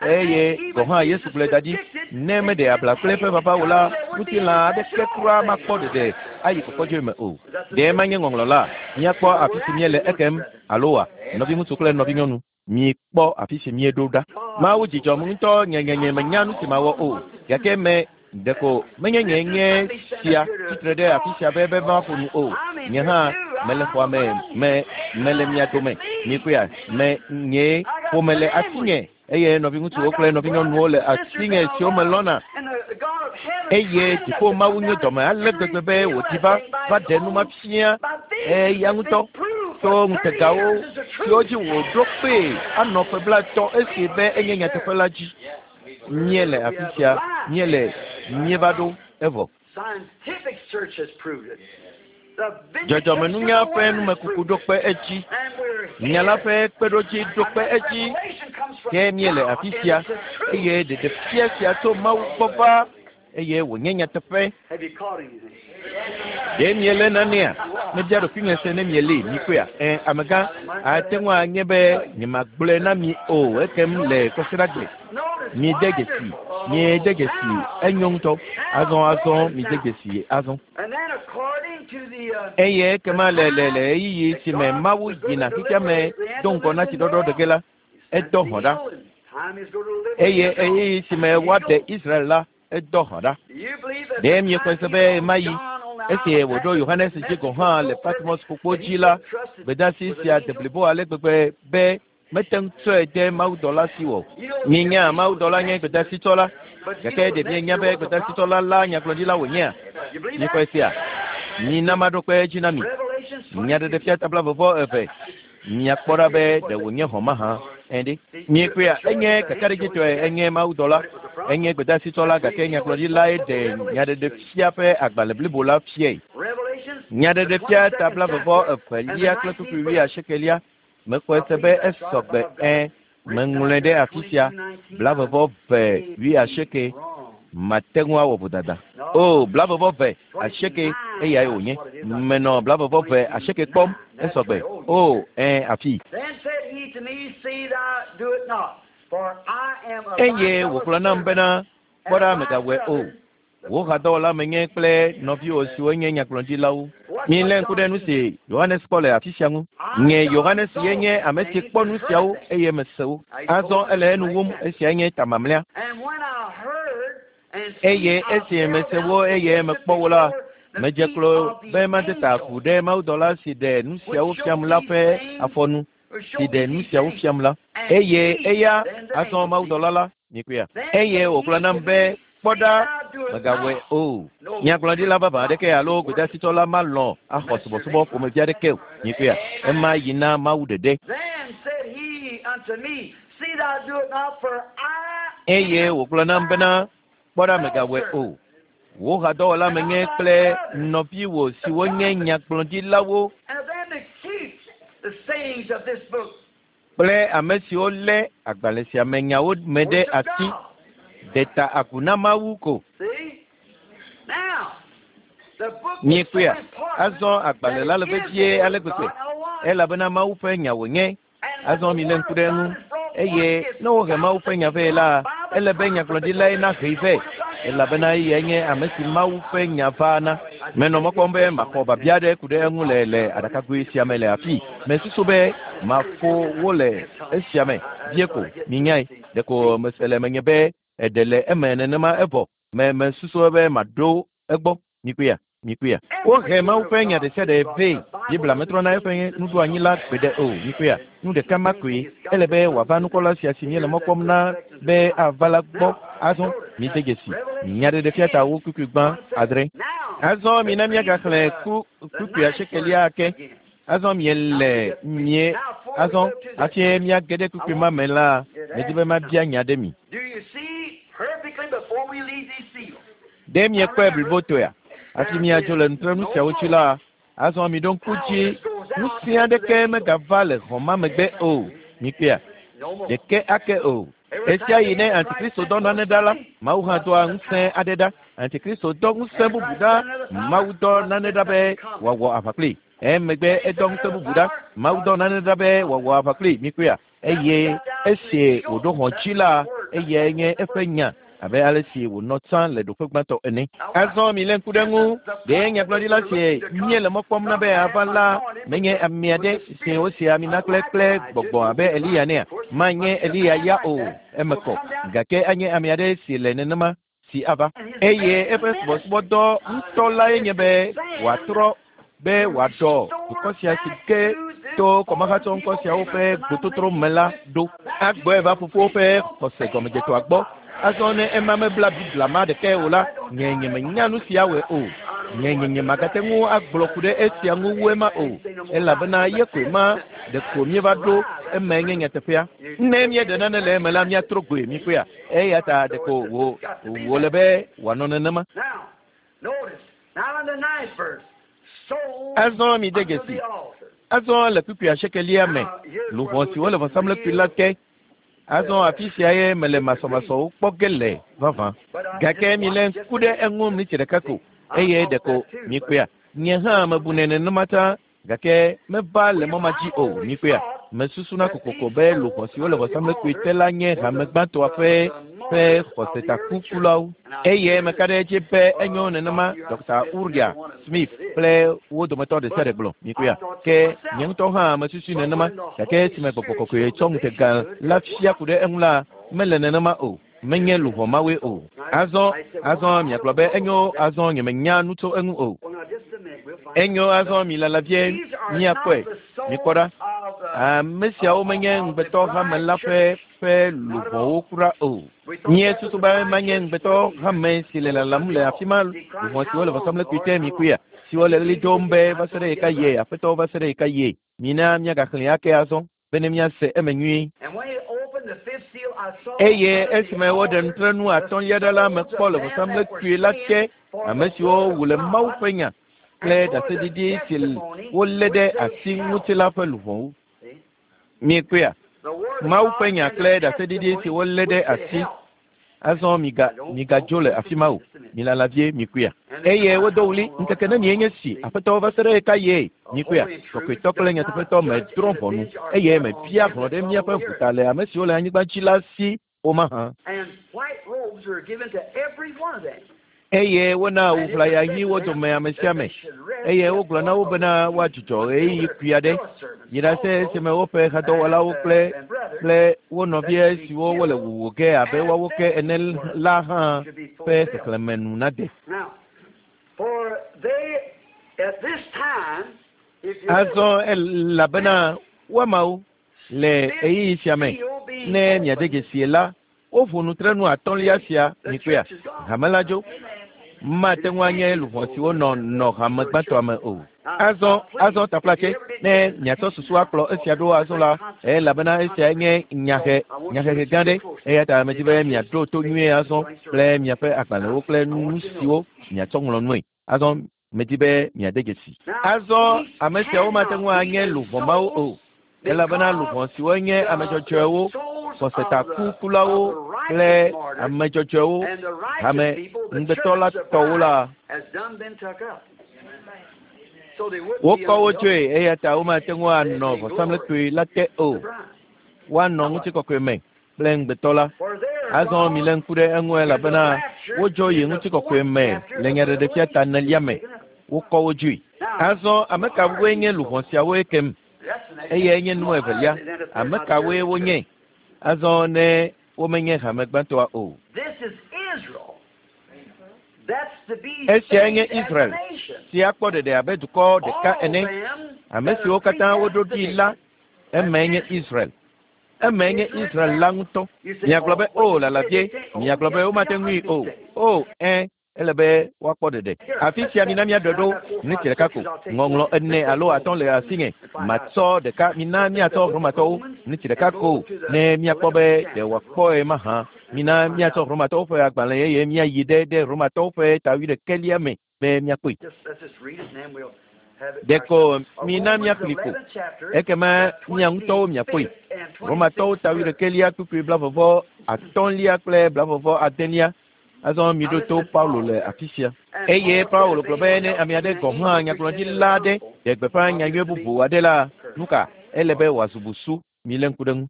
eye gɔ̃ hã Yesu gblɔe da ɖi ne meɖe abla kple eƒe vava o la, ŋutilã aɖeke kura makpɔ ɖeɖe ayi kɔkɔdzoe me o. Ɖe manye ŋɔŋlɔ la, míakpɔ afi si míele ekem alo wa, nɔviŋutsu kple nɔvinyɔnu, míekpɔ afi si míeɖo ɖa. Mawu dzidzɔm ŋutɔ nyenyenye menya nu si mawɔ o, gake me ɖeko menye nye nye sia tsitre ɖe afi sia be be maƒo nu o. Nye hã mele xɔa me, me mele mia dome. Mikpɔea, me nye ƒome le asinye eye nɔviŋutsuwo kple nɔvinyɔnuwo le asinye siwo melɔ̃na. Eye dziƒo Mawu nye dɔme ale gbegbe be wòdi va va ɖe nu ma fia eya ŋutɔ to ŋutegawo siwo dzi wòɖo kpee anɔ ƒe blaetɔ̃ esi be enye nyateƒe la dzi. Míele afi sia, míele míeva ɖo evɔ. Scientific search has proved it. The Dzɔdzɔmenunya ƒe numekuku ɖo kpe edzi. And we're Nya la ƒe kpeɖodzi ɖo kpe edzi. Revelation comes from Ke míele God, afi and sia it's the truth. eye ɖeɖefia sia tso Mawu gbɔ va eye wònye nyateƒe. Have you caught anything? Ɖe miele nanea? Mebia ɖokuinye se ne mieli mikpɔea? Ɛ amegã ate ŋu anye be nyemagblɔe na mi o ekem le kɔsiɖagbe. Notice, Miede dzesi, miede dzesi, enyo ŋutɔ. Azɔ azɔ mide dzesi azɔ. And then according to the uh, Eye ekema le le le ɣeyiɣi si me Mawu yina xexea me do ŋgɔ na tsiɖɔɖɔ ɖe ge la, edɔ hɔ̃ ɖa. time is going to live. Eye ɣeyiɣi si me woaɖe Israel la, edɔ hɔ̃ ɖa. Do you believe that Ɖe the miexɔe time se he be wrote ɣemaɣi John on the esi isle of wòɖo Yohanes dzi gɔ̃ hã le Patmos ƒukpo dzi la, gbedeasi sia de blibo ale gbegbe be mete ŋu tsɔe de mawudɔla si o. Mienya mawudɔla nye gbedeasitsɔla, gake ɖe mienya be gbedeasitsɔla la nyagblɔɖila wònyea? You believe Miexɔe that? sea? Mina maɖo kpe edzi na mi. Revelations Nyaɖeɖefia ta blaeve eve. Miakpɔ ɖa be ɖe wònye hɔ̃ mahã. Ɛ ɖe. Miekpɔea, enye kakaɖedzitɔe enye mawudɔla, enye gbedeasitsɔla gake nyagblɔɖilae ɖe nyaɖeɖefia ƒe agbalẽ blibo la fiae. Revelations Nyaɖeɖefia ta blaeve evelia kple kpukpui wuiasiekelia. Mexɔe se be esɔgbe ɛ meŋlɔe ɖe afi sia blaeve ve wuiasieke mate ŋu awɔ vodada. O blaeve ve asieke eyae wònye. Menɔ blaeve ve asieke kpɔm esɔgbe. O ɛ afi. Then said he to me, See thou do it not, for I am a Eye wògblɔ nam bena kpɔ ɖa megawɔe o. Wò hadɔwɔla menye kple nɔviwò siwo nye nyagblɔɖilawo. Milé ŋku ɖe nu si Yohanes kpɔ le afi sia ŋu. Nye Yohanes ye nye ame si kpɔ nu siawo eye mese wo. Azɔ ele enu wum esiae nye ta mamlɛa. And when I heard and Eye seen, I esi fell mese down wo to eye worship mekpɔ wo la, before the medze feet klo of the be made ta angel agu ɖe mawudɔla si ɖe nu siawo fiam la ƒe afɔnu who si showed ɖe me nu these siawo things. fiam la. And Eye he, eya then the azɔ angel, mawudɔla la mikpɔea. then Eye said wògblɔ he nam to be me, kpɔ See ɖa thou do it megawɔe not. o. No Nyagblɔɖila vavã aɖeke alo gbedeasitsɔla malɔ̃ axɔ subɔsubɔ ƒomevi aɖeke o. Mikpɔea. Ema yi na Mawu ɖeɖe. Then said he unto me, See thou do it not, for I Eye am wògblɔ nam thy bena kpɔ ɖa fellow megawɔe servant o. Wò hadɔwɔla and of menye thy kple brethren, nɔviwò the siwo nye prophets, nyagblɔɖilawo and of them that keep the sayings of this book. kple ame siwo lé agbalẽ sia me nyawo me ɖe Worship asi God. de ta agu na Mawu ko. See? Now, the book was so Miekpɔea? important Azɔ that agbalẽ it la le is the vevie Word ale of gbegbe God. Now watch. elabena Mawu ƒe nya wònye. And when Azɔ the milé Word ŋku of ɖe God eŋu is brought forth, eye it's ne wohe Mawu bound ƒe to nya be vɛ la, taught by the ele be prophet nyagblɔɖilae because nahee the vɛ Word of God cannot elabena be eyae nye ame si Mawu ƒe nya va na. Menɔ mɔ kpɔm be maxɔ biabia aɖe ku ɖe eŋu le le aɖakagoe sia me le afii. Mesusu be mafo wo le esia me vie ko minyae. Ɖeko mese le menye be eɖe le eme nenema evɔ. Me mesusu be maɖo egbɔ. Mikpɔea? Mikpɔea? Wohe Every Mawu word of ƒe nya God ɖe sia is ɖe brought. vɛ. The Bible Biblia doesn't metrɔna eƒe change the nuɖoanyi la gbeɖe o. Mikpɔea? Nu It's ɖeka the ma same koe. thing. It's got Ele to be come wòava to nukpɔla sia si míele hear mɔ that kpɔm na perfected be life. ava la gbɔ. Now, Azɔ notice mide dzesi. Revelation Nyaɖeɖefia ta ten, wo kpukpui gbã one seven. adre. Now, Azɔ let's mina read míagaxlẽ the, ku the kpukpui ninth asiekelia verse ake. again. Azɔ Now we miele get mie now before we azɔ go to the hafi míage ɖe I kpukpui ma want me la, to medi ask be you mabia something. nya ɖe mi. Do you see perfectly before we leave these seals? Ɖe Now miekpɔe remember, blibotoea? Hafi there míadzo is le nutrenu no siawo dzi more la, azɔ miɖo ŋku power dzi that goes out ŋusẽ after aɖeke that seal. megava le xɔ ma megbe o. Mikpɔea? No more. Ɖeke ake o. Every Esia time yi the ne Antichrist Antikristo sent dɔ nane forth ɖa la, something, Mawu hã God doa sent a ŋusẽ power. aɖe ɖa. Antikristo dɔ ŋusẽ bubu ɖa, Mawu dɔ nane ɖa be wòawɔ aʋa kpli. Emegbe edɔ ŋusẽ bubu ɖa, Mawu dɔ nane ɖa be wòawɔ aʋa kpli. Mikpɔea? Eye esi wòɖo hɔ̃ dzi la, eyae nye eƒe nya abe ale si wònɔ tsã le ɖoƒe gbãtɔ ene. Azɔ mi lé ŋku ɖe ŋu, ɖe nyagblɔɖila si míele mɔ kpɔm na be ava la menye ame aɖe si wosi ami na kple kple gbɔgbɔ abe Eliya nea? Manye Eliya ya o, eme kɔ. Gake anye ame aɖe si le nenema si ava. Eye eƒe subɔsubɔdɔ ŋutɔ lae nye be wòatrɔ be wòaɖɔ dukɔ sia si ke to kɔmahatsɔ ŋkɔ siawo ƒe gbototro me la ɖo. Agbɔe va fofowo ƒe xɔse gɔmedzetoa gbɔ. Azɔ ne ema mebla Biblia ma ɖekae o la, nye nyemenya nu sia wɔe o. Nye nye nyemagate ŋu agblɔ ku ɖe esia ŋu wu ema o, elabena ye koe ma ɖeko míeva ɖo eme nye nyateƒea. Ne míeɖe nane le eme la, míatrɔ goe míkpɔea. Eya ta ɖeko wò wòle be wòanɔ nenema. Azɔ mi de dzesi. Azɔ le kpukpui asiekelia me, luʋɔ siwo le vɔsamlekpui la te. Azɔ afi sia ye mele masɔmasɔwo kpɔ ge le vavã. Gake mi lé ŋku ɖe eŋu miniti ɖeka ko, eye ɖeko mikpɔea. Nye hã mebunɛ nenema tsã, gake meva le mɔ ma dzi o. Mikpɔea? Mesusuna kokoko be luʋɔ siwo le vɔsamlekpui te la nye hame gbãtɔa ƒe ƒe xɔsetakukulawo. Eye meka ɖe edzi be enyo nenema Dɔkta Uria Smith kple wo dometɔ ɖe sia ɖe gblɔ. Mikpɔea? Ke nye ŋutɔ hã mesusui nenema, gake esime gbɔgbɔ kɔkɔe tsɔ ŋutega la fia ku ɖe eŋu la, mele nenema o. Menye luʋɔ mawoe o. Azɔ, azɔ miagblɔ be enyo, azɔ nyemenya nu tso eŋu o. Enyo, azɔ mi lala vie míakpɔe. Mikpɔ ɖa. Ame siawo menye ŋugbetɔ hame la ƒe ƒe luʋɔwo kura o. Míesusu be manye ŋugbetɔ hame si le lalam le afi ma, luʋɔ siwo le vɔsamlekpui te mikpɔea, siwo le ɣli dom be va se ɖe ɣeka yie, Aƒetɔ va se ɖe ɣeka yie. Mina míagaxlẽe ake azɔ bene míase eme nyuie. Eye esime woɖe nutrenu atɔ̃lia ɖa la, mekpɔ le vɔsamlekpui la te ame siwo wu le Mawu ƒe nya kple ɖaseɖiɖi si wolé ɖe asi ŋuti la ƒe luʋɔwo. Miekpɔea? Mawu ƒe nya kple ɖaseɖiɖi si wolé ɖe asi. Azɔ miga migadzo le afi ma o. Milala vie mikpɔea. Eye wodo ɣli ŋkeke nenie nye si Aƒetɔ va se ɖe ɣeka yie? Mikpɔea? Kɔkɔetɔ kple nyateƒetɔ medrɔ̃ ʋɔnu eye mebia hlɔ̃ ɖe míaƒe ʋuta le ame siwo le anyigba dzi la si o mahã. Eye wona awu ʋlaya ɣi wo dome ame sia ame. Eye wogblɔ na wo bena woadzudzɔ ɣeyiɣi kpui aɖe. Yi ɖase esime woƒe hadɔwɔlawo kple kple wo nɔvia siwo wole wuwu ge abe woawo ke ene la hã ƒe xexlẽme nu nade. Azɔ elabena woamawo le ɣeyiɣi sia me, ne miade dzesie la, woƒo nutrenu atɔ̃lia sia mikpɔea, hame la dzo. Mate ŋu anye luʋɔ siwo nɔ nɔ hame gbãtɔa me o. Azɔ, azɔ taflatse, ne miatsɔ susu akplɔ esia ɖo azɔ la, elabena esia nye nyahe, nyahehe gã ɖe. Eya ta medi be miaɖo to nyuie azɔ kple miaƒe agbalẽwo kple nu siwo miatsɔ ŋlɔ nue. Azɔ medi be miade dzesi. Azɔ ame siawo mate ŋu anye luʋɔ mawo o, elabena luʋɔ siwo nye ame dzɔdzɔewo, xɔsetakukulawo kple ame dzɔdzɔewo, hame ŋugbetɔ la tɔwo la, wokɔ wo tsoe, eya ta womate ŋu anɔ vɔsamlekpui la te o. Woanɔ ŋutikɔkɔe me kple ŋugbetɔ la. Azɔ milé ŋku ɖe eŋu elabena wodzo yi ŋutikɔkɔe me le nyaɖeɖefia ta enelia me. Wokɔ wo dzoe. Azɔ ame kawoe nye luʋɔ siawo ekem? Eyae nye nu evelia. Ame kawoe wonye? Azɔ ne womenye hame gbãtɔa o. Esiae nye Israel si akpɔ ɖeɖe abe dukɔ ɖeka ene. Ame siwo katã woɖo ɖi la, emae nye Israel. Emae nye Israel la ŋutɔ. Miagblɔ be o lala vie, miagblɔ be womate ŋui o. O ẽ, ele be woakpɔ ɖeɖe. Afi sia mina míaɖɔe ɖo miniti ɖeka ko. Ŋɔŋlɔ ene alo atɔ̃ le asinye. Matsɔ ɖeka, mina míatsɔ Romatɔwo miniti ɖeka ko ne míakpɔ be ɖe wòakpɔe mahã. Mina míatsɔ Romatɔwo ƒe agbalẽ eye míayi ɖe ɖe Romatɔwo ƒe ta wuiɖekɛlia me be míakpɔe. Ɖeko mina míaxlẽe ko, ekema mia ŋutɔwo miakpɔe. Romatɔwo ta wuiɖekɛlia kpukpui blavɔvɔ atɔ̃lia kple blavɔvɔ adelia. Azɔ mi ɖo to Paulo le afi sia. Eye Paulo gblɔ be ne ame aɖe gɔ̃ hã nyagblɔɖila aɖe ɖe gbeƒã nyanyui bubu aɖe la, nu ka ele be wòazu busu. Milé ŋku ɖe ŋu.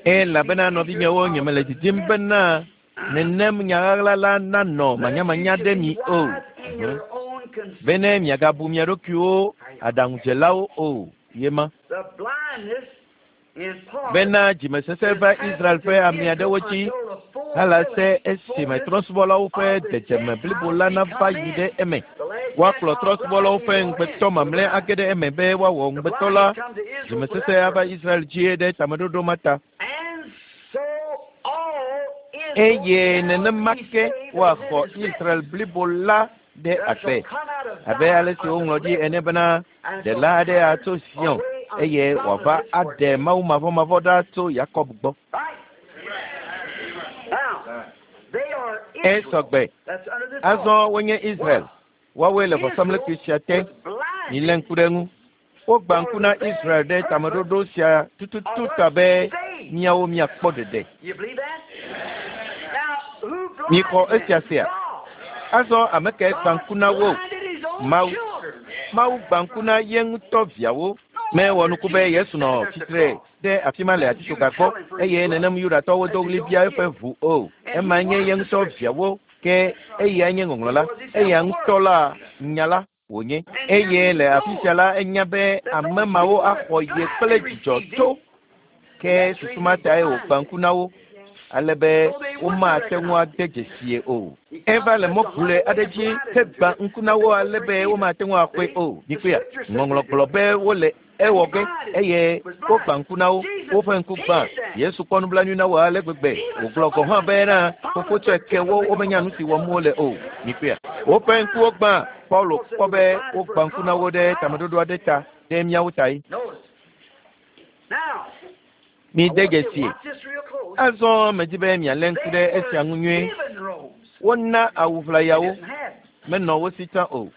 Elabena nɔvinyewo, nyemele didim bena nenem nya ɣaɣla la nanɔ manyamanya ɖe mi o, bene miagabu mia ɖokuiwo aɖaŋudzelawo o. Yema bena dzimesesẽ va Israel ƒe ame aɖewo dzi halase esime trɔ̃subɔlawo ƒe dzedzeme blibo la nava yi ɖe eme. Woakplɔ trɔ̃subɔlawo ƒe ŋugbetɔ mamlɛ age ɖe eme be woawɔ ŋugbetɔ la. Dzimesesẽ ava Israel dzi ɖe tameɖoɖo ma ta. Eye nenema ke woaxɔ Israel blibo la ɖe agbe, abe ale si woŋlɔ ɖi ene bena ɖela aɖe atso Zion eye wòava aɖe Mawu mavɔmavɔ ɖa tso Yakob gbɔ. Esɔgbe. Azɔ wonye Israel. Woawoe le vɔsamlekpui sia te. Milé ŋku ɖe ŋu. Wogbã ŋku na Israel ɖe tameɖoɖo sia tututu ta be miawo miakpɔ ɖeɖe. Mixɔ esia sea. Azɔ ame kae gbã ŋku na wo? Mawu. Mawu gbã ŋku na ye ŋutɔ viawo. Mewɔ nuku be Yesu nɔ tsitre ɖe afi ma le atitsoga gbɔ eye nenem Yudatɔwo do ɣli bia eƒe ʋu o. Ema nye ye ŋutɔ viawo, ke eyae nye ŋɔŋlɔ la. Eya ŋutɔ la nya la wònye. Eye le afi sia la enya be ame mawo axɔ ye kple dzidzɔ tso. Ke susu ma tae wògbã ŋku na wo ale be womate ŋu ade dzesie o. Eva le mɔ gule aɖe dzi hegbã ŋku na wo ale be womate ŋu axɔe o. Mikpɔea, ŋɔŋlɔ gblɔ be wole ewɔ ge eye wogbã ŋku na wo. Woƒe ŋku gbã. Yesu kpɔ nublanui na wo ale gbegbe wògblɔ gɔ̃ hã bena fofo tsɔe ke wo womenya nu si wɔm wole o. Mikpɔea, woƒe ŋkuwo gbã. Paulo kpɔ be wogbã ŋku na wo ɖe tameɖoɖo aɖe ta ɖe míawo tae. Mi de dzesi. Azɔ medi be mialé ŋku ɖe esia ŋu nyuie. Wona awu ʋlayawo, menɔ wo si tsã o.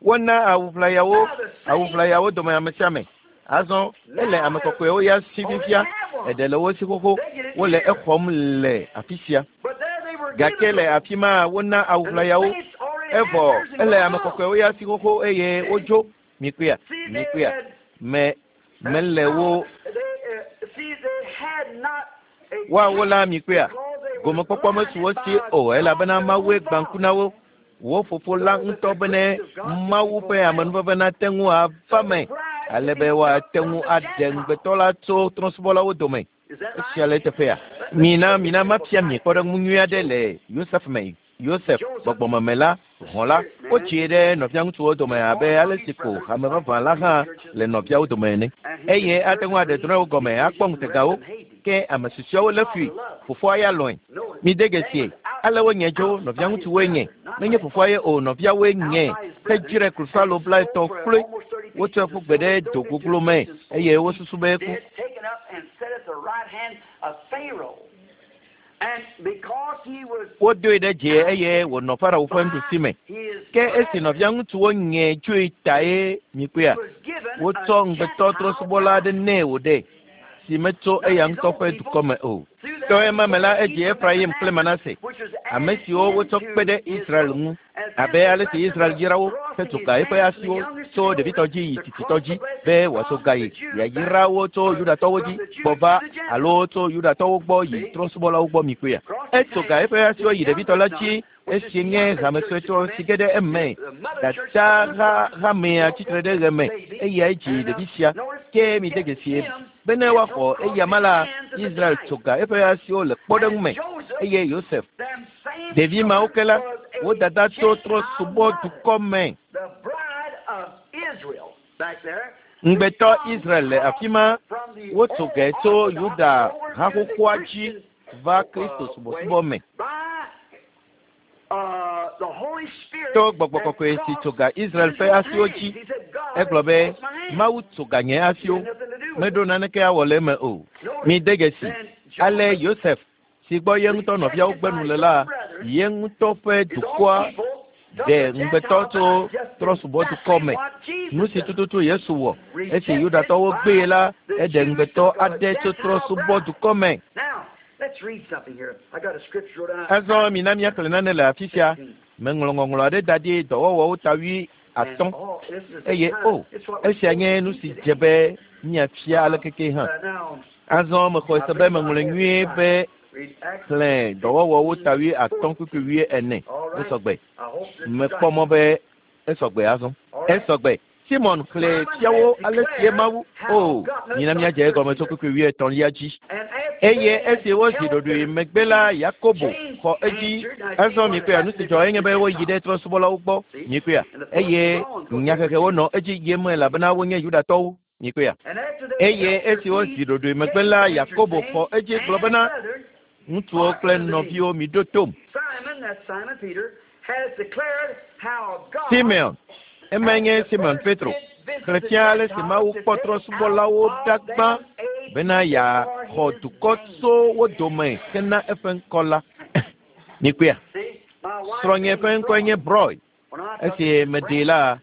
Wona awu ʋlayawo, awu ʋlayawo dome ame sia ame. Azɔ ele ame kɔkɔewo ya si fifia, eɖe le wo si xoxo, wole exɔm le afi sia. Gake le afi ma wona awu ʋlayawo, evɔ ele ame kɔkɔewo ya si xoxo eye wodzo. Mikpɔea, mikpɔea, me mele wo woawo la mikpɔea, gomekpɔkpɔ mesu wo si o elabena Mawue gbã ŋku na wo. Wo fofo la ŋutɔ bene Mawu ƒe amenuveve nate ŋu ava me ale be woate ŋu aɖe ŋugbetɔ la tso trɔ̃subɔlawo dome. Esia le eteƒea. Mina mina mafia mi kpɔɖeŋu nyui aɖe le Yosef me. Yosef gbɔgbɔmeme la hɔ̃ la wotsie ɖe nɔviaŋutsuwo dome abe ale si ko hame vavã la hã le nɔviawo dome ene. Eye ate ŋu aɖe drɔ̃ewo gɔme akpɔ ŋutegawo, ke ame susɔeawo lé fui. Fofoa ya lɔ̃e. Mide dzesi ale wonye dzo nɔviaŋutsuwoe nye. Menye fofoa ye o, nɔviawoe nye. Hedzrae klosalo blaetɔ̃ kloe. Wotsɔe ƒu gbe ɖe do goglo me eye wosusu be eku. Wodoe ɖe dzi eye wònɔ Farao ƒe nuɖusi me. Ke esi nɔviaŋutsuwo nye tsoe tae mikpɔea, wotsɔ ŋugbetɔ trɔ̃subɔla aɖe nɛ wòɖe, si metso eya ŋutɔ ƒe dukɔ me o. To ema me la edzi Efraim kple Manase, ame siwo wotsɔ kpe ɖe Israel ŋu, abe ale si Israel yra wo hetso ga eƒe asiwo tso ɖevitɔ dzi yi tsitsitɔ dzi be wòatso ga yi yeayra wo tso Yudatɔwo dzi gbɔ va alo tso Yudatɔwo gbɔ yi trɔ̃subɔlawo gbɔ mikpɔea. Etso ga eƒe asiwo yi ɖevitɔ la dzi esi nye hame suetɔ si ge ɖe eme. Dada hamea tsitre ɖe ɣe me eyae dzi ɖevi sia. Ke mide dzesi bene woaxɔ eyama la, Israel tso ga eƒe asiwo le kpɔɖeŋu me eye Yosef. Ɖevi mawo ke la, wo dada tso trɔ̃subɔdukɔ me. Ŋugbetɔ Israel le afi ma, wotso ge tso Yuda haxoxoa dzi va Kristo subɔsubɔ me. To gbɔgbɔ kɔkɔe si tso ga Israel ƒe asiwo dzi, egblɔ be Mawu tso ga nye asiwo, meɖo naneke awɔ le eme o. Mide dzesi ale Yosef si gbɔ ye ŋutɔ nɔviawo gbe nu le la, ye ŋutɔ ƒe dukɔa Ɖe ŋugbetɔ tso trɔ̃subɔdukɔ me. Nu si tututu Yesu wɔ esi Yudatɔwo gbee la, eɖe ŋugbetɔ aɖe tso trɔ̃subɔdukɔ me. Azɔ mina míaxlẽ nane le afi sia. Meŋlɔ ŋɔŋlɔ aɖe da ɖi dɔwɔwɔwo ta wui atɔ̃ eye o esia nye nu si dze be míafia alekeke hã. Azɔ mexɔe se be meŋlɔe nyuie be xlẽ dɔwɔwɔwo ta wui atɔ̃ kpukpui wui ene esɔgbe. Mekpɔ mɔ be esɔgbe azɔ. Esɔgbe. Simon xlẽ fiawo ale sie Mawu o mina míadze egɔme tso kpukpui wui etɔ̃lia dzi. Eye esi wozi ɖoɖoe megbe la, Yakobo xɔ edzi. Azɔ mikpɔa nu si dzɔ enye be woyi ɖe trɔ̃subɔlawo gbɔ. Mikpɔa eye nyahehewo nɔ edzi yim elabena wonye Yudatɔwo. Mikpɔa eye esi wozi ɖoɖoe megbe la, Yakobo xɔ edzi gblɔ bena, ŋutsuwo kple nɔviwo miɖo tom. Simeon, emae nye Simon Petro, xlẽ fia ale si Mawu kpɔ trɔ̃subɔlawo ɖa gbã bena yeaxɔ dukɔ tso wo dome hena eƒe ŋkɔ la. Mikpɔa, srɔ̃nye ƒe ŋkɔe nye Broy. Esi meɖee la,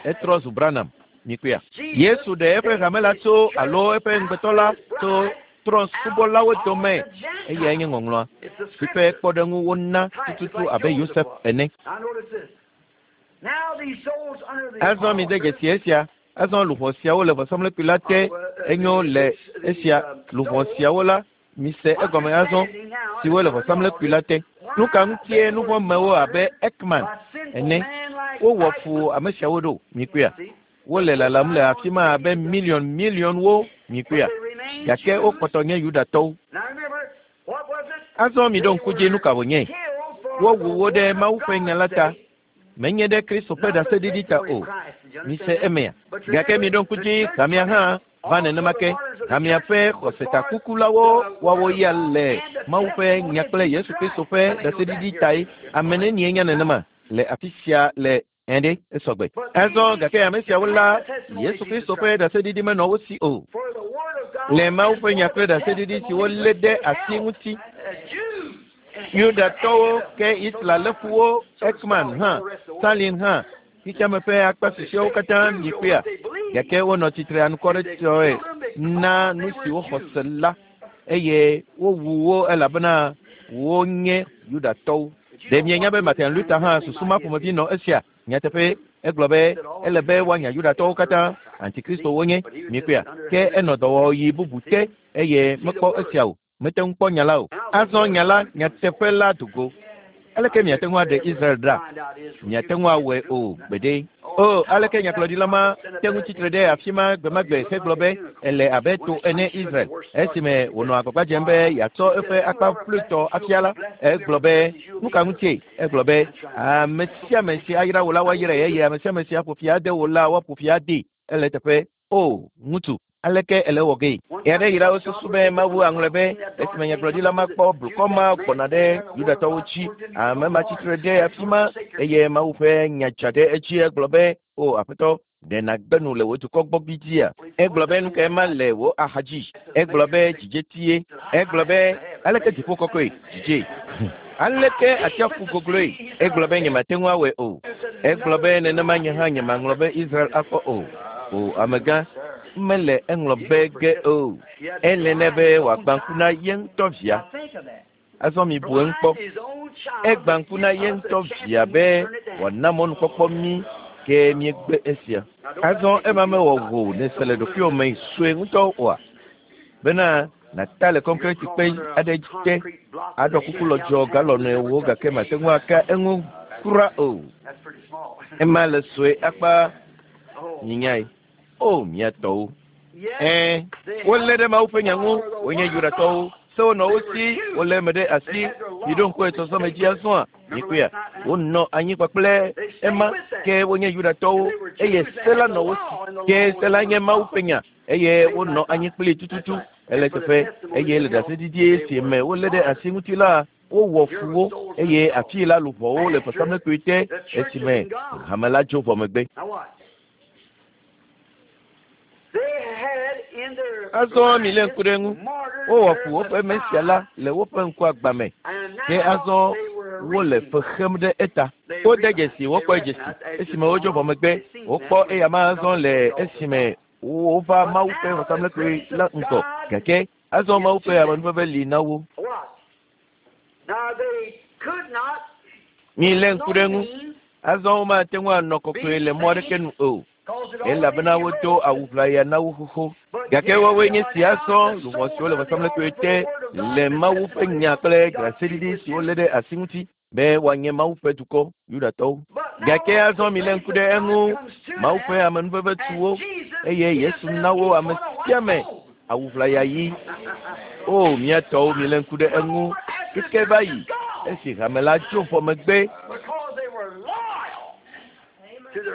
etrɔ zu Branham. Mikpɔa, Yesu ɖe eƒe hame la tso alo eƒe ŋugbetɔ la tso trɔ̃subɔlawo dome. Eyae nye ŋɔŋlɔa si ƒe kpɔɖeŋu wona tututu abe Yosef ene. Azɔ mide dzesi esia. Azɔ luʋɔ siawo le vɔsamlekpui la te. Enyo le esia luʋɔ siawo la, mise egɔme azɔ siwo le vɔsamlekpui la te. Nu ka ŋutie nuvɔ̃mewo abe Ekman ene wowɔ fu ame siawo ɖo? Mikpɔea, wole lalam le afi ma abe miliɔn miliɔnwo. Mikpɔea, gake wokpɔtɔ nye Yudatɔwo. Azɔ miɖo ŋku dzi nu ka wònye. Wowu wo ɖe Mawu ƒe nya la ta. Menye ɖe Kristo ƒe ɖaseɖiɖi ta o. Mise emea. Gake miɖo ŋku dzi hamea hã va nenema ke. Hamea ƒe xɔsetakukulawo woawo ya le Mawu ƒe nya kple Yesu Kristo ƒe ɖaseɖiɖi tae. Ame nenie nya nenema le afi sia le ɛɖe esɔgbe. Azɔ gake ame siawo la, Yesu Kristo ƒe ɖaseɖiɖi menɔ wo si o. Le Mawu ƒe nya kple ɖaseɖiɖi si wolé ɖe asi ŋuti. Yudatɔwo ke Hitler lé fu wo, Ekman hã, Stalin hã, xexeame ƒe akpa susɔeawo katã mikpɔea. Gake wonɔ tsitre anukwaretɔe na nu si woxɔ se la eye wowu wo elabena wonye Yudatɔwo. Ɖe mienya be Martin Luther hã susu ma ƒomevi nɔ esia? Nyateƒe egblɔ be ele be woanya Yudatɔwo katã, antikristo wonye. Mikpɔea, ke enɔ dɔwɔɣi bubu te eye mekpɔ esia o. Mete ŋu kpɔ nya la o. Azɔ nya la, nyateƒe la do go. Aleke miate ŋu aɖe Israel ɖa? Miate ŋu awɔe o gbeɖe. O, aleke nyagblɔɖila ma te ŋu tsitre ɖe afi ma gbe ma gbe hegblɔ be ele abe to ene Israel. Esime wònɔ agbagba dzem be yeatsɔ eƒe akpa ƒluitɔ afia la, egblɔ be nu ka ŋutie? Egblɔ be ame sia ame si ayra wò la woayrae eye ame sia ame si aƒo fi ade wò la woaƒo fi adee. Ele teƒe. O, ŋutsu, aleke ele wɔ gee? Ɣe aɖe yi la wosusu be Mawu aŋlɔe be esime nyagblɔɖila ma kpɔ blukɔ ma gbɔna ɖe Yudatɔwo dzi. Ame ma tsitre ɖe afi ma eye Mawu ƒe nya dza ɖe edzi. Egblɔ be, o aƒetɔ, ɖe nàgbe nu le wò dukɔ gbɔ gbidzia? Egblɔ be nu kae ma le wò axa dzi? Egblɔ be dzidzetie. Egblɔ be aleke dziƒo kɔkɔe dzidze? Aleke atsiaƒu gogloe? Egblɔ be nyemate ŋu awɔe o. Egblɔ be nenema nye hã nyemaŋlɔ be Israel akpɔ o. O amegã, mele eŋlɔ be ge o. Ele nɛ be wòagbã ŋku na ye ŋutɔ via. Azɔ mibu eŋu kpɔ. Egbã ŋku na ye ŋutɔ via be wòana mɔnukpɔkpɔ mí ke míegbe esia. Azɔ ema mewɔ wò nèse le ɖokuiwò me sue ŋutɔ oa? Bena nàta le kɔnkrɛti kpe aɖe te aɖɔ kuku lɔdzɔ galɔn ewo gake mate ŋu aka eŋu kura o. Ema le sue akpa nyinyae. O mía tɔwo. Ɛ̃, wolé ɖe Mawu ƒe nya ŋu, wonye Yudatɔwo. Sewo nɔ wo si, wolé eme ɖe asi. Miɖo ŋku etsɔsɔme dzi azɔa? Mikpɔea, wonɔ anyi kpakple ema ke wonye Yudatɔwo eye se la nɔ wo si. Ke se la nye Mawu ƒe nya eye wonɔ anyi kplii tututu. Ele teƒe eye le ɖaseɖiɖi si me wolé ɖe asi ŋuti la, wowɔ fu wo eye afii la luʋɔwo le vɔsamlekpui te esime hame la dzo vɔ megbe. Azɔ milé ŋku ɖe eŋu. Wowɔ fu woƒe Mesia la le woƒe ŋkuagbã me. Ke azɔ Wole fe xem ɖe eta. Wode dzesi, wokpɔ dzesi. Esime wodzo vɔ megbe, wokpɔ eya ma azɔ le esime wova Mawu ƒe vɔsamlekpui la ŋgɔ. Gake azɔ Mawu ƒe amenuveve li na wo. Milé ŋku ɖe eŋu. Azɔ womate ŋu anɔ kɔkɔe le mɔ aɖeke nu o. Elabena wodo awu ʋlaya na wo xoxo. Gake woawoe nye si azɔ luʋɔ siwo le vɔsamlekpui te le Mawu ƒe nya kple ɖaseɖiɖi si wolé ɖe asi ŋuti be woanye Mawu ƒe dukɔ, Yudatɔwo. Gake azɔ milé ŋku ɖe eŋu. Mawu ƒe amenuveve tu wo eye Yesu na wo ame sia ame awu ʋlaya ɣi. O mía tɔwo, milé ŋku ɖe eŋu. Keke va yi esi hame la tso vɔ megbe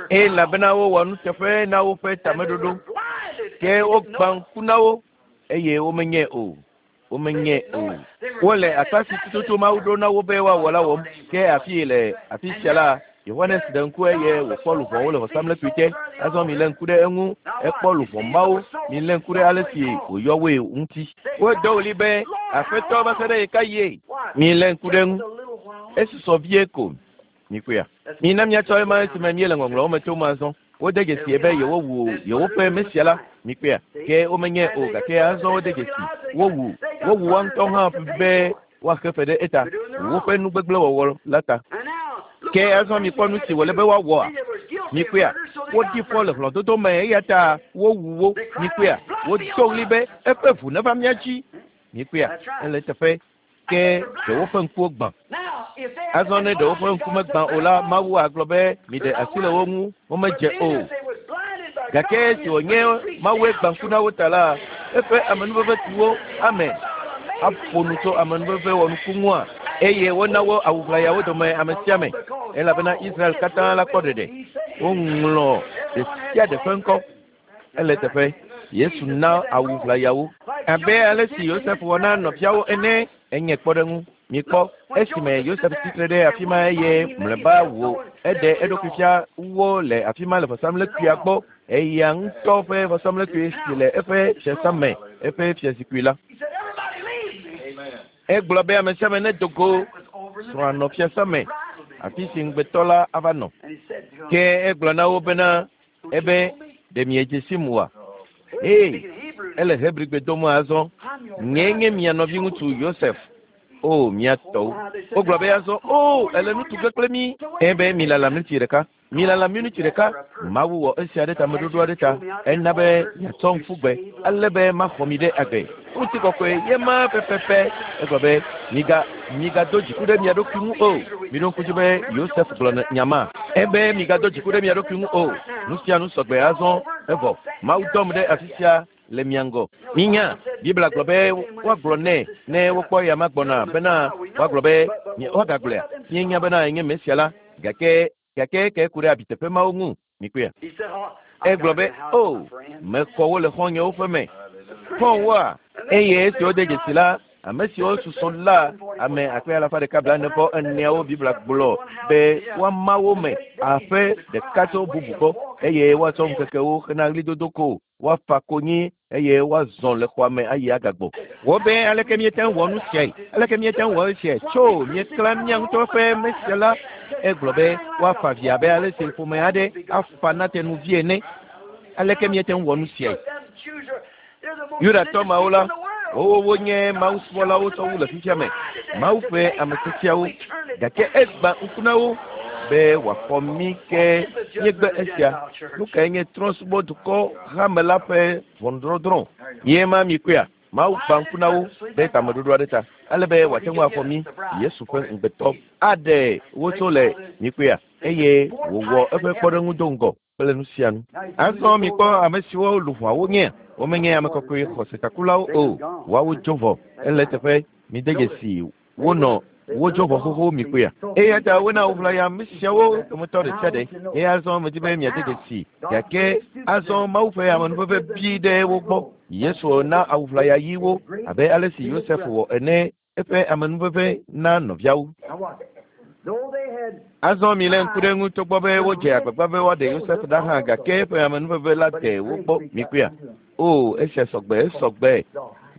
elabena wowɔ nuteƒe na woƒe tameɖoɖo. Ke wogbã ŋku na wo eye womenyae o. Womenyae o. Wole akpa si tututu Mawu ɖo na wo be woawɔ la wɔm. Ke afi le afi sia la, Yohanes ɖe ŋku eye wòkpɔ luʋɔwo le vɔsamlekpui te. Azɔ milé ŋku ɖe eŋu. Ekpɔ luʋɔ mawo. Milé ŋku ɖe ale si wòyɔ woe ŋuti. Wodo ɣli be, Aƒetɔ, va se ɖe ɣekaɣie? Milé ŋku ɖe eŋu. Esusɔ vie ko. Mikpɔea? Mina míatsɔ ema esime míele ŋɔŋlɔwo me tom azɔ. Wode dzesi be yewowu yewoƒe Mesia la. Mikpɔea? Ke womenyae o gake azɔ wode dzesi. Wowu wowu woa ŋutɔ hã be woaxe fe ɖe eta woƒe nugbegblẽwɔwɔ la ta. Ke azɔ mikpɔ nu si wòle be woawɔa? Mikpɔea? Woɖi fɔ le hlɔ̃dodo me eya ta wowu wo. Mikpɔea? Wodo ɣli be eƒe ʋu neva mía dzi. Mikpɔea? Ele teƒe. Ke ɖe woƒe ŋkuwo gbã. Azɔ ne ɖe woƒe ŋku megbã o la, Mawu agblɔ be miɖe asi le wo ŋu, womedze o. Gake esi wònye Mawue gbã ŋku na wo ta la, eƒe amenuveve tu wo. Amen. Aƒo nu tso amenuveve wɔnuku ŋua eye wona wo awu ʋlayawo dome ame sia ame elabena Israel katã la kpɔ ɖeɖe. Woŋlɔ ɖe sia ɖe ƒe ŋkɔ. Ele teƒe. Yesu na awu ʋlayawo abe ale si Yosef wɔ na nɔviawo ene. Enye kpɔɖeŋu. Mikpɔ esime Yosef tsitre ɖe afi ma eye mlɔeba wò eɖe eɖokui fia wo le afi ma le vɔsamlekpuia gbɔ. Eya ŋutɔ ƒe vɔsamlekpui si le eƒe fiasã me, eƒe fiazikpui la. Egblɔ be ame sia ame nedo go srɔ̃a nɔ fiasã me, afi si ŋugbetɔ la ava nɔ. Ke egblɔ na wo bena ebe ɖe miedze sim oa? Ee, ele Hebrigbe dom azɔ. Nyee nye mia nɔviŋutsu Yosef. O mía tɔwo. Wogblɔ be azɔ, o ele nu tu ge kple mí. Ebe milala miniti ɖeka. Milala miniti ɖeka. Mawu wɔ esia ɖe tameɖoɖo aɖe ta. Ena be miatsɔ ŋku gbe ale be maxɔ mi ɖe agbe. Ŋutikɔkɔe ye ma pɛpɛpɛ. Egblɔ be miga migado dziku ɖe mia ɖokui ŋu o. Miɖo ŋku dzi be Yosef gblɔ nya ma. Ebe migado dziku ɖe mia ɖokui ŋu o. Nu sia nu sɔgbe azɔ evɔ. Mawu dɔm ɖe afi sia le mia ŋgɔ. Minya, Biblia gblɔ be woagblɔ nɛ ne wokpɔ ya ma gbɔna bena woagblɔ be woagagblɔea. Míenya bena enye Mesia la gake gake ke ku ɖe abiteƒe mawo ŋu. Mikpɔea? Egblɔ be o mexɔ wo le xɔ̃nyewo ƒe me. Xɔ̃woa? Eye esi wode dzesi la, ame siwo susɔ la ame akpe alafa ɖeka blaene vɔ eneawo Biblia gblɔ be woama wo me aƒe ɖeka tso bubu gbɔ eye woatsɔ ŋkekewo hena ɣlidodo ko woafa konyi eye woazɔ le xɔa me ayi agagbɔ. Wo be aleke míete ŋu wɔ nu siae? Aleke míete ŋu wɔ esiae? Tso míeklã mía ŋutɔ ƒe Mesia la. Egblɔ be woafa vi abe ale si ƒome aɖe afa na tenuvi ene. Aleke míete ŋu wɔ nu siae? Yudatɔ mawo la, wowo wonye mawusubɔlawo tsɔ wu le fifia me. Mawu ƒe ame tiatiawo. Gake egbã ŋku na wo be wòaxɔ mí ke míegbe esia. Nu kae nye trɔ̃subɔdukɔ hame la ƒe ʋɔnudɔdrɔ̃? Ye ma mikpɔea? Mawu gbã ŋku na wo ɖe tameɖoɖo aɖe ta ale be wòate ŋu axɔ mí Yesu ƒe ŋugbetɔ aɖe wo tso le mikpɔea eye wòwɔ eƒe kpɔɖeŋu do ŋgɔ kple nu sia nu. Azɔ mikpɔ ame siwo luʋɔawo nye. Womenye ame kɔkɔe xɔsetakulawo o. Woawo dzo vɔ. Ele teƒe mide dzesi wonɔ wodzo vɔ xoxo mikpɔea. Eya ta wona woʋlaya ame siawo dometɔ ɖe sia ɖe. Eye azɔ medi be miade dzesi gake azɔ Mawu ƒe amenuveve bi ɖe wo gbɔ. Yesu na awu ʋlaya ɣi wo abe ale si Yosef wɔ ene eƒe amenuveve na nɔviawo. Azɔ milé ŋku ɖe eŋu togbɔ be wodze agbagba be woaɖe Yosef ɖa hã gake eƒe amenuveve la de wo gbɔ mikpɔea. O esia sɔgbe esɔgbe.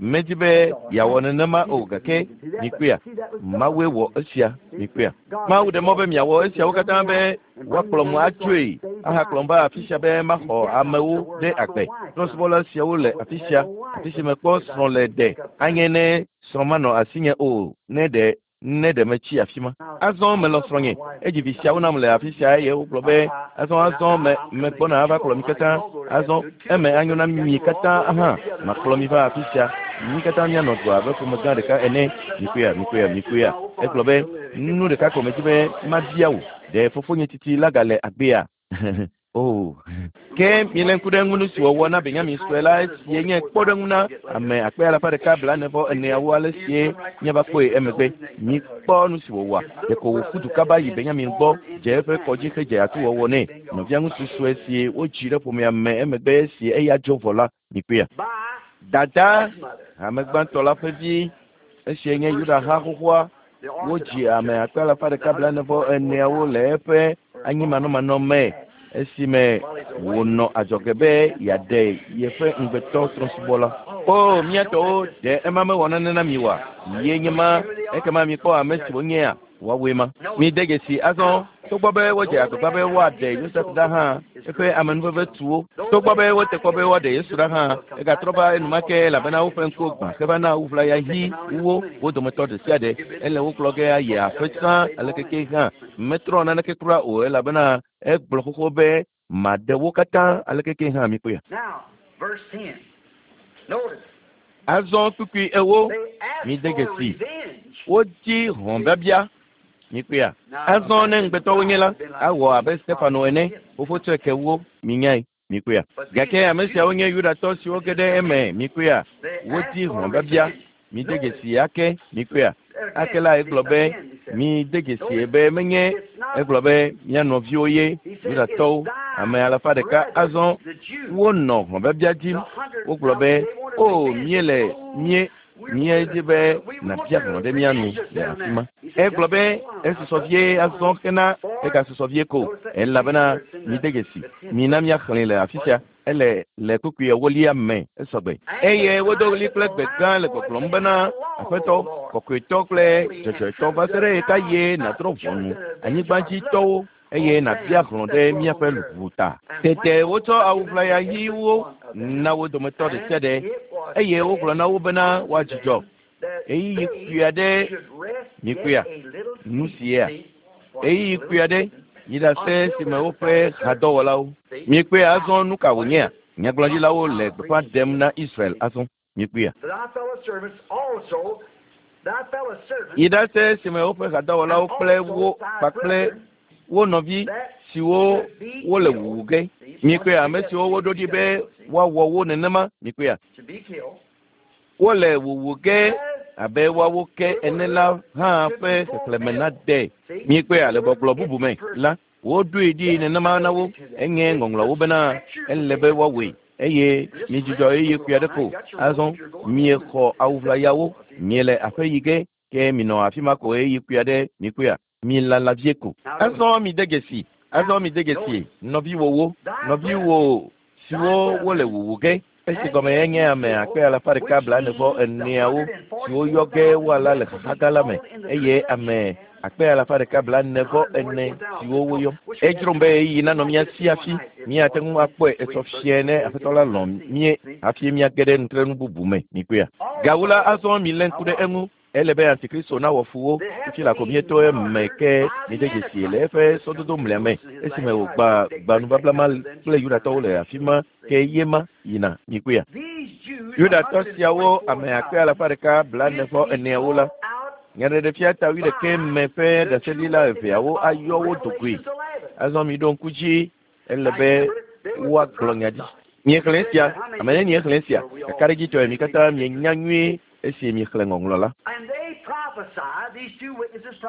Medi be yeawɔ nenema o gake mikpɔea Mawue wɔ esia mikpɔea. Mawu ɖe mɔ be miawɔ esiawo katã be woakplɔ mo atsoe ahakplɔm va afi sia be maxɔ amewo ɖe agbe. Trɔ̃subɔla siawo le afi sia afi si mekpɔ srɔ̃ le ɖe anye ne srɔ̃ manɔ asinye o ne ɖe ne ɖe metsi afi ma. Azɔ melɔ̃ srɔ̃nye edzi vi siawo nam le afi sia eye wogblɔ be azɔ azɔ me megbɔna ava kplɔ mi katã azɔ eme anyo na mi katã hã makplɔ mi va afi sia mi katã mianɔ du abe ƒome gã ɖeka ene mikpɔea mikpɔea mikpɔea egblɔ be nu ɖeka ko medzi be mabia wò ɖe fofonye titi la gale agbea o ke miele ŋku ɖe ŋu nu si wɔwɔ na Benyamin sue la esie nye kpɔɖeŋu na ame akpe alafa ɖeka blaene vɔ eneawo ale sie míava kpɔe emegbe. Mikpɔ nu si wòwɔa ɖeko wòƒu du kaba yi Benyamin gbɔ dze eƒe kɔdzi hedze atuwɔwɔ nɛ. Nɔvia ŋutsu sue si wodzi ɖe ƒomea me emegbe esi eya dzo vɔ la mikpɔea. Dada ame gbãtɔ la ƒe vi esie nye Yuda ha xoxoa wodzi ame akpe alafa ɖeka blaene vɔ eneawo le eƒe anyimanɔmanɔ me esime wònɔ adzɔge be yeaɖe yeƒe ŋugbetɔ trɔ̃subɔla. O mía tɔwo ɖe ema mewɔ nane na mi oa? Ye nye ma ekema mikpɔ ame si wonyea woawoe ma. Mide dzesi azɔ togbɔ be wodze agbagba be woaɖe Yosef ɖa hã eƒe amenuveve tu wo. Togbɔ be wote kpɔ be woaɖe Yesu ɖa hã egatrɔ va enumake elabena woƒe ŋkuwo gbã heva na ʋlaya ɣi wo wo dometɔ ɖe sia ɖe ele wo kplɔ ge ayi aƒe sã alekeke hã metrɔ naneke kura o elabena egblɔ xoxo be maɖe wo katã alekeke hã mikpɔea. Azɔ kpukpui ewo mide dzesi wodzi hlɔ̃biabia mikpɔea. Azɔ ne ŋugbetɔwo nye la awɔ abe Stefano ene fofo tsɔe ke wo minyae mikpɔea. Gake ame siawo nye Yudatɔ siwo ge ɖe eme mikpɔea. Wodzi hlɔ̃biabia mide dzesi ake mikpɔea. Ake la egblɔ be mide dzesi be menye egblɔ be mía nɔviwo ye Yudatɔwo ame alafa ɖeka azɔ wonɔ hlɔ̃biabia dim wogblɔ be o míele mie míedzi be nàbia hlɔ̃ ɖe mía nu le afi ma. Egblɔ be esusɔ vie azɔ hena egasusɔ vie ko elabena mide dzesi mina míaxlẽe le afi sia ele le kpukpui ewolia me esɔgbe. Eye wodo ɣli kple gbe gã le gbɔgblɔm bena Aƒetɔ kɔkɔetɔ kple dzɔdzɔetɔ va se ɖe ɣeka ye nàdrɔ̃ ʋɔnu anyigbadzitɔwo eye nàbia hlɔ̃ ɖe míaƒe luʋu ta. Tete wotsɔ awu ʋlaya ɣiwo na wo dometɔ ɖe sia ɖe eye wogblɔ na wo bena woadzudzɔ ɣeyiɣi kpui aɖe mikpɔea nu sia ɣeyiɣi kpui aɖe yi ɖase si me woƒe hadɔwɔlawo mikpɔea azɔ nu ka wònyea nyagblɔɖilawo le gbeƒã ɖem na Israel azɔ mikpɔea. Yi ɖase si me woƒe hadɔwɔlawo kple wo kpakple wo nɔvi siwo wole wuwu ge mikpɔea ame siwo woɖo ɖi be woawɔ wo nenema mikpɔea wole wuwu ge abe woawo ke ene la hã ƒe xexlẽme nade mikpɔea le gbɔgblɔ bubu me la woɖoe ɖi nenema na wo enye ŋɔŋlɔwo bena ele be woawɔe eye miedzudzɔ ɣeyiɣi kpui aɖe ko azɔ miexɔ awu ʋlayawo miele aƒe yi ge ke minɔ afi ma ko ɣeyiɣi kpui aɖe mikpɔea milala vie ko. Azɔ mide dzesi azɔ mide dzesi nɔviwòwo nɔviwò siwo wole wuwu ge esi gɔme enye ame akpe alafa ɖeka blaene vɔ eneawo siwo yɔ ge woala le xaxa gã la me eye ame akpe alafa ɖeka blaene vɔ ene siwo woyɔ. Edzrom be ɣeyiɣi nanɔ mía si hafi míate ŋu akpɔe etsɔ fia ne Aƒetɔ la lɔ̃ mie hafi míage ɖe nutrenu bubu me mikpɔea. Gawu la azɔ milé ŋku ɖe eŋu ele be Antikristo nawɔ fu wo fifi la ko míeto eme ke mide dzesi le eƒe sɔdodo mlea me esime wògba gba nubabla ma kple Yudatɔwo le afi ma ke ye ma yina mikpɔea. Yudatɔ siawo ame akpe alafa ɖeka blaene vɔ eneawo la nyaɖeɖefia ta wuiɖekɛ me ƒe ɖaseɖila eveawo ayɔ wo dogoe. Azɔ miɖo ŋku dzi ele be woagblɔ nya ɖi. Miexlẽ esia ame ne miexlẽ esia kakaɖedzitɔe mi katã mienya nyuie esi miexlẽ ŋɔŋlɔ la.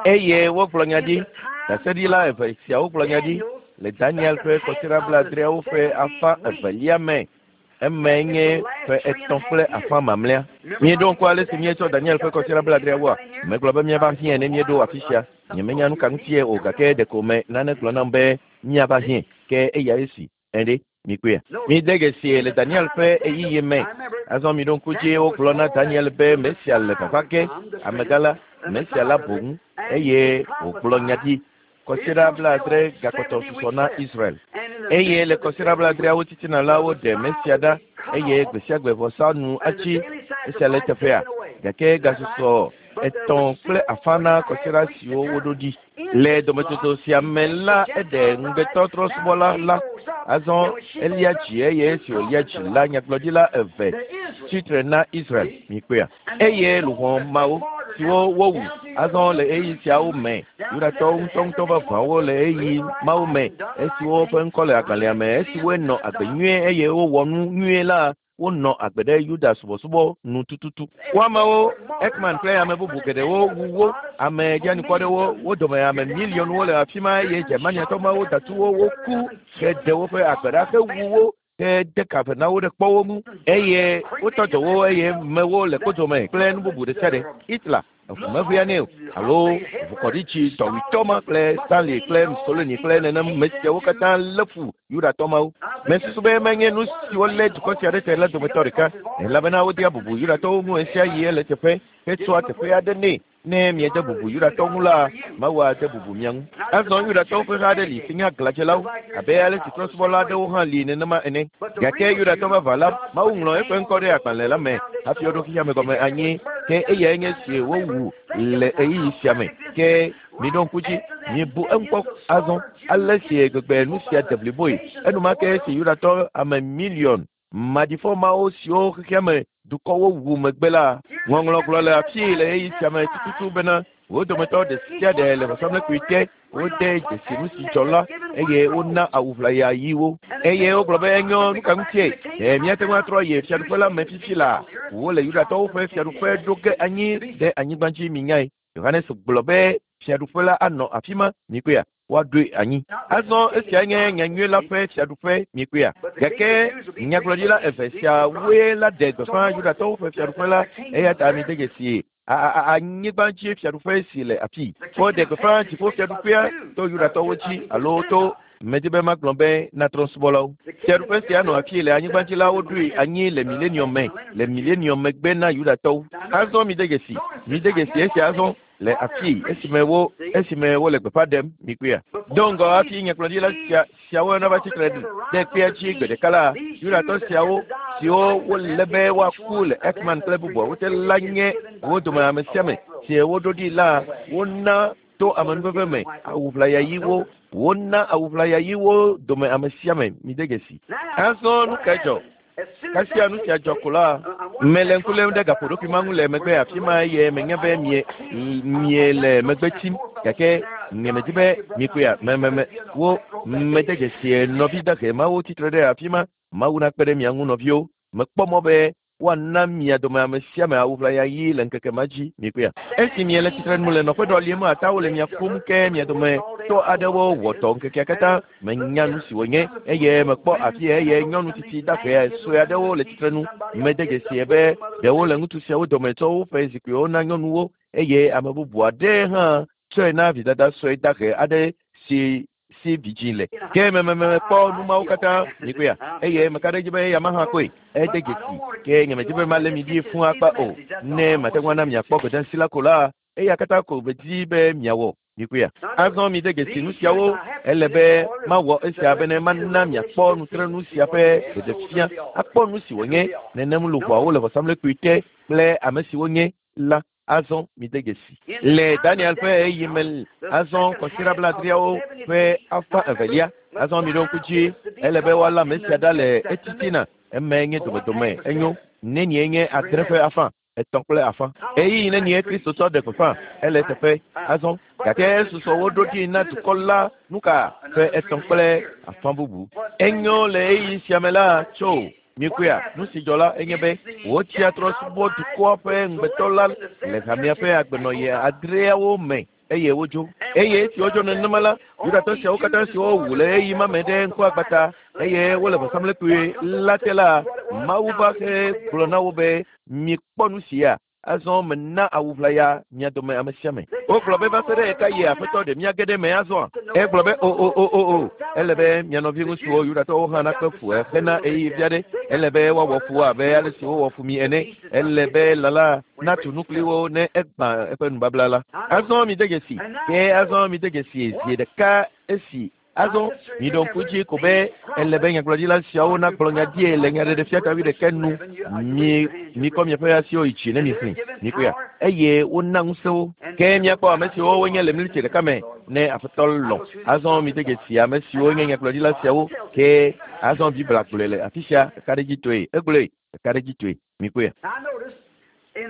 Eye wogblɔ nya ɖi ɖaseɖila eve siawo gblɔ nya ɖi le Daniel ƒe kɔsiɖa blaadreawo ƒe afã evelia me eme nye ƒe etɔ̃ kple afã mamlɛa. Míeɖo ŋku ale si míetsɔ Daniel ƒe kɔsiɖa blaadreawoa megblɔ be míava hiãe ne míeɖo afi sia. Nyemenya nu ka ŋutie o gake ɖeko me nane gblɔ nam be míava hiãe ke eya esi eɖe Mikpɔe. Mi de dzesi le Daniel ƒe ɣeyiɣi me. Azɔ mi ɖo ŋku dzi wogblɔ na Daniel be Mesia le vava ge, amegã la, Mesia la boŋ, eye wògblɔ nya ɖi. Kɔsiɖa blaadre gakpɔtɔ susɔ na Israel. Eye le kɔsiɖa blaadreawo titina la, woɖe Mesia ɖa, eye gbe sia gbe vɔsa nu atsi. Esia le teƒea, gake gasusɔ etɔ̃ kple afã na kɔsiɖa siwo woɖo ɖi. Le dometsotso sia me la, eɖe ŋugbetɔtrɔsubɔla la. Azɔ elia dzi, eye esi wòlia dzi la, nyagblɔɖila eve tsitre na Israel. Mikpɔea? Eye luʋɔ mawo siwo wowu azɔ le ɣeyiɣi siawo me, Yudatɔwo ŋutɔŋutɔ vavãwo le ɣeyiɣi mawo me, esiwo ƒe ŋkɔ le agbalẽa me, esiwoe nɔ agbe nyuie eye wowɔ nu nyuie la, wonɔ agbe ɖe Yuda subɔsubɔ nu tututu. Wo amewo, Ekman kple ame bubu geɖewo wu wo, ame dzianukwaɖewo, wo dome ame miliɔnwo le afi ma, eye Germaniatɔ mawo datu wo, woku heɖe woƒe agbe ɖa hewu wo, hede ka ve na wo ɖe kpɔwo ŋu, eye wotɔ dzɔ wo, eye mewo le kpodome kple nu bubu ɖe sia ɖe. Hitler eʋu meʋea nɛ o, alo ʋukɔɖitsi dɔwuitɔ ma kple Stanley kple Mussolini kple nenem me siawo katã lé fu Yudatɔ mawo. Mesusu be menye nu siwo lé dukɔ sia ɖe te la dometɔ ɖeka, elabena wodea bubu Yudatɔwo ŋu ɣesiaɣi ele teƒe hetsɔa teƒe aɖe nɛ. Ne miede bubu Yudatɔwo ŋu la, Mawu ade bubu mia ŋu. Azɔ Yudatɔwo ƒe ha aɖe li si nye aglãdzelawo, abe ale si trɔ̃subɔla aɖewo hã li nenema ene. Gake Yudatɔ vavã la, Mawu ŋlɔ eƒe ŋkɔ ɖe agbalẽ la me hafi woɖo xexea gɔme anyi. Ke eyae nye si wowu le ɣeyiɣi sia me. Ke miɖo ŋku dzi, mibu eŋu kpɔ azɔ ale si gbegbe nu sia de bliboe. Enumake esi Yudatɔ ame miliɔn maɖifɔ mawo siwo xexea me dukɔwo wu megbe la, ŋɔŋlɔ gblɔ le afii le ɣeyiɣi sia me tututu bena wo dometɔ ɖe sia ɖe le vɔsamlekpui te, wode dzesi nu si dzɔ la, eye wona awu ʋlaya ɣiwo. Eye wogblɔ be enyo, nu ka ŋutie? Ɖe míate ŋu atrɔ yi fiaɖuƒe la me fifi la? Wole Yudatɔwo ƒe fiaɖuƒe ɖo ge anyi ɖe anyigba dzi, minyae. Yohanes gblɔ be fiaɖuƒe la anɔ afi ma, mikpɔea? Woaɖoe anyi. Azɔ esia nye nyanyui la ƒe fiaɖuƒe, mikpɔea? Gake nyagblɔɖila eve siawoe la ɖe gbeƒã Yudatɔwo ƒe fiaɖuƒe la, eya ta mide dzesi anyigba dzi fiaɖuƒe si le afii. Woɖe gbeƒã dziƒo fiaɖuƒea to Yudatɔwo dzi alo to medi be magblɔ be na trɔ̃subɔlawo. Fiaɖuƒe sia nɔ afii le anyigba dzi la, woɖoe anyi le milenium me, le milenium megbe na Yudatɔwo. Azɔ mide dzesi, mide dzesi esia azɔ le afii esime wo esime wole gbeƒã ɖem, mikpɔea? Do ŋgɔ hafi nyagblɔɖila sia siawo nava tsitre ɖe kpea dzi gbe ɖeka la, Yudatɔ siawo siwo wolé be woaku le Ekman kple bubuawo te la nye wo dome ame sia ame si woɖo ɖi la, wona to amenuveve me awu ʋlaya ɣiwo, wona awu ʋlaya ɣiwo dome ame sia ame, mide dzesi. Azɔ nu kae dzɔ? Kasia nu sia dzɔ ko la, mele ŋku lém ɖe gaƒoɖokui ma ŋu le megbe afi ma, eye menya be mie mie le megbe tsim, gake nyemedi be mikpɔea, me me me wo mede dzesi nɔvi dahe mawo tsitre ɖe afi ma. Mawu nakpe ɖe mia ŋu nɔviwo. Mekpɔ mɔ be woana mia dome ame sia ame awu ʋlaya ɣi le ŋkeke ma dzi, mikpɔea? Esi miele tsitre nu le nɔƒe ɖɔliem atawo le mia ƒom, ke mia dome tɔ aɖewo wɔ dɔ ŋkekea katã. Menya nu si wònye, eye mekpɔ afi eye nyɔnu tsitsi dahe sue aɖewo le tsitre nu. Mede dzesi be ɖewo le ŋutsu siawo dome tsɔ woƒe zikpuiwo na nyɔnuwo, eye ame bubu aɖe hã tsɔe na vidada sue dahe aɖe si si vidzĩ le. Ke mememekpɔ nu mawo katã, mikpɔea? Eye meka ɖe edzi be eya ma hã koe ede dzesi. Ke nyemedi be malé mi ɖi fũu akpa o. Ne mate ŋu ana miakpɔ gbedeasi la ko la, eya katã ko medi be miawɔ, mikpɔea? Azɔ mide dzesi nu siawo. Ele be mawɔ esia bene mana miakpɔ nutrenu sia ƒe ɖeɖefia, akpɔ nu si wònye nenem luʋɔawo le vɔsamlekpui te kple ame si wonye la. Azɔ mide dzesi le Daniel ƒe ɣeyiɣi me, azɔ kɔsiɖa blaadreawo ƒe afã evelia. Azɔ miɖo ŋku dzi, ele be woalé ame sia ɖa le etitina. Eme nye domedome enyo nenie nye adre ƒe afã, etɔ̃ kple afã. Ɣeyiɣi nenie Kristo tsɔ ɖe gbeƒã ele teƒe azɔ, gake susɔ woɖo ɖi na dukɔ la nuka ƒe etɔ̃ kple afã bubu. Enyo le ɣeyiɣi sia me la tso mikpɔea, nu si dzɔ la enye be wotsia trɔ̃subɔ dukɔa ƒe ŋugbetɔ la le hamea ƒe agbenɔɣi adreawo me, eye wodzo. Eye esi wodzo nenema la, Yudatɔ siawo katã siwo wu le ɣeyiɣi ma me ɖe ŋkuagbata eye wole vɔsamlekpui la te la, Mawu va he gblɔ na wo be mikpɔ nu sia. Azɔ mena awu ʋlaya mia dome ame sia ame. Wogblɔ be va se ɖe ɣeka yi Aƒetɔ ɖe mía ge ɖe me azɔa? Egblɔ be o o o o o. Ele be mia nɔvi ŋutsuwo Yudatɔwo hã nakpe fu hena ɣeyiɣi vi aɖe. Ele be woawɔ fu abe ale si wowɔ fu mi ene. Ele be lala natu nu kpli wo ne egbã eƒe nubabla la. Azɔ mide dzesi. Ke azɔ mide dzesi zi ɖeka esi azɔ miɖo ŋku dzi ko be ele be nyagblɔɖila siawo nagblɔ nya die le nyaɖeɖefia ta wuiɖekɛ nu. Mi mikɔ miaƒe asiwo yi dzi ne mixlẽ mikpɔea eye wona ŋusẽwo. Ke miakpɔ ame siwo wonye le mlitsi ɖeka me ne Aƒetɔ lɔ̃. Azɔ mide dzesi ame siwo nye nyagblɔɖila siawo. Ke azɔ Biblia gblɔe le afi sia ɖekaɖedzitɔe. Egblɔe ɖekaɖedzitɔe. Mikpɔea.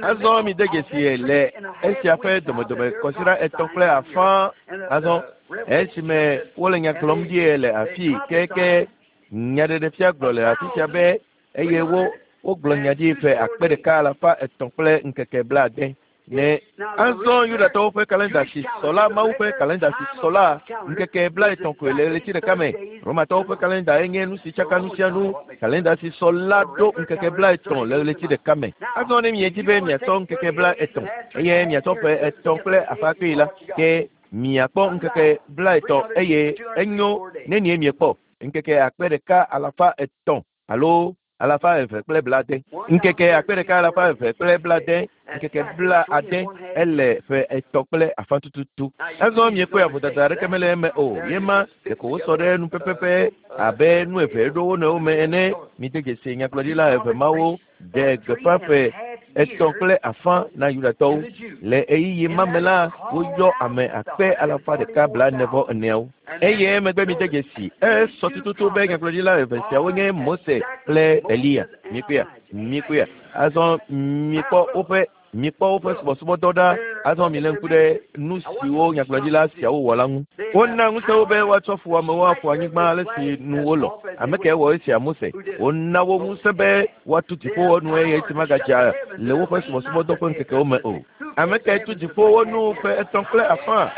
Azɔ mide dzesi le esia ƒe domedome kɔsiɖa etɔ̃ kple afã. Azɔ esime wole nya gblɔm ɖie le afi keke nyaɖeɖefia gblɔ le afi sia be eye wo wogblɔ nya ɖi ƒe akpe ɖeka alafa etɔ̃ kple ŋkeke blaade. Ne azɔ Yudatɔwo ƒe kalenda si sɔ la Mawu ƒe kalenda si sɔ la ŋkeke blaetɔ̃ koe le ɣleti ɖeka me. Romatɔwo ƒe kalenda enye nu si tsaka nu sia nu. Kalenda si sɔ la ɖo ŋkeke blaetɔ̃ le ɣleti ɖeka me. Azɔ ne miedi be miatsɔ ŋkeke blaetɔ̃ eye miatsɔ ƒe etɔ̃ kple afã kpee la, ke miakpɔ ŋkeke blaetɔ̃ eye enyo nenie miekpɔ ŋkeke akpe ɖeka alafa etɔ̃ alo alafa eve kple blaade. Ŋkeke akpe ɖeka alafa eve kple blaade, ŋkeke blaade ele ƒe etɔ̃ kple afã tututu. Azɔ miekpɔe vodada aɖeke mele eme o. Yema ɖeko wosɔ ɖe nu pɛpɛpɛ abe nu eve ɖo wo nɔewo me ene. Mide dzesi nyagblɔɖila eve mawo ɖe gbeƒã ƒe etɔ̃ kple afã na Yudatɔwo. Le ɣeyiɣi ma me la, woyɔ ame akpe alafa ɖeka blaene vɔ eneawo. Eye emegbe mide dzesi esɔ tututu be nyagblɔɖila eve siawo nye Mose kple Eliya. Mikpɔea, mikpɔea. Azɔ mikpɔ woƒe mikpɔ woƒe subɔsubɔdɔ ɖa. Azɔ milé ŋku ɖe nu siwo nyagblɔɖila siawo wɔ la ŋu. Wona ŋusẽ wo be woatsɔ fuwɔamewo aƒu anyigba ale si nu wolɔ. Ame kae wɔ esia? Mose. Wona wo ŋusẽ be woatu dziƒowo nu eye esi magadza le woƒe subɔsubɔdɔ ƒe ŋkekewo me o. Ame kae tu dziƒowo nu ƒe etɔ̃ kple afã?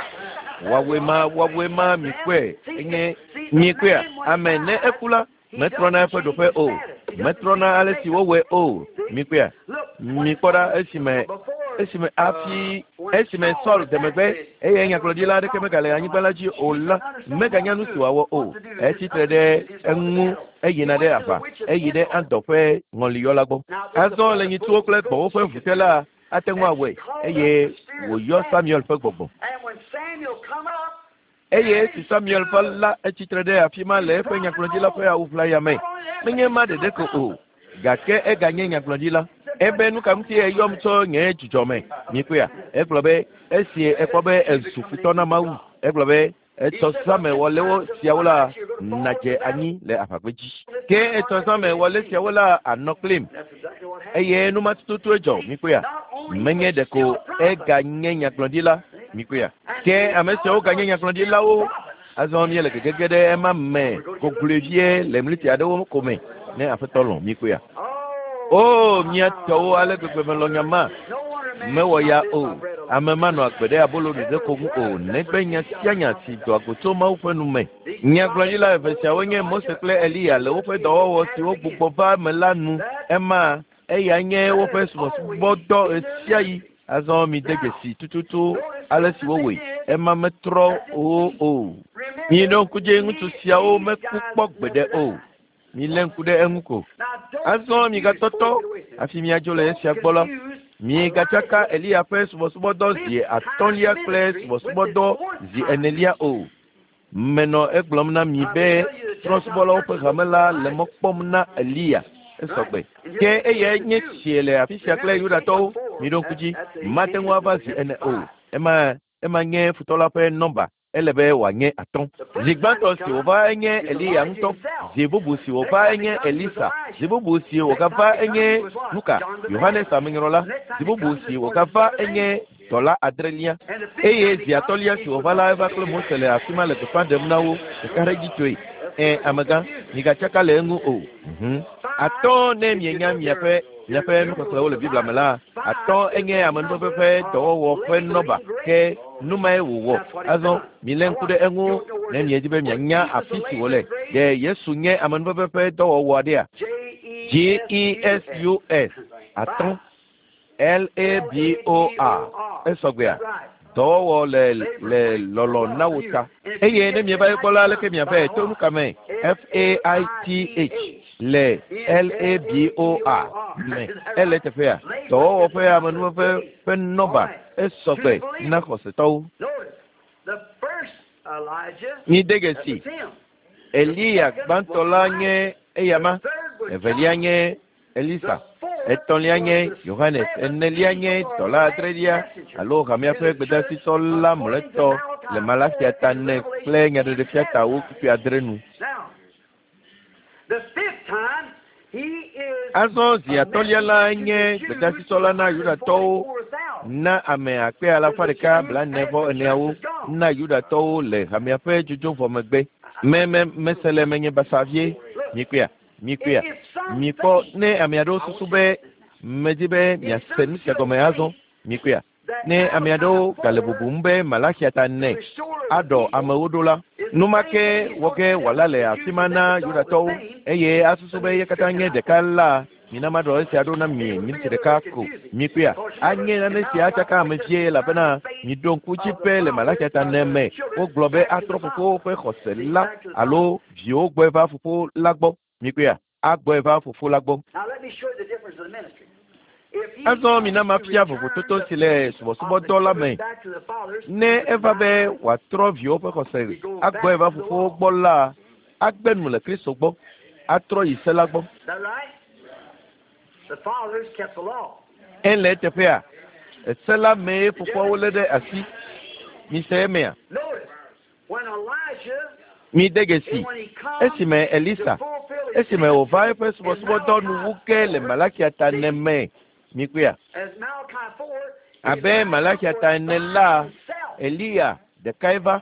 Woawoe ma, woawoe ma, mikpɔe enye mikpɔea. Ame ne eku la, metrɔna eƒe ɖoƒe o. Metrɔna ale si wowɔe o. Mikpɔea. Mikpɔ ɖa esime esime hafi esime Saul de megbe eye nyagblɔɖila aɖeke megale anyigba la dzi o la, meganya nu si wòawɔ o. Etsi tre ɖe eŋu eyina ɖe aʋa, eyi ɖe Andɔ ƒe ŋɔliyɔla gbɔ. Azɔ le nyitsuwo kple gbɔ̃wo ƒe ʋu te la, ate ŋu awɔe eye wòyɔ Samuel ƒe gbɔgbɔ. Eye esi Samuel va la, etsi tre ɖe afi ma le eƒe nyagblɔɖila ƒe awu ʋlaya me. Menye ma ɖeɖe ko o, gake eganye nyagblɔɖila. Ebe nu ka ŋuti eyɔm tso nye dzidzɔ me? Mikpɔea? Egblɔ be esi ekpɔ be ezu futɔ na Mawu. Egblɔ be etɔ zãme wɔlewo siawo la nadze anyi le aʋagbedzi. Ke etɔ zãme wɔle siawo la anɔ kplim. Eye nu ma tututue dzɔ. Mikpɔea? Menye ɖeko eganye nyagblɔɖila. Mikpɔea? Ke ame siawo ganye nyagblɔɖilawo. Azɔ míele gegege ɖe ema me gogloe vie le mliti aɖewo ko me ne Aƒetɔ lɔ̃. Mikpɔea? O mía tɔwo ale gbegbe melɔ̃ nya ma. Mewɔ ya o. Ame manɔ agbe ɖe abolo ɖeɖe ko ŋu o, negbe nya sia nya si doa go tso Mawu ƒe nu me. Nyagblɔɖila eve siawo nye Mose kple Eliya le woƒe dɔwɔwɔ siwo gbugbɔ va eme la nu. Ema eya nye woƒe subɔsubɔdɔ ɣesiaɣi. Azɔ mide dzesi tututu ale si wowɔe. Ema metrɔ o o. Miɖo ŋku dzi ŋutsu siawo meku kpɔ gbeɖe o. Milé ŋku ɖe eŋu ko. Azɔ migatɔtɔ hafi miadzo le esia gbɔ la, migatsaka Eliya ƒe subɔsubɔdɔ zi atɔ̃lia kple subɔsubɔdɔ zi enelia o. Menɔ egblɔm na mi be trɔ̃subɔlawo ƒe hame la le mɔ kpɔm na Eliya. Esɔgbe. Ke eyae nye tsie le afi sia kple Yudatɔwo. Miɖo ŋku dzi, mate ŋu ava zi ene o. Ema ema nye futɔ la ƒe nɔmba. Ele be wòanye atɔ̃. Zi gbãtɔ si wòva enye Eliya ŋutɔ. Zi bubu si wòva enye Elisa. Zi bubu si wògava enye nuka? Yohanes Amenyrɔla. Zi bubu si wògava enye dɔla adrelia. Eye zi atɔ̃lia si wòva la eva kple Mose le afi ma le gbeƒã ɖem na wo ɖekaɖedzitɔe. Ẽ amegã, migatsaka le eŋu o. Mhm. Atɔ̃ ne mienya miaƒe miaƒe nuxexlẽwo le Biblia me la, atɔ̃ enye amenuveve ƒe dɔwɔwɔ ƒe nɔba. Ke nu mae wòwɔ. Azɔ milé ŋku ɖe eŋu ne miedi be mianya afi si wòle. Ɖe Yesu nye amenuveve ƒe dɔwɔwɔ aɖea? G E S U S atɔ̃. L A B O R esɔgbea dɔwɔwɔ le le lɔlɔ na wo ta eye ne mieva ekpɔ la aleke miave to nu kame F A I T H le L A B O R me ele teƒea dɔwɔwɔ ƒe amenuve ƒe nɔba esɔgbe na xɔsetɔwo. Mi de dzesi Eliya gbãtɔ la nye eyama, evelia nye Elisa, etɔ̃lia nye Yohanes, enelia nye dɔla adrelia alo hamea ƒe gbedasitɔ la mlɔetɔ le Malakia ta ene kple nyaɖeɖefia tawo kpukpui adre nu. Azɔ zi atɔ̃lia la nye gbedasitɔ la na Yudatɔwo na ame akpe alafa ɖeka blaene vɔ eneawo na Yudatɔwo le hamea ƒe dzodzo vɔ megbe. Me me mese le menye basa vie mikpea mikpea mikpɔ ne ame aɖewo susu be medi be miase nu sia gɔme azɔ mikpea ne ame aɖewo gale bubum be Malakia ta ene aɖɔ amewo ɖo la numake wɔ ge wòala le afi ma na Yudatɔwo eye asusu be ye katã nye ɖeka la mina maɖɔ esia ɖo na mi miniti ɖeka ko mikpea anye nane sia atsaka ame vie elabena miɖo ŋku dzi be le Malakia ta ene me wogblɔ be atrɔ fofowo ƒe xɔse la alo viwo gbɔe va fofo la gbɔ mikpea agbɔe va fofo la gbɔ. Azɔ mina mafia vovototo si le subɔsubɔdɔ la me. Ne eva be wòatrɔ viwo ƒe xɔse agbɔe va fofowo gbɔ la agbe nu le Kristo gbɔ atrɔ yi se la gbɔ. Ele teƒea ese la mee fofoawo lé ɖe asi. Mise emea. Mi de dzesi esime Elisa esime wòva eƒe subɔsubɔdɔ nuwu ke le Malakia ta ene me mikpea abe Malakia ta ene la Eliya ɖekae va.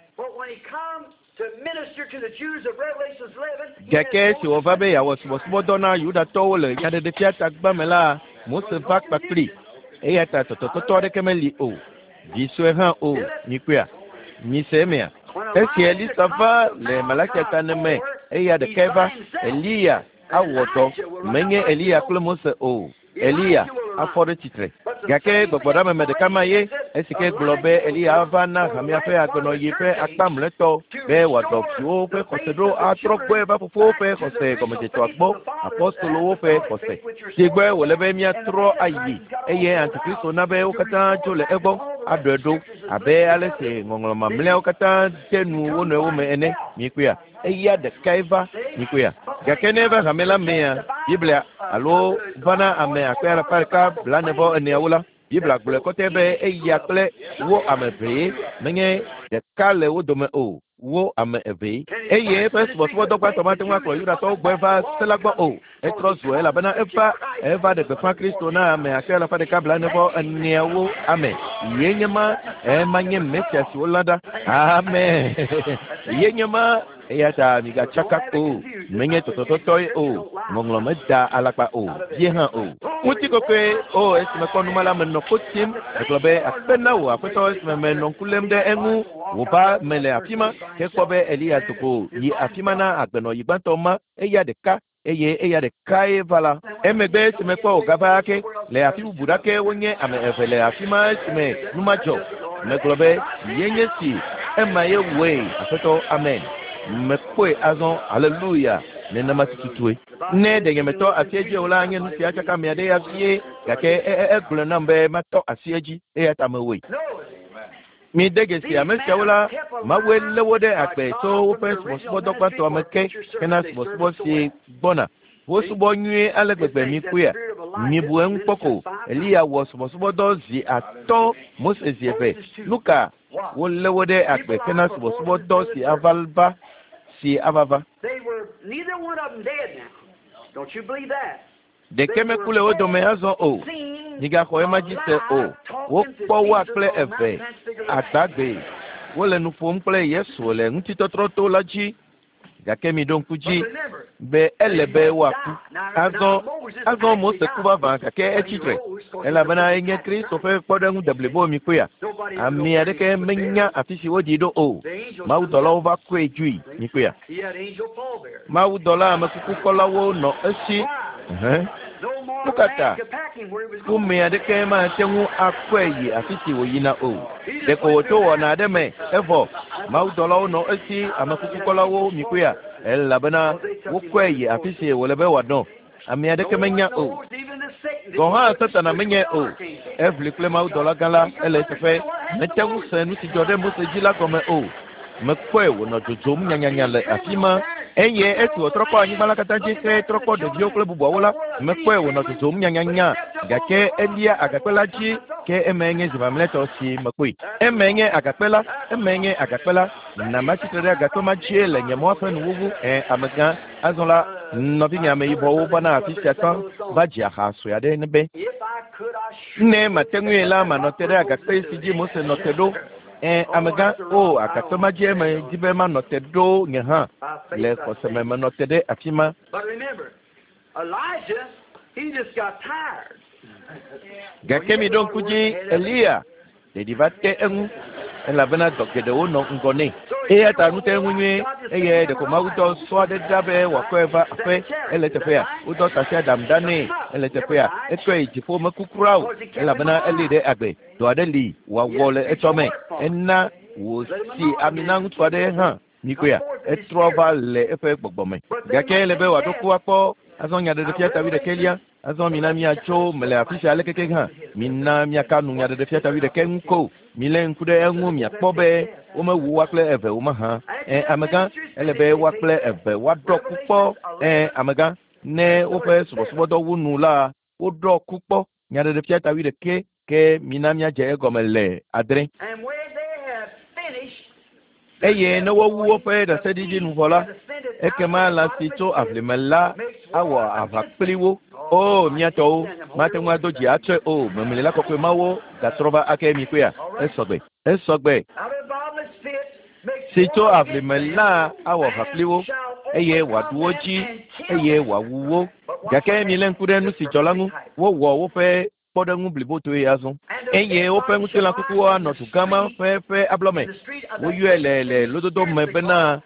Gake esi wòva be yeawɔ subɔsubɔdɔ na Yudatɔwo le nyaɖeɖefia ta gbã me la Mose va kpakpli eya ta tɔtɔtɔtɔ aɖeke meli o vi sue hã o mikpea mise emea. Esi Elisa va le Malakia ta ene me eya ɖekae va Eliya awɔ dɔ menye Eliya kple Mose o Eliya afɔ ɖe tsitre gake gbɔgbɔɖameme ɖeka ma ye esi ke gblɔ be Eliya ava na hamea ƒe agbenɔyi ƒe akpa mlɔetɔ be wòadɔ viwo ƒe xɔse ɖo atrɔ gbɔe va fofowo ƒe xɔse gɔmedzetɔa gbɔ apɔstolowo ƒe xɔse si gbɔe wòle be míatrɔ ayi eye Antikristo na be wo katã dzo le egbɔ aɖɔe ɖo abe ale si ŋɔŋlɔ mamlɛawo katã de nu wo nɔewo me ene mikpea eya ɖekae va mikpea gake ne eva hame la mea Biblia alo va na ame akpe alafa ɖeka blaene vɔ eneawo la Biblia gblɔe kɔtɛ be eya kple wo ame evee menye ɖeka le wo dome o wo ame evee eye eƒe subɔsubɔdɔ gbãtɔ mate ŋu akplɔ Yudatɔwo gbɔe va se la gbɔ o etrɔ zu elabena eva eva ɖe gbeƒã Kristo na ame akpe alafa ɖeka blaene vɔ eneawo ame ye nye ma ema nye Mesia si wolã ɖa amen ye nye ma eya ta migatsaka o menye tɔtɔtɔtɔe o ŋɔŋlɔ meda alakpa o vie hã o. Ŋutikɔkɔe o esime kpɔ numa la menɔ ko tim egblɔ be akpe na wò aƒetɔ esime menɔ ŋku lém ɖe eŋu wòva me le afi ma ke kpɔ be Eliya doko yi afi ma na agbenɔyi gbãtɔ ma eya ɖeka eye eya ɖekae va la emegbe esime kpɔ wògava ake le afi bubu ɖake wonye ame eve le afi ma esime nu ma dzɔ megblɔ be ye nye si ema ye wɔe aƒetɔ amen mekpɔe azɔ haleluya nenema tututue ne ɖe nyemetɔ asi edzi o la nye nu sia tsaka ame aɖe ya vie gake egblɔ nam be matɔ asi edzi eya ta mewɔe. Mi de dzesi ame siawo la Mawue lé wo ɖe agbe tso woƒe subɔsubɔdɔ gbãtɔa me ke hena subɔsubɔ si gbɔna. Wosubɔ nyuie ale gbegbe mikpɔea mibu eŋu kpɔ ko Eliya wɔ subɔsubɔdɔ zi atɔ̃ Mose zi eve nu ka wolé wo ɖe agbe hena subɔsubɔdɔ si ava va si ava va. Ɖeke meku le wo dome azɔ o migaxɔ ema dzi se o wokpɔ woa kple eve agbagbe wole nu ƒom kple Yesu le ŋutitɔtrɔto la dzi gake miɖo ŋku dzi be ele be woaku azɔ azɔ Mose ku vavã gake etsi tre elabena enye Kristo ƒe kpɔɖeŋu deblibo mikpɔea ame aɖeke menya afi si woɖi ɖo o mawudɔlawo va kɔe dzoe mikpɔea mawudɔla amekukukɔlawo nɔ esi. Nu ka ta? Ƒome aɖeke mate ŋu akɔe yi afi si wòyina o. Ɖeko wòto wɔna aɖe me evɔ mawudɔlawo nɔ esi amekukukɔlawo mikpɔea elabena wokɔe yi afi si wòle be wòanɔ. Ame aɖeke menya o. Gɔ̃ hã Satana menyae o. Eʋli kple mawudɔla gã la ele eteƒe. Mete ŋu se nu si dzɔ ɖe Mose dzi la gɔme o. Mekpɔe wònɔ dzodzom nyanyanya le afi ma eye esi wòtrɔ kpɔ anyigba la katã dzi hetrɔ kpɔ ɖeviwo kple bubuawo la, mekpɔe wònɔ dzodzom nyanyanya gake elia agakpe la dzi ke emae nye zi mamlɛtɔ si mekpɔe. Emae nye agakpe la, emae nye agakpe la. Na matsitre ɖe agakpe ma dzie le nye mɔa ƒe nuwuwu. Ɛ amegã, azɔ la nɔvinye ameyibɔwo vana afi sia tsã va dzi aha sue aɖe ne be ne mate ŋui la manɔ te ɖe agakpe si dzi Mose nɔ te ɖo. Ɛ amegã, o agakpe ma dzie medi be manɔ te ɖo nye hã le xɔseme menɔ te ɖe afi ma. But remember, Elijah, he just got tired. Gake mi ɖo ŋku dzi Eliya ɖeɖi va te eŋu elabena dɔ geɖewo nɔ ŋgɔ nɛ. Eya ta nu te eŋu nyuie eye ɖeko Mawu dɔ sɔ aɖe ɖa be wòakɔe va aƒe ele teƒea. Wodɔ tasiaɖam ɖa nɛ ele teƒea. Ekɔe yi dziƒo meku kura o elabena elée ɖe agbe. Dɔ aɖe li wòawɔ le etsɔme. Ena wòsi ami na ŋutsu aɖe hã mikpɔea. Etrɔ va le eƒe gbɔgbɔ me. Gake ele be wòaɖo ku akpɔ azɔ nyaɖeɖefia ta wuiɖekɛlia. Azɔ mina miatso mele afi sia ale keke hã. Mina miaka nu nyaɖeɖefia ta wuiɖekɛ ŋu ko. Milé ŋku ɖe eŋu miakpɔ be womewu woa kple eve wo mahã. Ɛ amegã, ele be woa kple eve woaɖɔ ku kpɔ. Ɛ amegã, ne woƒe subɔsubɔdɔ wu nu la, woɖɔ ku kpɔ. Nyaɖeɖefia ta wuiɖekɛ ke mina miadze egɔme le adre. And when they have finished, Eye ne wowu woƒe ɖaseɖiɖi nu vɔ la, ekema lã si tso aʋlime la awɔ aʋa kpli wo. O mía tɔwo, mate ŋu ado dzi atsɔe o. Memlila kɔkɔe mawo gatrɔ va ake mikpɔea. Esɔgbe, esɔgbe. out of bottomless pit, makes Si tso war aʋlime against la them, awɔ aʋa kpli wo and shall eye wòaɖu wo overcome dzi them and kill eye them. wòawu wo. Gake milé ŋku ɖe nu si dzɔ la ŋu. Wowɔ woƒe kpɔɖeŋu blibotoe azɔ eye woƒe ŋutilã kukuwo anɔ dugã ma ƒe ƒe ablɔme. In the street of that Woyɔe le le lododo me bena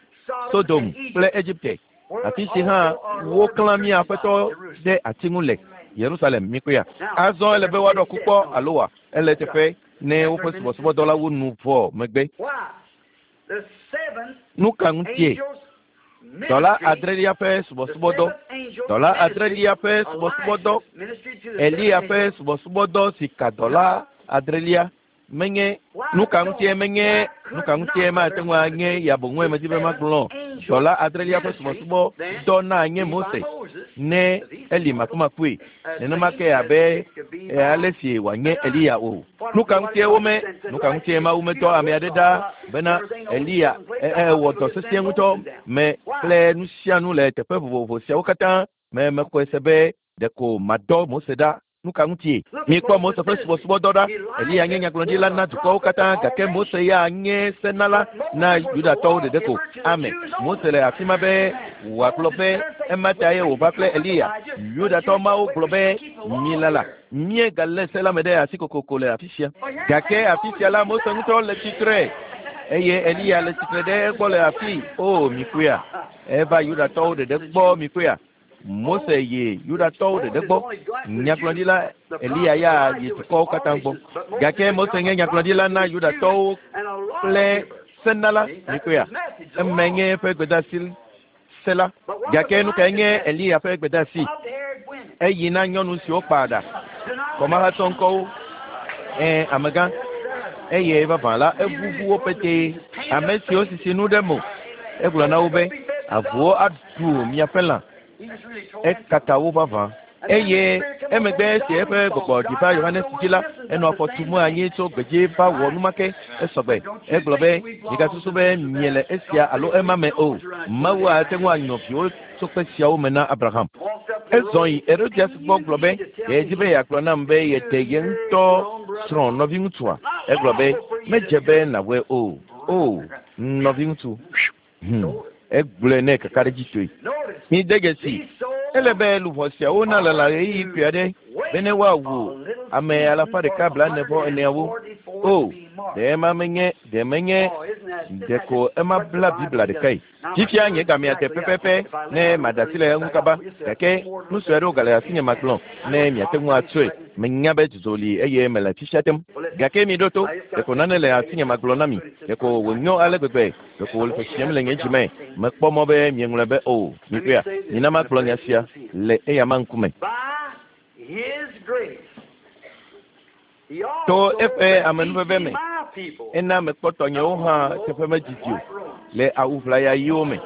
Sodom kple Egipte. Afi si hã woklã mía aƒetɔ ɖe ati ŋu le Yerusalem mikpɔea. Azɔ ele be woaɖɔ ku kpɔ alo wa ele teƒe ne woƒe subɔsubɔdɔ la wu nu vɔ megbe. Why? The seven Nu ka ŋutie? angels Dɔla ministry, adrelia ƒe the subɔsubɔdɔ, seventh angel dɔla ministry, adrelia ƒe subɔsubɔdɔ, Elijah's ministry to the Eliya seven ƒe angels. subɔsubɔdɔ si ka dɔla adrelia menye nu ka ŋutie menye nu ka ŋutie mate ŋu anye ya boŋue medi be magblɔ dɔla adrelia ƒe subɔsubɔdɔ na nye Mose ne eli makumakue nenema ke abe e, ale si wòanye Eliya o. Nu ka ŋutie wome nu ka ŋutie Mawu medɔ ame aɖe ɖa bena Eliya e, e, wɔ dɔ sesĩe ŋutɔ me kple nu sia nu le teƒe vovovo siawo katã me mexɔe se be ɖeko madɔ Mose ɖa. Nu ka ŋutie? Mikpɔ Mose ƒe subɔsubɔdɔ ɖa. Eliya nye nyagblɔɖila na dukɔwo katã gake Mose ya nye senala na Yudatɔwo ɖeɖe ko. Amen. Mose le afi ma be wòagblɔ be ema ta ye wòva kple Eliya. Yudatɔ mawo gblɔ be milala míegalé se la me ɖe asi kokoko le afi sia. Gake afi sia la Mose ŋutɔ le tsitre eye Eliya le tsitre ɖe egbɔ le afi. O mikpɔea, eva Yudatɔwo ɖeɖe gbɔ mikpɔea. Mose yi Yudatɔwo ɖeɖe gbɔ. Nyagblɔɖila Eliya ya yi dukɔwo katã gbɔ. Gake Mose nye nyagblɔɖila na Yudatɔwo kple senala mikpɔea. Emae nye eƒe gbedeasi se la. Gake nu kae nye Eliya ƒe gbedeasi? Bob-haired women. Eyi na nyɔnu siwo kpa ɖa, kɔmahatɔ ŋkɔwo, ɛ amegã, eye vavã la evuvu wo petee. Ame siwo sisi nu ɖe mo, egblɔ na wo be avuwo aɖu miaƒe lã. He was really told Ekaka wo vavã. Eye emegbe esi eƒe gbɔgbɔ ɖi va Yohanes dzi la, enɔ afɔ tum anyi tso gbedzi va wɔ numake esɔgbe. Egblɔ be migasusu be miele esia alo ema me o. Mawu ate ŋu anyɔ viwo tso kpe siawo me na Abraham. walked up the Ezɔ road. yi Herodias gbɔ gblɔ be yedi be yeagblɔ nam be yete ye ŋutɔ srɔ̃ nɔviŋutsua. Egblɔ be medze be nàwɔe o. O nɔviŋutsu. Hmm. Egblɔe nɛ kakaɖedzitɔe. Notice, Mide dzesi. these souls Ele be luʋɔ siawo nalala ɣeyiɣi kpui aɖe bene woawu ame alafa ɖeka blaene vɔ eneawo. O, ɖe ema menye ɖe menye Oh, isn't that Ɖeko ema bla Biblia ɖekae. Fifia nye gamea de pɛpɛpɛ ne madasi le eŋu kaba. Gake nu sue aɖewo gale asinye magblɔ ne miate ŋu atsɔe. Menya be dzudzɔ li eye mele fifia tem. Gake mi ɖo to, ɖeko nane le asinye magblɔ na mi. Ɖeko wònyo ale gbegbe. Ɖeko wòle ƒoƒom le nye dzime. Mekpɔ mɔ be mieŋlɔe be o. Mikpɔea, mina magblɔ nya sia le eyama ŋkume. To eƒe amenuveve me, ena mekpɔ tɔnyewo hã teƒe medzidzi o le awu ʋlaya ɣiwo me.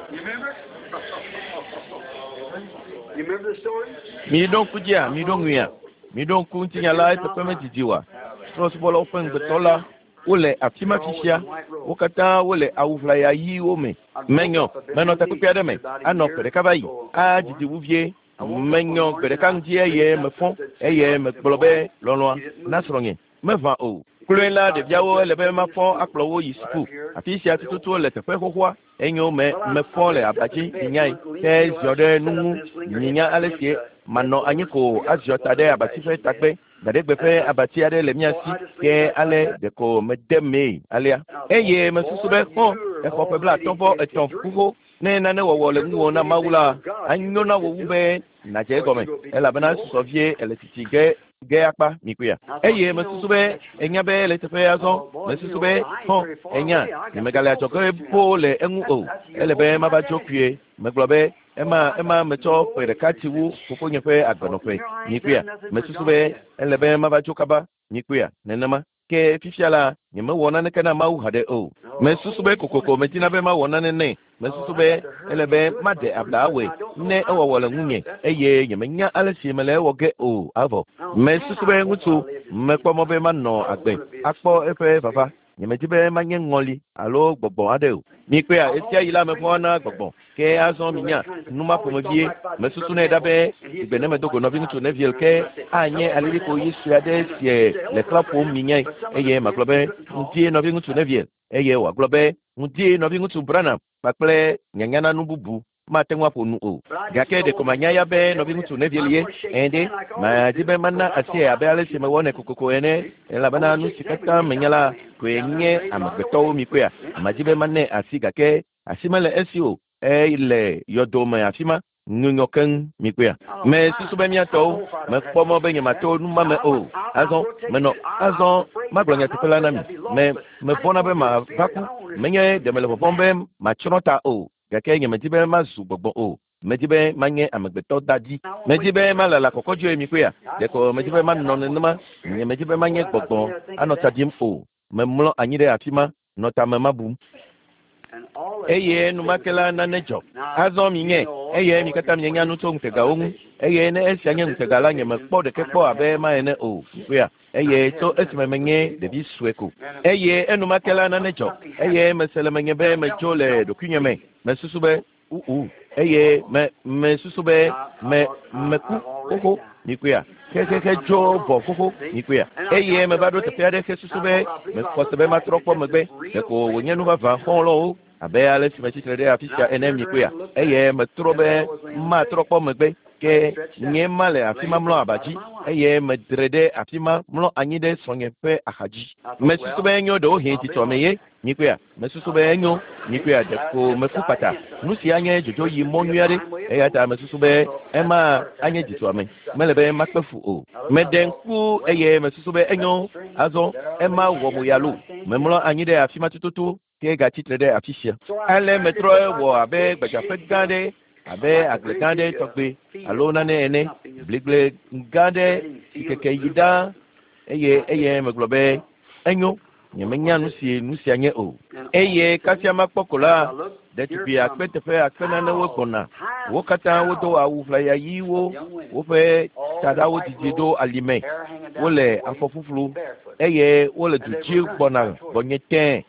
Miɖo ŋku dzia, miɖo ŋuia, miɖo ŋku ŋutinya la eteƒe medzidzi oa. Trɔ̃subɔlawo ƒe ŋugbetɔ la wole afi ma fifia. Wo katã wole awu ʋlaya ɣiwo me. Menyɔ, menɔ takpekpe aɖe me, anɔ ƒe ɖeka va yi, adzidzi wu vie. Menyɔ gbe ɖeka ŋdi eye mefɔ eye megblɔ be lɔlɔ̃a na srɔ̃nye meʋã o. Kloe la ɖeviawo ele be mafɔ akplɔ wo yi suku. Afi sia tututu le teƒe xoxoa. Enyo me mefɔ le aba dzi minyae ke ziɔ ɖe nu ŋu minya ale si manɔ anyi ko aziɔ ta ɖe abati ƒe tagbe. Gbaɖegbe ƒe abati aɖe le mía si ke ale ɖeko mede mee alea. Eye mesusu be xɔ exɔ ƒe blaatɔ̃ vɔ etɔ̃ xoxo. Ne nane wɔwɔ le ŋuwò na Mawu la, anyo na wò wu be nàdze egɔme elabena susɔ vie ele tsitsi ge ge akpa mikpɔea. Eye mesusu be enya be le teƒe azɔ. Mesusu be xɔ enya nyemegale adzɔge boo le eŋu o. Ele be mava dzo kpuie. Megblɔ be ema ema metsɔ ƒe ɖeka tsi wu fofonye ƒe agbenɔƒe mikpɔea. Mesusu be ele be mava dzo kaba mikpɔea nenema. Ke fifia la nyemewɔ naneke na Mawu haɖe o. Mesusu be kokoko medina be mawɔ nane nɛ. Mesusu be ele be maɖe abla awɔe ne ewɔwɔ le ŋunye eye nyemenya ale si mele ewɔ ge o avɔ. Mesusu be ŋutsu mekpɔ mɔ be manɔ agbe akpɔ eƒe vava. Nyemedi be manye ŋɔli alo gbɔgbɔ aɖe o. Mikpɔea esia yi la mevɔ̃a na gbɔgbɔ. Ke azɔ minya nu ma ƒomevie. Mesusu nɛ ɖa be gbe ne medo go nɔviŋutsu Neville ke anye alilikpo ɣi sue aɖe sie le xlã ƒom minyae eye magblɔ be ŋdie nɔviŋutsu Neville eye wòagblɔ be ŋdie nɔviŋutsu Branham kpakple nyanya na nu bubu mate ŋu aƒo nu o. Gake ɖeko manya ya be nɔviŋutsu Neville ye. Ɛ̃ ɖe, madi be mana asie abe ale si mewɔnɛ kokoko ene elabena nu si katã menya la koe nye amegbetɔwo mikpɔea. Madi be manɛ asi gake asi mele esi o. Ele yɔdome afi ma nyunyɔ keŋ mikpɔea. Mesusu be míatɔwo mekpɔ mɔ be nyemato nu ma me o. Azɔ menɔ azɔ magblɔ nyateƒe la na mi. Me mevɔ̃na be mava ku. Menye ɖe mele vɔvɔ̃m be matsrɔ̃ ta o. Gake nyemedi be mazu gbɔgbɔ o. Medi be manye amegbetɔ dadi. Medi be malala kɔkɔdzoe mikpɔea. Ɖeko medi be manɔ nenema. Nyemedi be manye gbɔgbɔ anɔ tsa ɖim o. Memlɔ anyi ɖe afi ma nɔ tame ma bum. Eye enumake la nane dzɔ. Azɔ minye eye mi katã mienya nu tso ŋutegawo ŋu. Eye ne esia nye ŋutega la nyemekpɔ ɖeke kpɔ abe ema ene o. Mikpɔea. Eye tso esime menye ɖevi sue ko. Eye enumake la nane dzɔ. Eye mese le menye be medzo le ɖokuinye me. Mesusu be uu eye me mesusu be me meku xoxo mikpɔea. Xexexe dzo vɔ xoxo mikpɔea. Eye meva ɖo teƒe aɖe hesusu be mexɔ se be matrɔ kpɔ megbe. Ɖeko wònye nu vavã xɔlɔ̃wo abe ale si metsitre ɖe afi sia ene mikpɔea. Eye metrɔ be matrɔ kpɔ megbe. Ke nye ma le afi ma mlɔ aba dzi eye medre ɖe afi ma mlɔ anyi ɖe srɔ̃nye ƒe axadzi. Mesusu be enyo ɖewohĩ tsitsɔme ye mikpɔea. Mesusu be enyo mikpɔea ɖeko meku kpata. Nu sia nye dzodzo yi mɔ nyui aɖe eya ta mesusu be ema anye dzitsɔame. Mele be makpe fu o. Meɖe ŋku eye mesusu be enyo azɔ ema wɔ mo ya loo. Memlɔ anyi ɖe afi ma tututu ke gatsitre ɖe afi sia. Ale metrɔ wɔ abe gbadzaƒe gã aɖe abe agble gã aɖe tɔgbe alo nane ene bligble gã aɖe si keke yi ɖaa eye eye megblɔ be enyo nyemenya nu si nu sia nye o. Eye kasia makpɔ ko la ɖetugbi akpe teƒe akpe nanewo gbɔna. Wo katã wodo awu ʋlaya ɣiwo, woƒe taɖawo didi ɖo alime. Wole afɔ ƒuƒlu eye wole du dzi gbɔna gbɔnye tẽe.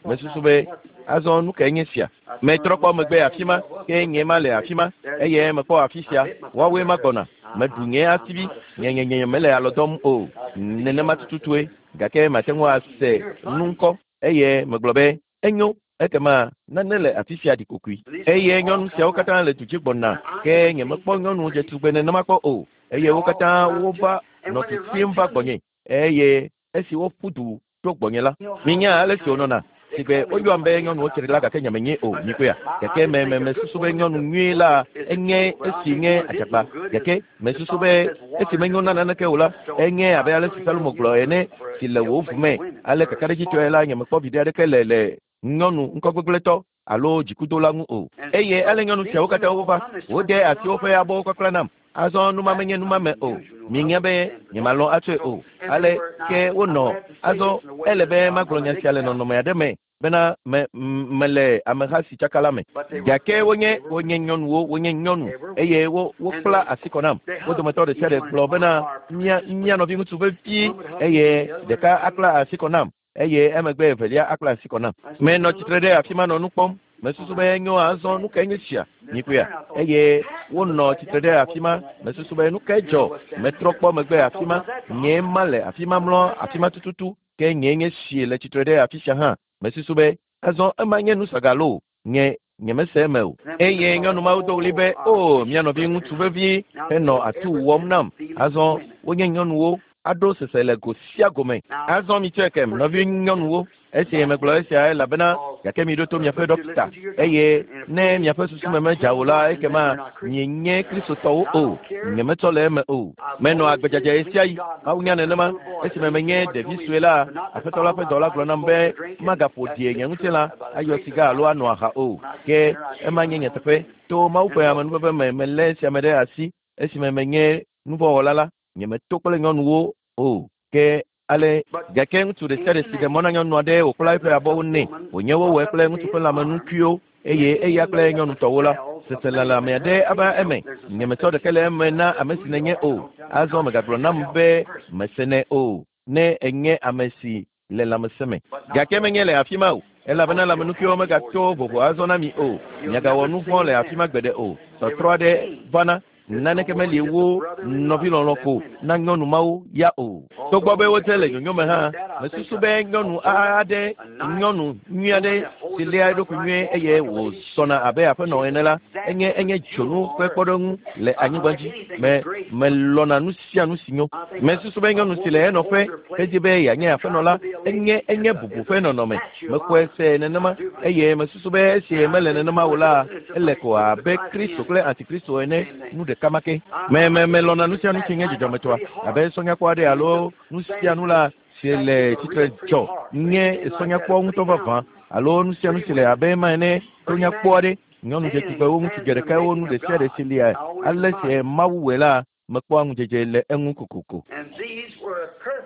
Mesusu be azɔ nu kae nye sia? Metrɔ kpɔ megbe afi ma ke nye ma le afi ma eye mekpɔ afi sia woawoe ma gbɔna. Meɖu nye asivi nyenyenye mele alɔ dɔm o. Nenema tututue gake mate ŋu ase nu ŋkɔ eye megblɔ be enyo ekema nane le afi sia ɖi kokoe. Eye nyɔnu siawo katã le du dzi gbɔna ke nyemekpɔ nyɔnu dzetugbe nenema kpɔ o. Eye wo katã wova nɔ tutum va gbɔnye eye esi woƒu du tso gbɔnye la minya ale si wonɔna. Sigbe woyɔam be nyɔnuwo tsri la gake nye menye o mikpɔea. Gake me me mesusu be nyɔnu nyui la enye esi nye adzagba. Gake mesusu be esi menyo na naneke o la enye abe ale si Salomo gblɔ ene si le wò ʋu me. Ale kakaɖedzitɔe la nye mekpɔ viɖe aɖeke le le nyɔnu ŋkɔgbegblẽtɔ alo dzikudola ŋu o. Eye ale nyɔnu siawo katã wova wode asi woƒe abɔwo kpakpla nam. Azɔ numa menye numame o. Minya be nyemalɔ̃ atsɔe o. Ale ke wonɔ azɔ ele be magblɔ nya sia le nɔnɔme aɖe me bena me mele ameha si tsaka la me. Gake wonye wonye nyɔnuwo wonye nyɔnu eye wo wokpla asi kɔ nam. Wo dometɔ ɖe sia ɖe gblɔ bena mía mía nɔviŋutsu vevi eye ɖeka akpla asi kɔ nam eye emegbe evelia akpla asi kɔ nam. Menɔ tsitre ɖe afi ma nɔ nu kpɔm. Mesusu be nyo azɔ nu kae nye sia mikpɔea eye wonɔ tsitre ɖe afi ma. Mesusu be nu kae dzɔ. Metrɔ kpɔ megbe afi ma. Nye ma le afi ma mlɔ afi ma tututu ke nye nye sie le tsitre ɖe afi sia hã. Mesusu be azɔ ema nye nusagalo nye nye mese eme o. Eye nyɔnu mawo do ɣli be o mía nɔviŋutsu vevi henɔ atu wɔm nam. Azɔ wonye nyɔnuwo aɖo sese le go sia go me. Azɔ mitsɔe kem nɔvi nyɔnuwo. Esi megblɔ esia elabena gake miɖo to miaƒe ɖɔkita eye ne miaƒe susu me medza o la ekema mienye kristotɔwo o. Nyemetsɔ le eme o. Menɔ agbedzadza ɣe sia ɣi. Mawu nya nenema. Esime menye ɖevi sue la, Aƒetɔ la ƒe dɔla gblɔ nam be magaƒo ɖi nye ŋutilã ayɔ siga alo anɔ aha o. Ke ema nye nyateƒe. To Mawu ƒe amenuveve me melé esia me ɖe asi esime menye nuvɔwɔla la nyemeto kple nyɔnuwo o. Ke ale gake ŋutsu ɖe sia ɖe si ɖe mɔ na nyɔnu aɖe wòkpla eƒe abɔwo nɛ wònye wowɔe kple ŋutsu ƒe lãmenukuiwo eye eya kple nyɔnutɔwo la seselelãme aɖe ava eme. Nyemetsɔ ɖeke le eme na ame si nenye o. Azɔ megagblɔ nam be mesenɛ o ne enye ame si le lãmesẽ me. Gake menye le afi ma o elabena lãmenukuiwo megato vovo azɔ na mi o. Miagawɔ nu vɔ̃ le afi ma gbeɖe o. Tɔtrɔ aɖe vana. Naneke meli wo nɔvilɔlɔ̃ ko na nyɔnu mawo ya o. Togbɔ be wodze le nyonyo me hã, mesusu be nyɔnu aɖe nyɔnu nyui aɖe si léa eɖokui nyuie eye wòzɔna abe aƒenɔ ene la enye enye dzonu ƒe kpɔɖeŋu le anyigba dzi. Me melɔna nu sia nu si nyo. Mesusu be nyɔnu si le enɔƒe hedi be yeanye aƒenɔ la enye enye bubu ƒe nɔnɔme. Mekpɔe se nenema eye mesusu be esi mele nenema o la ele ko abe Kristo kple Antikristo ene nu ɖeka ma ke. Me me melɔna nu sia nu si nye dzidzɔmetɔa abe sɔnyakpɔ aɖe alo nu sia nu la si le tsitre dzɔ nye sɔnyakpɔ ŋutɔ vavã alo nu sia nu si le abe ema ene tonyakpɔ aɖe. Nyɔnu dzetugbewo, ŋutsu dzeɖekawo, nu ɖe sia ɖe si lia ale si Mawu wɔe la mekpɔa ŋudzedze le eŋu kokoko.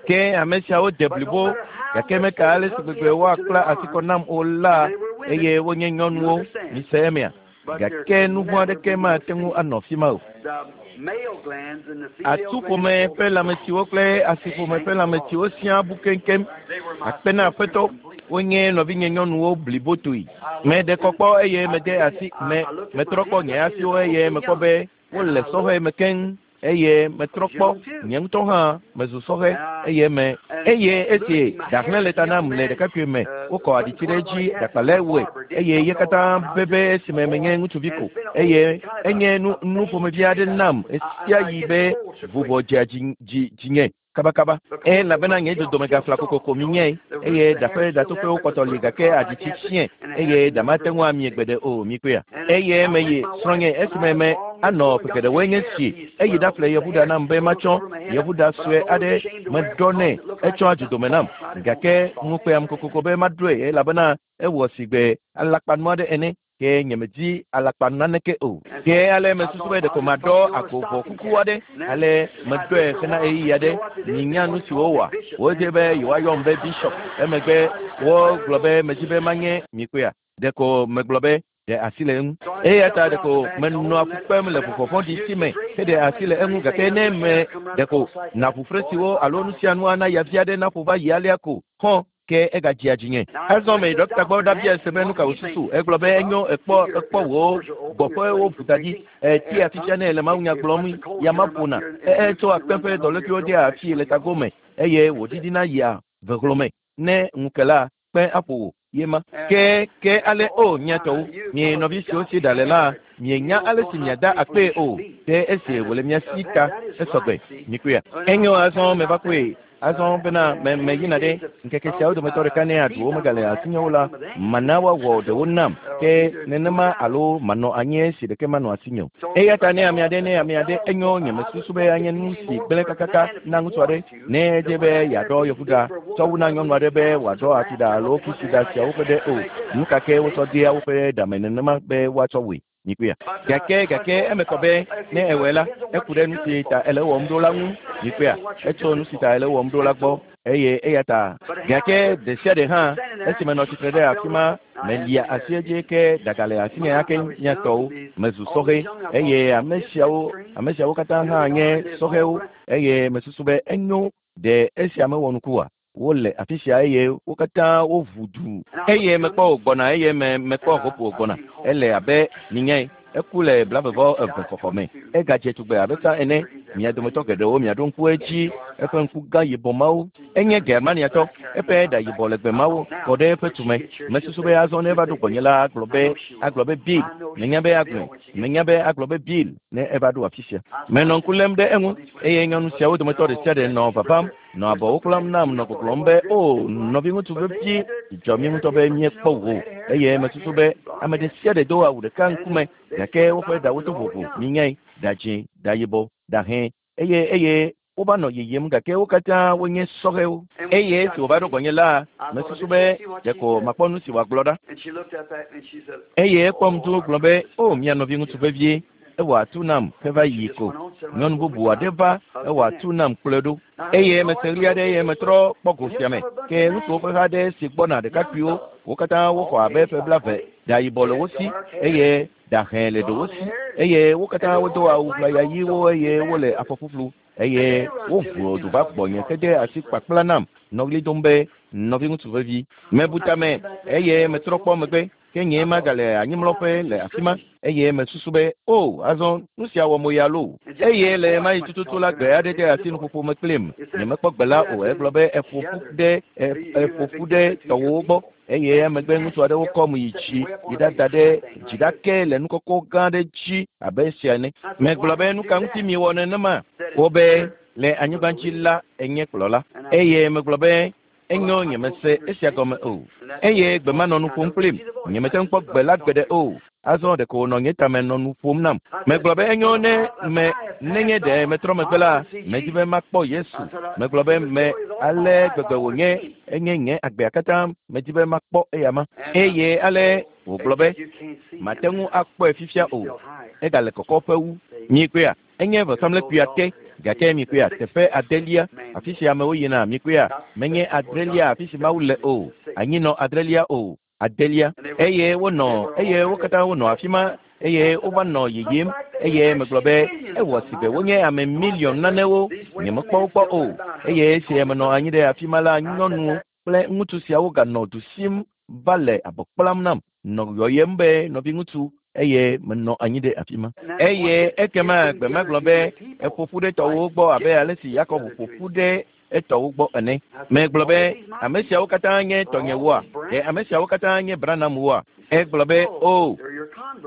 Ke ame siawo de blibo gake meka ale si gbegbe woakpla asi kɔ nam o la eye wonye nyɔnuwo mise emea. Gake nu vɔ̃ aɖeke mate ŋu anɔ afi ma o. Atuƒome ƒe lãmetsiwo kple asiƒome ƒe lãmetsiwo siaa bu keŋkeŋ. Akpe na Aƒetɔ, wonye nɔvinye nyɔnuwo blibotoe. Meɖe kɔ kpɔ eye mede asi me metrɔ kpɔ nye asiwo eye mekpɔ be wole sɔhɛ me keŋ eye metrɔ kpɔ nye ŋutɔ hã mezu sɔhɛ eye me eye esi ɖahlẽ le ta nam le ɖekakpui me wokɔ aɖitsi ɖe edzi ɖakpalɛ wɔe eye ye katã bebe esime menye ŋutsuvi ko eye enye nu nu ƒomevi aɖe nam esia yi be vuvɔ dzea dzi dzi dzinye kabakaba. Elabena nye dodome gafla kokoko mi nye eye ɖaƒe ɖatoƒewo kpɔtɔ li gake aɖitsi fiẽ eye ɖa mate ŋu amie gbeɖe o mikpɔea. Eye meyi srɔ̃nye esime me anɔ ƒe geɖewoe nye si eyi ɖaƒle yevuɖa nam be matsɔ yevuɖa sue aɖe meɖɔ nɛ etsɔ adzodome nam gake ŋukpeam kokoko be maɖoe elabena ewɔ sigbe alakpanu aɖe ene ke nyemedi alakpa naneke o. Ke ale mesusu be ɖeko maɖɔ agovɔ kuku aɖe ale meɖɔe hena ɣeyiɣi aɖe. Minya nu si wowɔa. Wodze be yewoayɔm be bishop. Emegbe wogblɔ be medzi be manye mikpɔea. Ɖeko megblɔ be ɖe asi le eŋu. Eya ta ɖeko menɔa fu kpem le vuvɔ vɔ̃ɖi si me heɖe asi le eŋu gake ne me ɖeko naʋu siwo alo nu sia nu ana yavi aɖe naƒo va yi alea ko xɔ ke egadzia dzinye. Azɔ meyi ɖɔkita gbɔ ɖabia se be nu ka wòsusu. Egblɔ be enyo ekpɔ ekpɔ wò gbɔƒewo ʋu da dzi. Etia fifia ne le mawunya gblɔm ya ma ƒona. Etsɔ akpe ƒe dɔlékuiwo dea afi le tago me eye wòɖiɖina yia vehlɔme. Ne ŋu ke la kpe aƒo wò ye ma. Ke ke ale o mia tɔwo mie nɔvi siwo si ɖa le la mienya ale si miada akpee o ke esi wòle mia si ta esɔgbe mikpɔea. Enyo azɔ meva kpɔe. Azɔ bena me meyina ɖe ŋkeke siawo dometɔ ɖeka ne aɖuwo megale asinyewo la, mana woawɔ ɖewo nam ke nenema alo manɔ anyi esi ɖeke manɔ asinye o. Eya ta ne ame aɖe ne ame aɖe enyo nye mesusu be anye nu si gblẽ kakaka na ŋutsu aɖe ne edze be yeaɖɔ yevuɖa tsɔ wu na nyɔnu aɖe be wòaɖɔ atiɖa alo fisiɖa siawo ƒe ɖe o. Nu ka ke wotsɔ dea woƒe ɖame nenema be woatsɔ wɔe. Mikpɔea. Gake gake eme kɔ be ne ewɔe la, eku ɖe nu si ta ele wɔm ɖo la ŋu. Mikpɔea. Etso nu si ta ele wɔm ɖo la gbɔ eye eya ta gake ɖe sia ɖe hã esi menɔ tsitre ɖe afi ma melia asi edzi ke ɖaga le asinye ake mia tɔwo mezu sɔhɛ eye ame siawo ame siawo katã hã nye sɔhɛwo eye mesusu be enyo ɖe esia mewɔ nuku oa. Wole afi sia eye wo katã woʋu du eye mekpɔ wògbɔna eye me mekpɔ Hope wògbɔna. Ele abe minyae eku le blavevɔ eve xɔxɔ me. Egadze tugbe abe tsã ene. Mia dometɔ geɖewo miaɖo ŋku edzi eƒe ŋku gã yibɔ mawo. Enye Germaniatɔ. Eƒe ɖa yibɔ legbe mawo kɔ ɖe eƒe tume. Mesusu be azɔ ne eva ɖo gbɔnye la agblɔ be agblɔ be Bill. Menya be agblɔe. Menya be agblɔ be Bill ne eva ɖo afi sia. Menɔ ŋku lém ɖe eŋu eye nyɔnu siawo dometɔ ɖe sia ɖe nɔ vavam nɔ abɔwo kplam nam nɔ gbɔgblɔm be o nɔviŋutsu vevi dzɔ mí ŋutɔ be míekpɔ wò eye mesusu be ame ɖe sia ɖe do awu ɖeka ŋkume gake woƒe ɖawo to vovo minyae ɖa dzĩ ɖa yibɔ ɖa hẽ eye eye wova nɔ yiyim gake wo katã wonye sɔhɛwo eye esi wòva ɖo gbɔnye la mesusu be ɖeko makpɔ nu si wòagblɔ ɖa eye ekpɔm do gblɔ be o mia nɔviŋutsu vevie ewɔ atu nam heva yi ko. Nyɔnu bubu aɖe va ewɔ atu nam kplɔe ɖo eye mese ɣli aɖe eye metrɔ kpɔ go sia me ke ŋutsuwo ƒe ha aɖe si gbɔna ɖekakpuiwo wo katã woxɔ abe ƒe blaeve ɖa yibɔ le wo si eye ɖa hẽ le ɖewo si eye wo katã wodo awu ʋlaya ɣiwo eye wole afɔ ƒuƒlu eye woʋu du va gbɔnye hede asi kpakpla nam nɔ ɣli dom be nɔviŋutsu vevi. Mebu tame eye metrɔ kpɔ megbe ke nye magale anyimlɔƒe le afi ma eye mesusu be o azɔ nu sia wɔ mo ya loo eye le ma yi tututu la gbe aɖe de asi nuƒoƒo me kplim nyemekpɔ gbe la o egblɔ be eƒo ƒu ɖe eƒo ƒu ɖe tɔwòwo gbɔ eye emegbe ŋutsu aɖewo kɔm yi dzi yi ɖada ɖe dziɖake le nukɔkɔ gã aɖe dzi abe esia ene. Megblɔ be nu ka ŋuti miwɔ nenema? Wobe le anyigba dzi la enye kplɔla eye megblɔ be enyo nyemese esia gɔme o eye gbe ma nɔ nu ƒom kplim nyemete ŋu kpɔ gbe la gbeɖe o. Azɔ ɖeko wònɔ nye tame nɔ nu ƒom nam. Megblɔ be enyo ne me nenye ɖe metrɔ megbe la medi be makpɔ Yesu. Megblɔ be me ale gbegbe wònye enye nye agbea katã medi be makpɔ eyama eye ale wògblɔ be mate ŋu akpɔe fifia o. Egale kɔkɔƒe wu. Mikpɔea enye vɔsamlekpuia te gake mikpɔea teƒe adelia afi si amewo yina mikpɔea menye adrelia afi si Mawu le o anyinɔ adrelia o adelia eye wonɔ eye wo katã wonɔ afi ma eye wova nɔ yiyim eye megblɔ be ewɔ si be wonye ame miliɔn nanewo nyemekpɔ wo kpɔ o eye esi menɔ anyi ɖe afi ma la nyɔnu kple ŋutsu siawo ganɔ du sim va le abɔ kplam nam nɔ yɔyem be nɔviŋutsu eye menɔ anyi ɖe afi ma eye ekema gbe ma gblɔ be eƒo ƒu ɖe tɔwòwo gbɔ abe ale si Yakob ƒo ƒu ɖe etɔwo gbɔ ene. Megblɔ be ame siawo katã nye tɔnyewoa? Ɖe ame siawo katã nye Branhamwoa? Egblɔ be o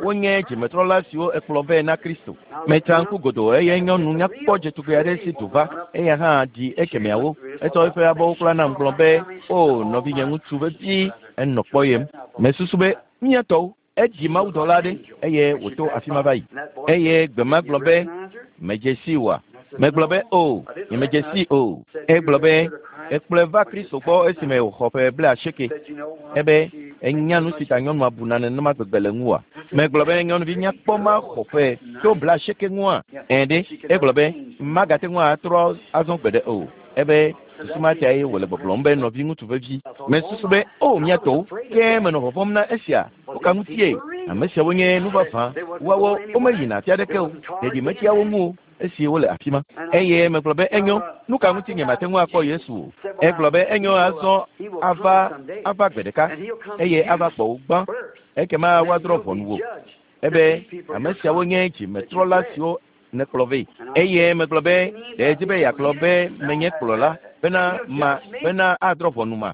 wonye dzimetrɔla siwo ekplɔ vɛ na Kristo. Metsa ŋku godoo eye nyɔnu nyakpɔ dzetugbe aɖe si du va eya hã ɖi ekemeawo. Etsɔ eƒe abɔwo kpla nam gblɔ be o nɔvinye ŋutsu vevi enɔ kpɔyem. Mesusu be mía tɔwo edzi mawudɔla aɖe eye wòto afi ma va yi eye gbe ma gblɔ be medze si oa? Megblɔ be o nyemedze si o. Egblɔ be ekplɔe va Kristo gbɔ esime wòxɔ ƒe blaasieke. Ebe enya nu si ta nyɔnua buna nenema gbegbe le ŋua? Megblɔ be nyɔnuvi nyakpɔ ma xɔ ƒe tso blaasieke ŋua? Ẽ ɖe egblɔ be magate ŋu atrɔ azɔ gbeɖe o. Ebe susu ma tae wòle gbɔgblɔm be nɔviŋutsu vevi. Mesusu be o mía tɔwo ke menɔ vɔvɔ̃m na esia. Wo ka ŋutie? Ame siawo nye nu vavã. Woawo womeyina afi aɖeke o. Ɖeɖi metsia wo ŋu o esi wole afi ma. Eye megblɔ be enyo nu ka ŋuti nyemate ŋu akpɔ Yesu o. Egblɔ be enyo azɔ ava ava gbe ɖeka eye ava gbɔ wo gbã ekema woadrɔ̃ ʋɔnu wò. Ebe ame siawo nye dzimetrɔla siwo nekplɔ vɛ. Eye megblɔ be ɖe edzi be yeagblɔ be menye kplɔla bena ma bena adrɔ̃ ʋɔnu ma.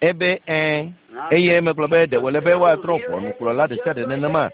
Ebe ɛ̃ eye megblɔ be ɖe wòle be woadrɔ̃ ʋɔnu kplɔla ɖe sia ɖe nenema.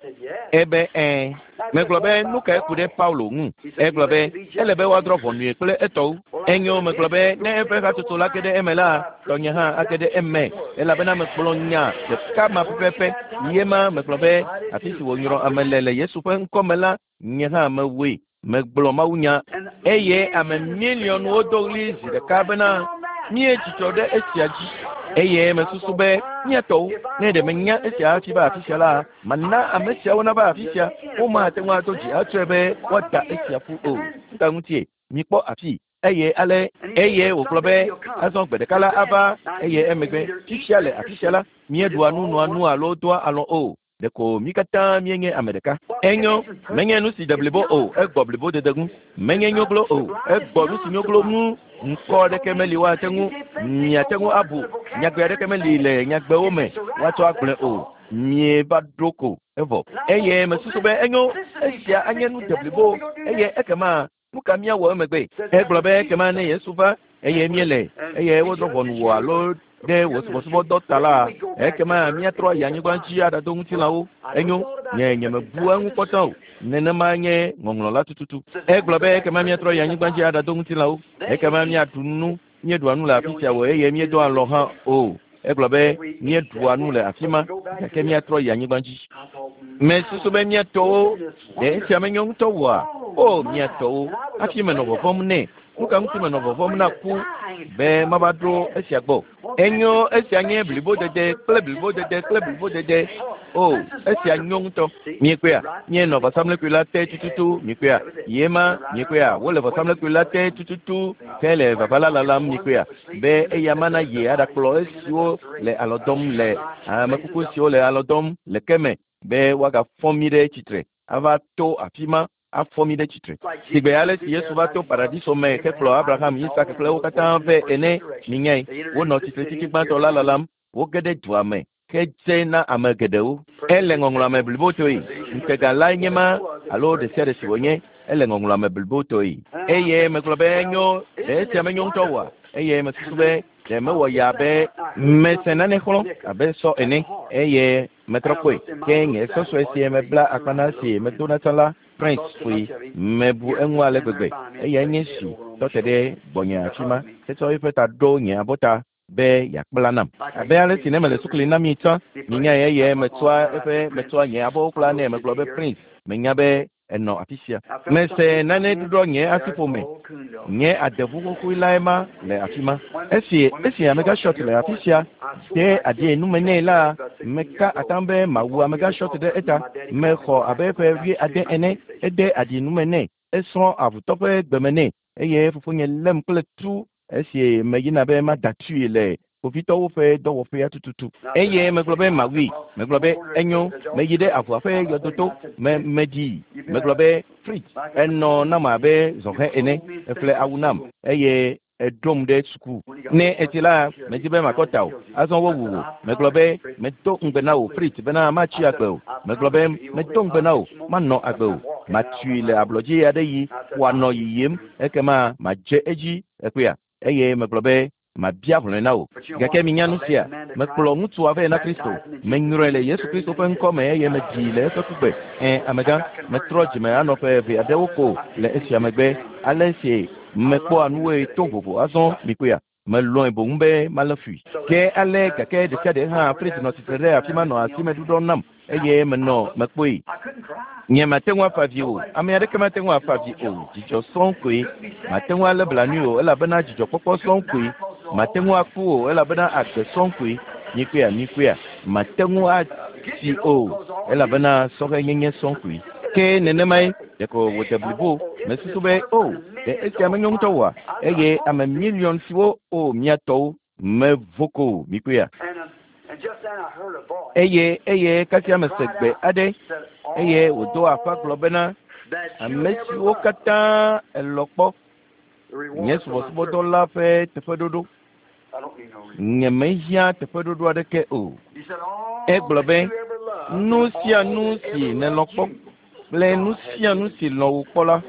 Ebe ɛ̃ Megblɔ be nu kae ku ɖe Paulo ŋu? Egblɔ be ele be woadrɔ̃ ʋɔnue kple etɔwo. Enyo megblɔ be ne eƒe hatsotso la ge ɖe eme la, tɔnye hã age ɖe eme elabena mekplɔ nya ɖeka ma pɛpɛpɛ. Ye ma megblɔ be afi si wònyrɔ ame le le Yesu ƒe ŋkɔme la, nye hã mewoe. Megblɔ mawunya eye ame miliɔnwo do ɣli zi ɖeka bena míedzidzɔ ɖe esia dzi. Eye mesusu be míatɔwo ne ɖe menya esia hafi va afi sia la, mana ame siawo nava afi sia. Womate ŋu ado dzi atsɔe be woada esia ƒu o. Nuka ŋutie? Mikpɔ afi. Eye ale eye wògblɔ be azɔ gbe ɖeka la ava eye emegbe fifia le afi sia la míeɖua nu noa nu alo doa alɔ o. Ɖeko mí katã míenye ame ɖeka. Enyo, menye nu si de blibo o, egbɔ blibodede ŋu. Menye nyoglo o, egbɔ nu si nyoglo ŋu. Ŋkɔ aɖeke meli woate ŋu miate ŋu abu. Nyagbe aɖeke meli le nyagbewo me woatsɔ agblɔe o. Mieva ɖo ko evɔ. Eye mesusu be enyo, esia anye nu de blibo eye ekema nu ka míawɔ emegbe? Egblɔ be ekema ne Yesu va eye míele eye wodrɔ̃ ʋɔnu wò alo ɖe wò subɔsubɔdɔ ta la, ekema míatrɔ ayi anyigba dzi aɖado ŋutilãwo. Enyo, nye nyemebu eŋu kpɔtɔ o. Nenema nye ŋɔŋlɔ la tututu. Egblɔ be ekema míatrɔ yi anyigba dzi aɖado ŋutilãwo. Ekema míaɖu nu, míeɖua nu le afi sia o eye míedoa alɔ hã o. Egblɔ be míeɖua nu le afi ma gake míatrɔ yi anyigba dzi. Mesusu be míatɔwo ɖe esia menyo ŋutɔ oa? O míatɔwo, hafi menɔ vɔvɔ̃m nɛ. Nu ka ŋuti menɔ vɔvɔ̃m na ku be mava ɖo esia gbɔ? Enyo, esia nye blibodede kple blibodede kple blibodede. O, esia nyo ŋutɔ. Miekpɔea? Míenɔ vɔsamlekpui la te tututu. Miekpɔea? Ye ma, miekpɔea? Wole vɔsamlekpui la te tututu hele vava la lalam. Miekpɔea? Be eya mana ye aɖakplɔ esiwo le alɔ dɔm le amekuku siwo le alɔ dɔm le ke me be woagafɔ mí ɖe tsitre ava to afi ma afɔ mí ɖe tsitre. Sigbe ale si Yesu va to paradiso me hekplɔ Abraham, Isak kple wo katã vɛ ene, minyae, wonɔ tsitretsitsi gbãtɔ la lalam. Woge ɖe dua me hedze na ame geɖewo. Ele ŋɔŋlɔa me blibotɔe. Ŋutega lae nye ma alo ɖe sia ɖe si wònye, ele ŋɔŋlɔa me blibotɔe. Eye megblɔ be enyo, ɖe esia menyo ŋutɔ oa? Eye mesusu be ɖe mewɔ ya be mese nane xlɔ̃ abe sɔ ene eye metrɔ kpɔe. Ke nye sɔsɔe si mebla akpa na si medona tsã la, Prince ƒoe. Mebu eŋu ale gbegbe. Eyae nye si tɔ te ɖe gbɔnye afi ma hetsɔ eƒe ta ɖo nye abɔta be yeakpla nam. Abe ale si ne mele sukuli na mi tsã, minyae eye metsɔa eƒe metsɔa nye abɔwo kpla nɛ. Megblɔ be Prince, menya be enɔ afi sia. Mese nane ɖuɖɔ nye asiƒome. Nye adeʋu xoxoe lae ma le afi ma. Esi esi amegã Short le afi sia de aɖi nume nɛ la, meka atam be mawu amegã Short ɖe eta. Mexɔ abe ƒe wuiade ene. Ede aɖi nume nɛ. Esrɔ̃ avutɔ ƒe gbeme nɛ eye fofonye lém kple tu esi meyina be mada tui le kpovitɔwo ƒe dɔwɔƒea tututu. Eye megblɔ be mawui. Megblɔ be enyo, meyi ɖe avua ƒe yɔdoto me meɖii. Megblɔ be Fritz, enɔ nam abe zɔhɛ ene. Eƒle awu nam eye eɖom ɖe suku. Ne etsi la, medzi be makɔ ta o. Azɔ wowu wò. Megblɔ be medo ŋugbe na wò Fritz bena matsi agbe o. Megblɔ be medo ŋugbe na wò manɔ agbe o. Matui le ablɔdzi aɖe yi wòanɔ yiyim ekema madze edzi ekpea. Eye megblɔ be mabia hlɔ̃e na wò. Gake minya nu sia, mekplɔ ŋutsua vɛ na Kristo. Menyrɔe le Yesu Kristo ƒe ŋkɔ me eye meɖii le eƒe kugbe. Ẽ, amegã, metrɔ dzime anɔ ƒe eve aɖewo ko le esia megbe. Ale si mekpɔa nuwoe to vovo azɔ mikpɔea, melɔ̃e boŋ be malé fui. Ke ale gake ɖe sia ɖe hã Fritz nɔ tsitre ɖe afi ma nɔ asime ɖuɖɔm nam eye menɔ mekpɔe. Nye mate ŋu afa avi o. Ame aɖeke mate ŋu afa avi o. Dzidzɔ sɔŋ koe. Mate ŋu alé blanui o elabena dzidzɔkpɔkpɔ sɔŋ koe. Mate ŋu aku o elabena agbe sɔŋ koe. Mikpɔea, mikpɔea. Mate ŋu atsi o elabena sɔhɛnyenye sɔŋ koe. Ke nenemae ɖeko wòde blibo. Mesusu be o, ɖe esia menyo ŋutɔ oa? Eye ame miliɔn siwo o míatɔwo mevo ko mikpɔea. Eye eye kasia mese gbe aɖe eye wòdo aƒa gblɔ bena ame siwo katã elɔ kpɔ nye subɔsubɔdɔ la ƒe teƒeɖoɖo. Nyemehiã teƒeɖoɖo aɖeke o. Egblɔ be nu sia nu si nèlɔ kpɔ kple nu sia nu si lɔ̃ wò kpɔ la,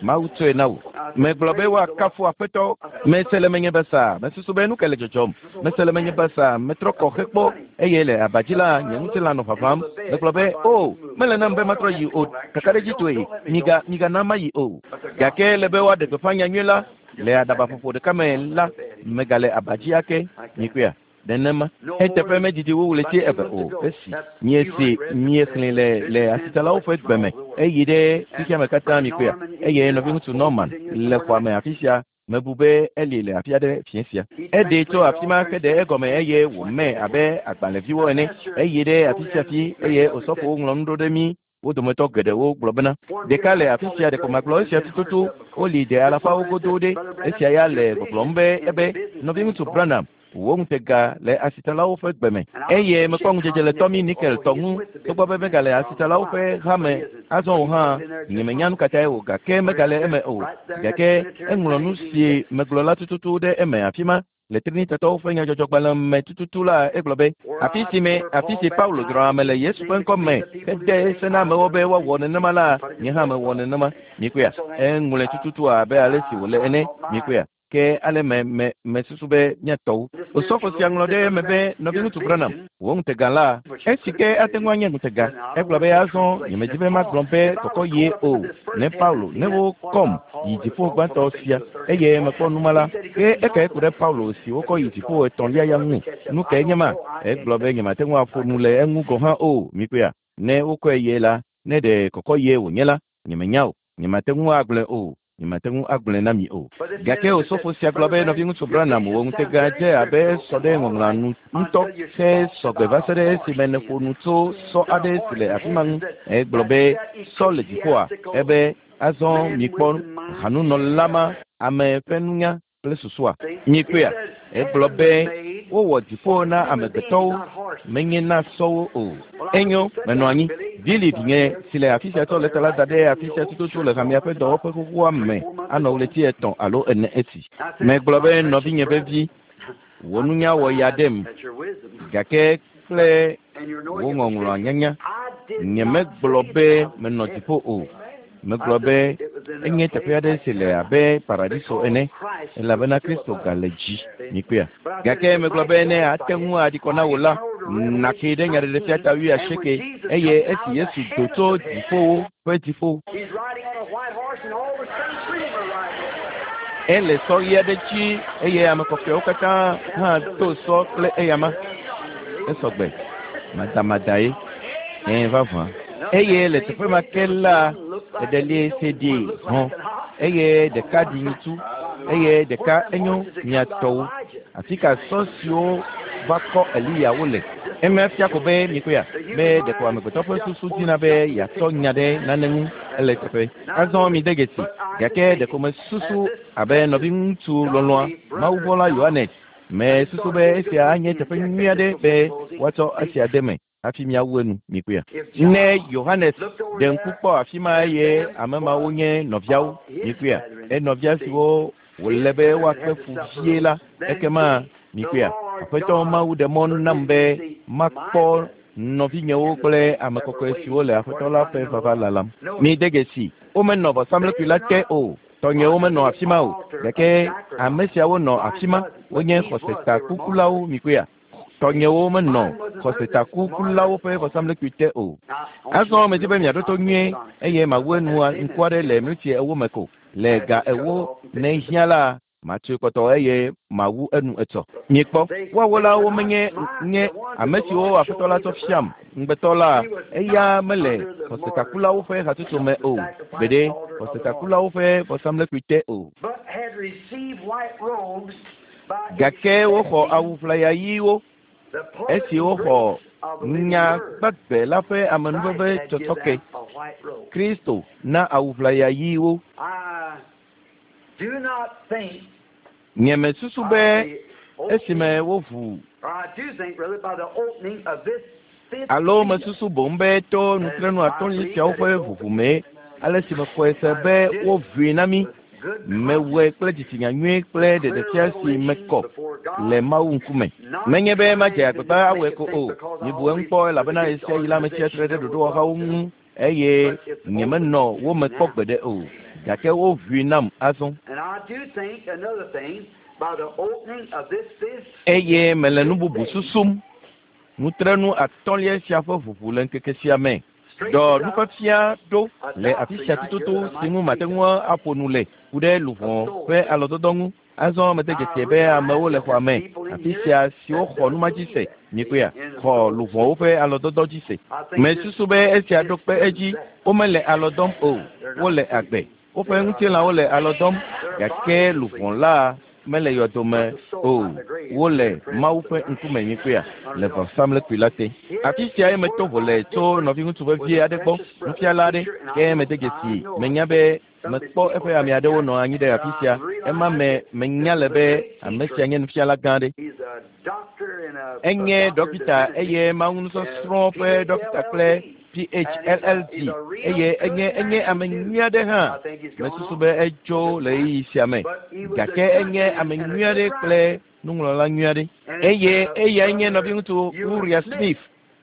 Mawu tsɔe na wò. Megblɔ be woakafu Aƒetɔ. Mese le menye be sa, mesusu be nu ke le dzɔdzɔm. Mese le menye be sa, metrɔ kɔ hekpɔ eye le abadzi la nye ŋutilã nɔ ʋaʋãm. Megblɔ be o, mele nam be matrɔ yi o, kakaɖedzitɔe, miga migana mayi o. Gake le be woaɖe gbeƒã nyanyui la le aɖabaƒoƒo ɖeka me la, megale abadzi ake. Mikpɔea? Nenema. Eteƒe medidi wu ɣleti eve o. Esi miese miexlẽ le le asitsalawo ƒe gbe me eyi ɖe xexeame katã mikpɔea? Eye nɔviŋutsu Norman le xɔa me afi sia. Mebu be eli le afi aɖe fiẽ sia. Eɖee tso afi ma heɖe egɔme eye wòmee abe agbalẽviwo ene. Eyi ɖe afi sia afi eye osɔfowo ŋlɔ nu ɖo ɖe mí. Wo dometɔ geɖewo gblɔ bena ɖeka le afi sia ɖeko magblɔ esia tututu woli ɖe alafawo godo ɖe. Esia ya le gbɔgblɔm be ebe nɔviŋutsu Branham wò ŋutega le asitsalawo ƒe gbe me eye mekpɔ ŋudzedze le Tommy Nickel tɔ ŋu togbɔ be megale asitsalawo ƒe hame azɔ o hã nyemenya nu katãe o gake megale eme o gake eŋlɔ nu si megblɔ la tututu ɖe eme afi ma le Trinitatɔwo ƒe nyadzɔdzɔgbalẽ me tututu la egblɔ be afi si me afi si Paulo dzra ame le Yesu ƒe ŋkɔ me hede se na amewo be woawɔ nenema la nye hã mewɔ nenema. Mikpɔea? Eŋlɔe tututu abe ale si wòle ene. Mikpɔea? Ke ale me me mesusu be míatɔwo. Osɔfo sia ŋlɔ ɖe eme be nɔviŋutsu Branham wò ŋutega la esi ke ate ŋu anye ŋutega. Egblɔ be azɔ nyemedi be magblɔ be kɔkɔ yie o ne Paulo ne wokɔm yi dziƒo gbãtɔ sia eye mekpɔ numa la ke ekae ku ɖe Paulo si wokɔ yi dziƒo etɔ̃lia ya ŋu. Nu kae nye ma? Egblɔ be nyemate ŋu aƒo nu le eŋu gɔ̃ hã o. Mikpɔea? Ne wokɔe yie la ne ɖe kɔkɔ yie wònye la nyemenya o. Nyemate ŋu agblɔe o. Nyemate ŋu agblɔe na mi o. Gake osɔfo sia gblɔ be nɔviŋutsu Branham wò ŋutega dze abe sɔ ɖe ŋɔŋlɔa nu ŋutɔ he sɔgbe va se ɖe esime nèƒo nu tso sɔ aɖe si le afi ma ŋu. Egblɔ be sɔ le dziƒoa ebe azɔ mikpɔ hanunɔla ma ame ƒe nunya kple susua. Mikpɔea? Egblɔ be wowɔ dziƒo na amegbetɔwo menye na sɔwo o. Enyo menɔ anyi. Billy vinye si le afi sia tsɔ lɛta la da ɖe afi sia tututu le hamea ƒe dɔwɔƒe xoxoa me anɔ ɣleti etɔ̃ alo ene esi. Megblɔ be nɔvinye vevi wò nunya wɔ ya ɖem gake kple wò ŋɔŋlɔa nyanya nyemegblɔ be menɔ dziƒo o. Megblɔ be enye teƒe aɖe si le abe paradiso ene elabena Kristo gale dzi. Mikpɔea? Gake megblɔ be ne ate ŋu aɖi kɔ na wò la nàke ɖe nyaɖeɖefia ta wuiasieke eye esi Yesu do tso dziƒowo ƒe dziƒo ele sɔ ɣi aɖe dzi eye ame kɔkɔewo katã hã do sɔ kple eyama. Esɔgbe madamadae ẽ vavã. Eye le teƒe ma ke la eɖelie se ɖi hɔ̃ eye ɖeka ɖi nyitsu eye ɖeka enyo miatɔwo. Afi ka sɔ siwo va kɔ Eliya wole. Eme fia ko be mikpɔea be ɖeko amegbetɔ ƒe susu dina be yeatsɔ nya ɖe nane ŋu ele teƒe. Azɔ mi de dzesi gake ɖeko mesusu abe nɔviŋutsu lɔlɔ̃a mawuvɔla Yohanes mesusu be esia anye teƒe nyui aɖe be woatsɔ esia de me hafi miawu enu. Mikpɔea? Ne Yohanes ɖe ŋku kpɔ afi ma eye ame mawo nye nɔviawo. Mikpɔea? Enɔvia siwo wòle be woakpe fu vie la ekema mikpɔea? Aƒetɔ Mawu ɖe mɔ nam be makpɔ nɔvinyewo kple ame kɔkɔe siwo le Aƒetɔ la ƒe vava lalam. Mi de dzesi womenɔ vɔsamlekpui la te o. Tɔnyewo menɔ afi ma o gake ame siawo nɔ afi ma wonye xɔsetakukulawo. Mikpɔea? Tɔnyewo menɔ xɔsetakukulawo ƒe vɔsamlekpui te o. Azɔ medi be miaɖo to nyuie eye mawu enu ŋku aɖe le miniti ewo me ko. Le ga ewo ne hiã la matsoe kpɔtɔ eye mawu enu etsɔ. Mikpɔ woawo la womenye nye ame siwo Aƒetɔ la tsɔ fiam ŋugbetɔ la eya mele xɔsetakulawo ƒe hatsotso me o gbeɖe xɔsetakulawo ƒe vɔsamlekpui te o. Gake woxɔ awu ʋlaya ɣiwo esi woxɔ nya gbagbe la ƒe amenuveve tsɔtsɔke. Kristo na awu ʋlaya ɣiwo. Nyemesusu be esime woʋu alo mesusu boŋ be to nutrenu atɔ̃li siawo ƒe ʋuʋu mee ale si mexɔe se be woʋui na mí. Mewɔe kple dzitsinya nyui kple ɖeɖefia si mekɔ le Mawu ŋkume. Menye be madze agbagba awɔe ko o. Mibu eŋu kpɔ elabena ɣesiaɣi la metsia tre ɖe ɖoɖowɔhawo ŋu eye nyemenɔ wo me kpɔ gbeɖe o. Gake woʋui nam azɔ. Eye mele nu bubu susum. Nutrenu atɔ̃lia sia ƒe ʋuʋu le ŋkeke sia me. Dɔ nufiafia ɖo le afi sia tututu si ŋu mate ŋu aƒo nu le ku ɖe luʋɔ ƒe alɔdɔdɔ ŋu. Azɔ mede dzesi be amewo le xɔa me afi sia siwo xɔ numa dzi se mikpɔea xɔ luʋɔwo ƒe alɔdɔdɔ dzi se. Mesusu be esia ɖo kpe edzi womele alɔ dɔm o, wole agbe. Woƒe ŋutilãwo le alɔ dɔm gake luʋɔ la mele yɔdome o, wole Mawu ƒe ŋkume mikpɔea le vɔsamlekpui la te. Afi sia ye meto vo le tso nɔviŋutsu vevie aɖe gbɔ, nufiala aɖe, ke mede dzesi menya be mekpɔ eƒe ame aɖewo nɔ anyi ɖe afi sia. Ema me menya le be ame sia nye nufiala gã aɖe. Enye dɔkita eye mawunusɔsrɔ̃ ƒe dɔkita kple P H L L D eye enye enye ame nyui aɖe hã. Mesusu be etso le ɣeyiɣi sia me gake enye ame nyui aɖe kple nuŋlɔla nyui aɖe. Eye eyae nye nɔviŋutsu Uriah Smith,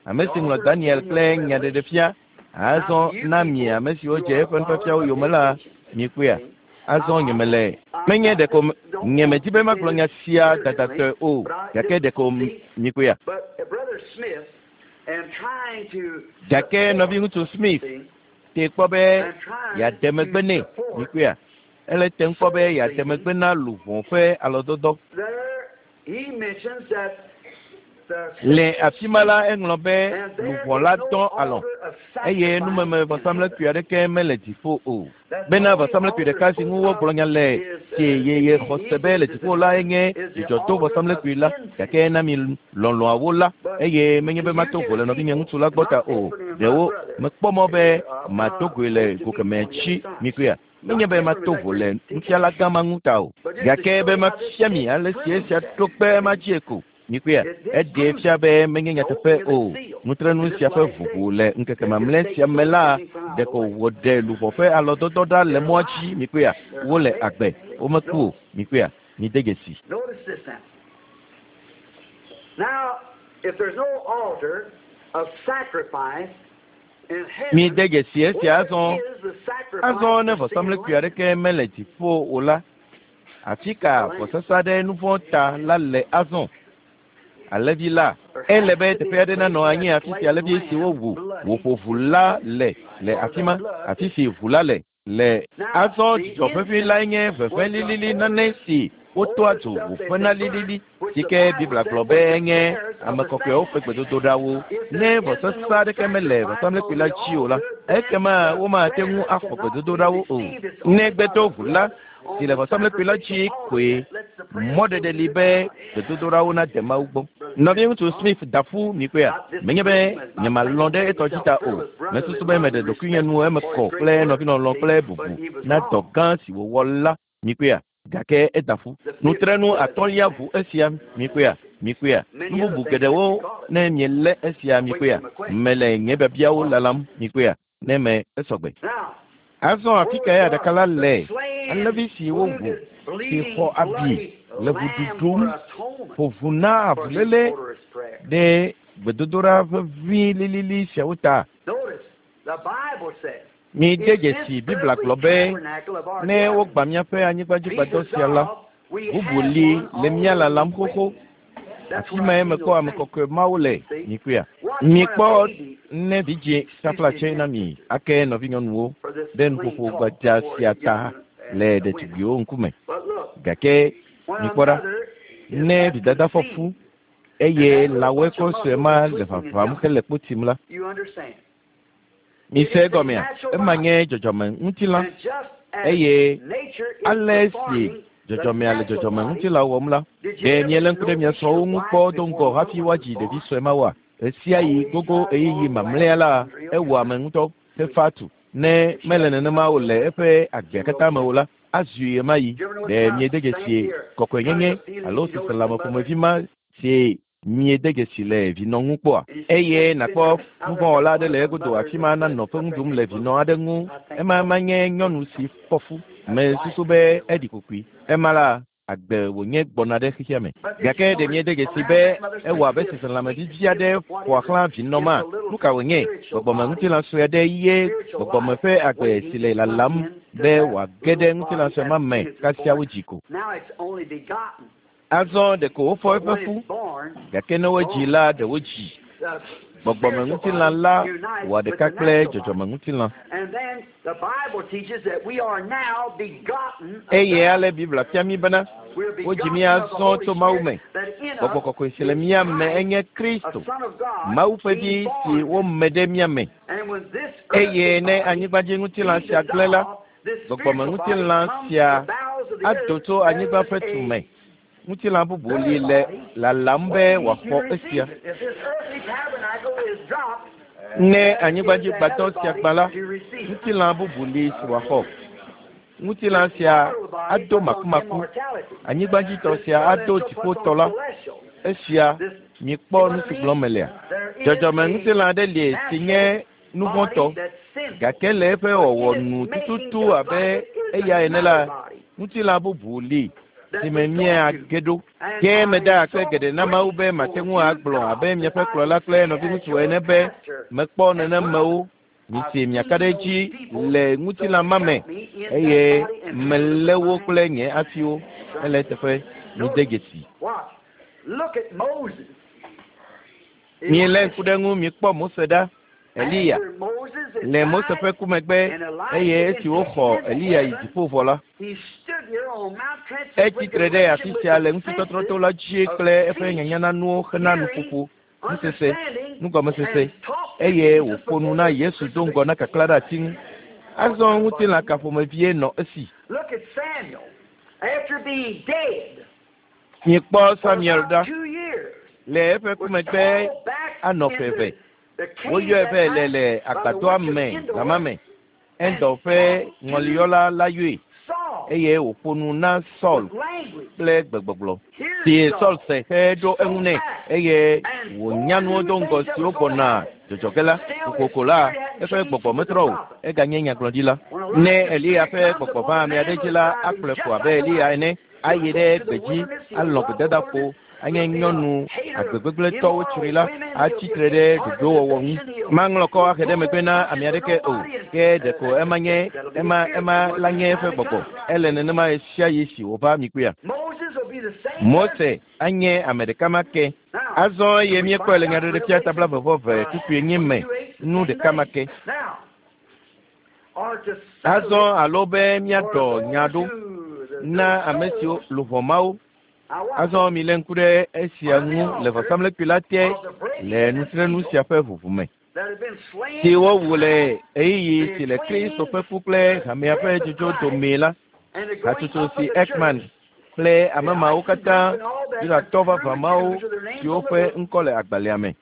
ame si ŋlɔ Daniel kple Nyaɖeɖefia. Azɔ na mi ame siwo dze eƒe nufiafiawo yome la mikpɔea. Azɔ nyemele menye ɖeko nyemedi be magblɔ nya sia dadatɔe o gake ɖeko mikpɔea. Gake nɔviŋutsu Smith te kpɔ be yeade megbe nɛ mikpɔea. Ele te kpɔ be yeade megbe na luʋɔ ƒe alɔdɔdɔ. Le afi ma la eŋlɔ be luʋɔ la dɔ alɔ eye numeme vɔsamlekpui aɖeke mele dziƒo o. Bena vɔsamlekpui ɖeka si ŋu wogblɔ nya le si yeye xɔse be le dziƒo la enye dzidzɔto vɔsamlekpui la gake na mi lɔlɔ̃awo la eye menye be mato vo le nɔvinye ŋutsu la gbɔ ta o. Ɖewo mekpɔ mɔ be mato goe le go kemɛ tsi mikpɔea. Menye be mato vo le nufiala gã ma ŋu ta o gake be mafia mi ale si esia ɖo kpe ema dzie ko. Mikpɔea, eɖee fia be menye nyateƒe o. Nutrenu sia ƒe ʋuʋu le ŋkeke mamlɛ sia me la ɖeko wòɖe luʋɔ ƒe alɔdɔdɔ ɖa le mɔa dzi mikpɔea. Wole agbe, womeku o mikpɔea. Mide dzesi. Mide dzesi esia azɔ. Azɔ ne vɔsamlekpui aɖeke mele dziƒo o la, afi ka vɔsasa ɖe nu vɔ̃ ta la le azɔ? Alẽvi la, ele be teƒe aɖe nanɔ anyi afi si alẽvi si wowu wòƒo ʋu la le le afi ma, afi si ʋu la le le. Azɔ dzidzɔ ʋeʋĩ lae nye ʋeʋẽ lilili nane si wotoa dzo wòƒena lilili si ke Biblia gblɔ be enye ame kɔkɔewo ƒe gbedodoɖawo. Ne vɔsasa aɖeke mele vɔsamlekpui la dzi o la, ekema womate ŋu axɔ gbedodoɖawo o. Negbe to ʋu la si le vɔsamlekpui la dzi koe mɔɖeɖe li be gbedodoɖawo nade Mawu gbɔ. Nɔviŋutsu Smith da ƒu mikpɔea. Menye be nyemalɔ̃ ɖe etɔ dzi ta o. Mesusu be meɖe ɖokuinye nu eme kɔ kple nɔvinɔlɔ̃ kple bubu na dɔ gã si wòwɔ la mikpɔea. Gake eda ƒu. Nutrenu atɔ̃lia ʋu esia mikpɔea mikpɔea. Nu bubu geɖewo ne mielé esia mikpɔea. Mele nye biabiawo lalam mikpɔea ne me esɔgbe. Azɔ afi kae aɖaka la le? Alẽvi si wowu si xɔ abi le ʋu ɖuɖum ƒo ʋu na avuléle ɖe gbedodoɖa ʋeʋĩ lilili siawo ta. Mide dzesi Biblia gblɔ be ne wogbã míaƒe anyigbadzigbadɔ sia la, bubu li le mía lalam xoxo. Afi mae mekpɔ ame kɔkɔe mawo le mikpɔea. Mikpɔ ne vidzĩ taflatse na mi ake nɔvinyɔnuwo ɖe nuƒoƒo gbadza sia ta le ɖetugbiwo ŋkume. Gake mikpɔ ɖa, ne vidada fɔ fu eye lãwɔekɔ sue ma le ʋaʋãm hele kpo tim la, mise egɔmea, ema nye dzɔdzɔme ŋutilã eye ale si dzɔdzɔmea le dzɔdzɔme ŋutilã wɔm la, ɖe miele ŋku ɖe mia srɔ̃wo ŋu kpɔ do ŋgɔ hafi woadzi ɖevi sue ma woa? Ɣesia ɣi gogo ɣeyiɣi mamlɛa la, ewɔ ame ŋutɔ hefa tu. Ne mele nenema o le eƒe agbea katã me o la, azui ɣemaɣi. Ɖe miede dzesi kɔkɔenyenye alo seselãme ƒomevi ma si miede dzesi le vinɔ ŋu kpɔa? Eye nàkpɔ nuvɔ̃wɔla aɖe le egodo afi ma nanɔ ƒe ŋu ɖum le vinɔ aɖe ŋu. Ema manye nyɔnu si fɔ fu. Mesusu be eɖi kokoe. Ema la, agbe wònye gbɔna ɖe xexea me. Gake ɖe miede dzesi be ewɔ abe seselãme vivi aɖe ƒo xlã vinɔ ma. Nu ka wònye? Gbɔgbɔme ŋutilã sue aɖe ye gbɔgbɔme ƒe agbe si le lalam be wòage ɖe ŋutilã sue ma me kasia wodzi ko. Azɔ ɖeko wofɔ eƒe fu, gake ne wodzi la, ɖe wodzi. Gbɔgbɔmeŋutilã la wɔ ɖeka kple dzɔdzɔmeŋutilã. Eye ale Biblia fia mí bena wodzi mí azɔ tso Mawu me. Gbɔgbɔ kɔkɔe si le mía me enye Kristo, Mawu ƒe vi si wome ɖe mía me. Eye ne anyigbadziŋutilã sia gblẽ la, gbɔgbɔmeŋutilã sia ado tso anyigba ƒe tume. Ŋutilã bubu li le lalam be wòaxɔ esia. Ne anyigbadzigbadɔ sia gbã la, ŋutilã bubu li si wòaxɔ. Ŋutilã sia ado makumaku. Anyigbadzitɔ sia ado dziƒotɔ la. Esia mikpɔ nu si gblɔm melea. Dzɔdzɔmeŋutilã aɖe li si nye nuvɔ̃tɔ, gake le eƒe wɔwɔ nu tututu abe eya ene la, ŋutilã bubu li si me míage ɖo. Ke meda akpe geɖe na Mawu be mate ŋu agblɔ abe miaƒe kplɔla kple nɔviŋutsu ene be mekpɔ nenemewo. Mise miaka ɖe edzi le ŋutilã ma me eye melé wo kple nye asiwo. Ele eteƒe mide dzesi. Mielé ŋku ɖe ŋu mikpɔ Mose ɖa. Eliya le Mose ƒe ku megbe eye esi woxɔ Eliya yi dziƒo vɔ la, etsi tre ɖe afi sia le ŋutitɔtrɔto la dzi kple eƒe nyanyananuwo hena nuƒoƒo, nusese, nugɔmesese eye wòƒo nu na Yesu do ŋgɔ na kaklã ɖe ati ŋu. Azɔ ŋutilã ka ƒomevie nɔ esi? Mikpɔ Samuel ɖa. Le eƒe ku megbe anɔ ƒe eve. Woyɔe vɛ le le agbadɔa me zama me. Endor ƒe ŋɔliyɔla la yɔe eye wòƒo nu na Saul kple gbegbɔgblɔ si Saul se heɖo eŋu nɛ eye wònya nuwo do ŋgɔ siwo gbɔna dzɔdzɔ ge la. Kokoko la, eƒe gbɔgbɔ metrɔ o, eganye nyagblɔɖila. Ne Eliya ƒe gbɔgbɔ va ame aɖe dzi la, akplɔe ko abe Eliya ene, ayi ɖe gbedzi, alɔ gbedadaƒo, anye nyɔnu agbegbegblẽtɔwo tsri la, atsi tre ɖe ɖoɖowɔwɔ ŋu. Maŋlɔ kɔ ahe ɖe megbe na ame aɖeke o, ke ɖeko ema nye ema ema la nye eƒe gbɔgbɔ. Ele nenema ɣe sia ɣi si wòva mi kpuia. Mose anye ame ɖeka ma ke. Azɔ eye míekpɔe le Nyaɖeɖefia ta blaeve vɔ eve kpukpui enyi me nu ɖeka ma ke. Azɔ alo be míaɖɔ nya ɖo na ame siwo luʋɔ mawo. Azɔ milé ŋku ɖe esia ŋu le vɔsamlekpui la te le nutrenu sia ƒe ʋuʋu me si wowu le ɣeyiɣi si le Kristo ƒe ku kple hamea ƒe dzodzo domee la. Hatsotso si Ekman kple ame mawo katã, Yudatɔ vavã mawo siwo ƒe ŋkɔ le agbalẽa me.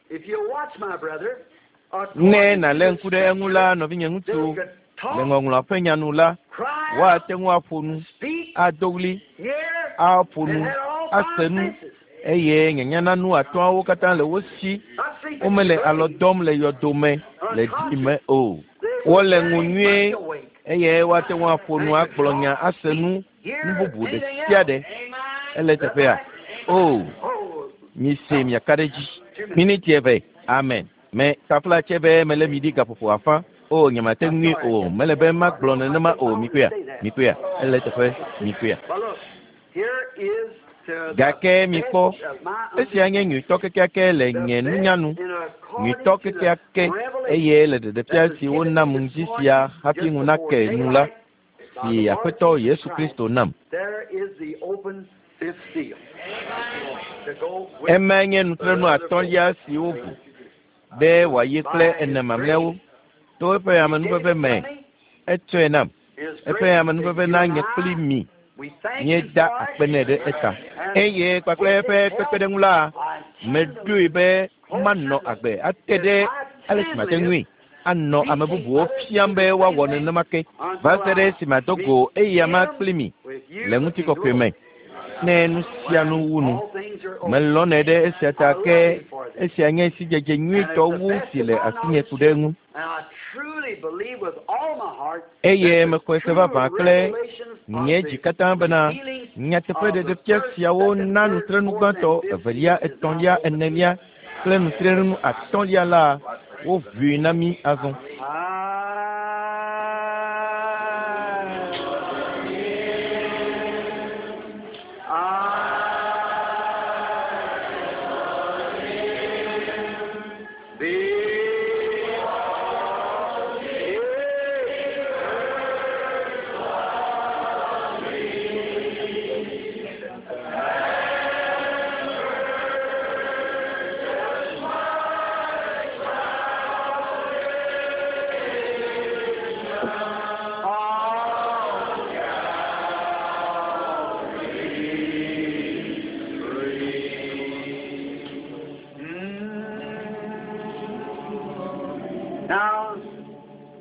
Ne nàlé ŋku ɖe eŋu la, nɔvinye ŋutsu, le ŋɔŋlɔa ƒe nya nu la, woate ŋu aƒo nu, ado ɣli, aƒo nu, ase nu, eye nyanyananu atɔ̃awo katã le wo si. Womele alɔ dɔm le yɔdo me le ɖi me o. Wole ŋu nyuie eye woate ŋu aƒo nu, agblɔ nya, ase nu, nu bubu ɖe sia ɖe. Ele teƒea? O, mise miaka ɖe edzi. Miniti eve. Amen. Me tafla tse be mele mi ɖi gaƒoƒo afã. O, nyemate ŋui o. Mele be magblɔ nenema o. Mikpɔea? Mikpɔea? Ele teƒe. Mikpɔea? Gake mikpɔ, esia nye nyuitɔ kekeake le nye nunya nu, nyuitɔ kekeake eye le ɖeɖefia si wonam ŋdi sia hafi ŋu nake nu la, si Aƒetɔ Yesu Kristo nam. Emae nye nutrenu atɔ̃lia si woʋu be wòayi kple ene mamlɛawo to eƒe amenuveve me. Etsɔe nam. Eƒe amenuveve na nye kpli mi. Míeda akpe nɛ ɖe eta. Eye kpakple eƒe kpekpeɖeŋu la, meɖoe be manɔ agbe ate ɖe ale si mate ŋui anɔ ame bubuwo fiam be woawɔ nenema ke va se ɖe esime ado go eyama kpli mi le ŋutikɔkɔe me. Ne nu sia nu wu nu, melɔ̃nɛ ɖe esia ta ke esia nye sidzedze nyuitɔ wu si le asinye ku ɖe eŋu. Eye mexɔe se vavã kple nye dzi katã bena nyateƒe ɖeɖefia siawo na nutrenu gbãtɔ, evelia, etɔ̃lia, enelia kple nutrenu atɔ̃lia la woʋui na mí azɔ.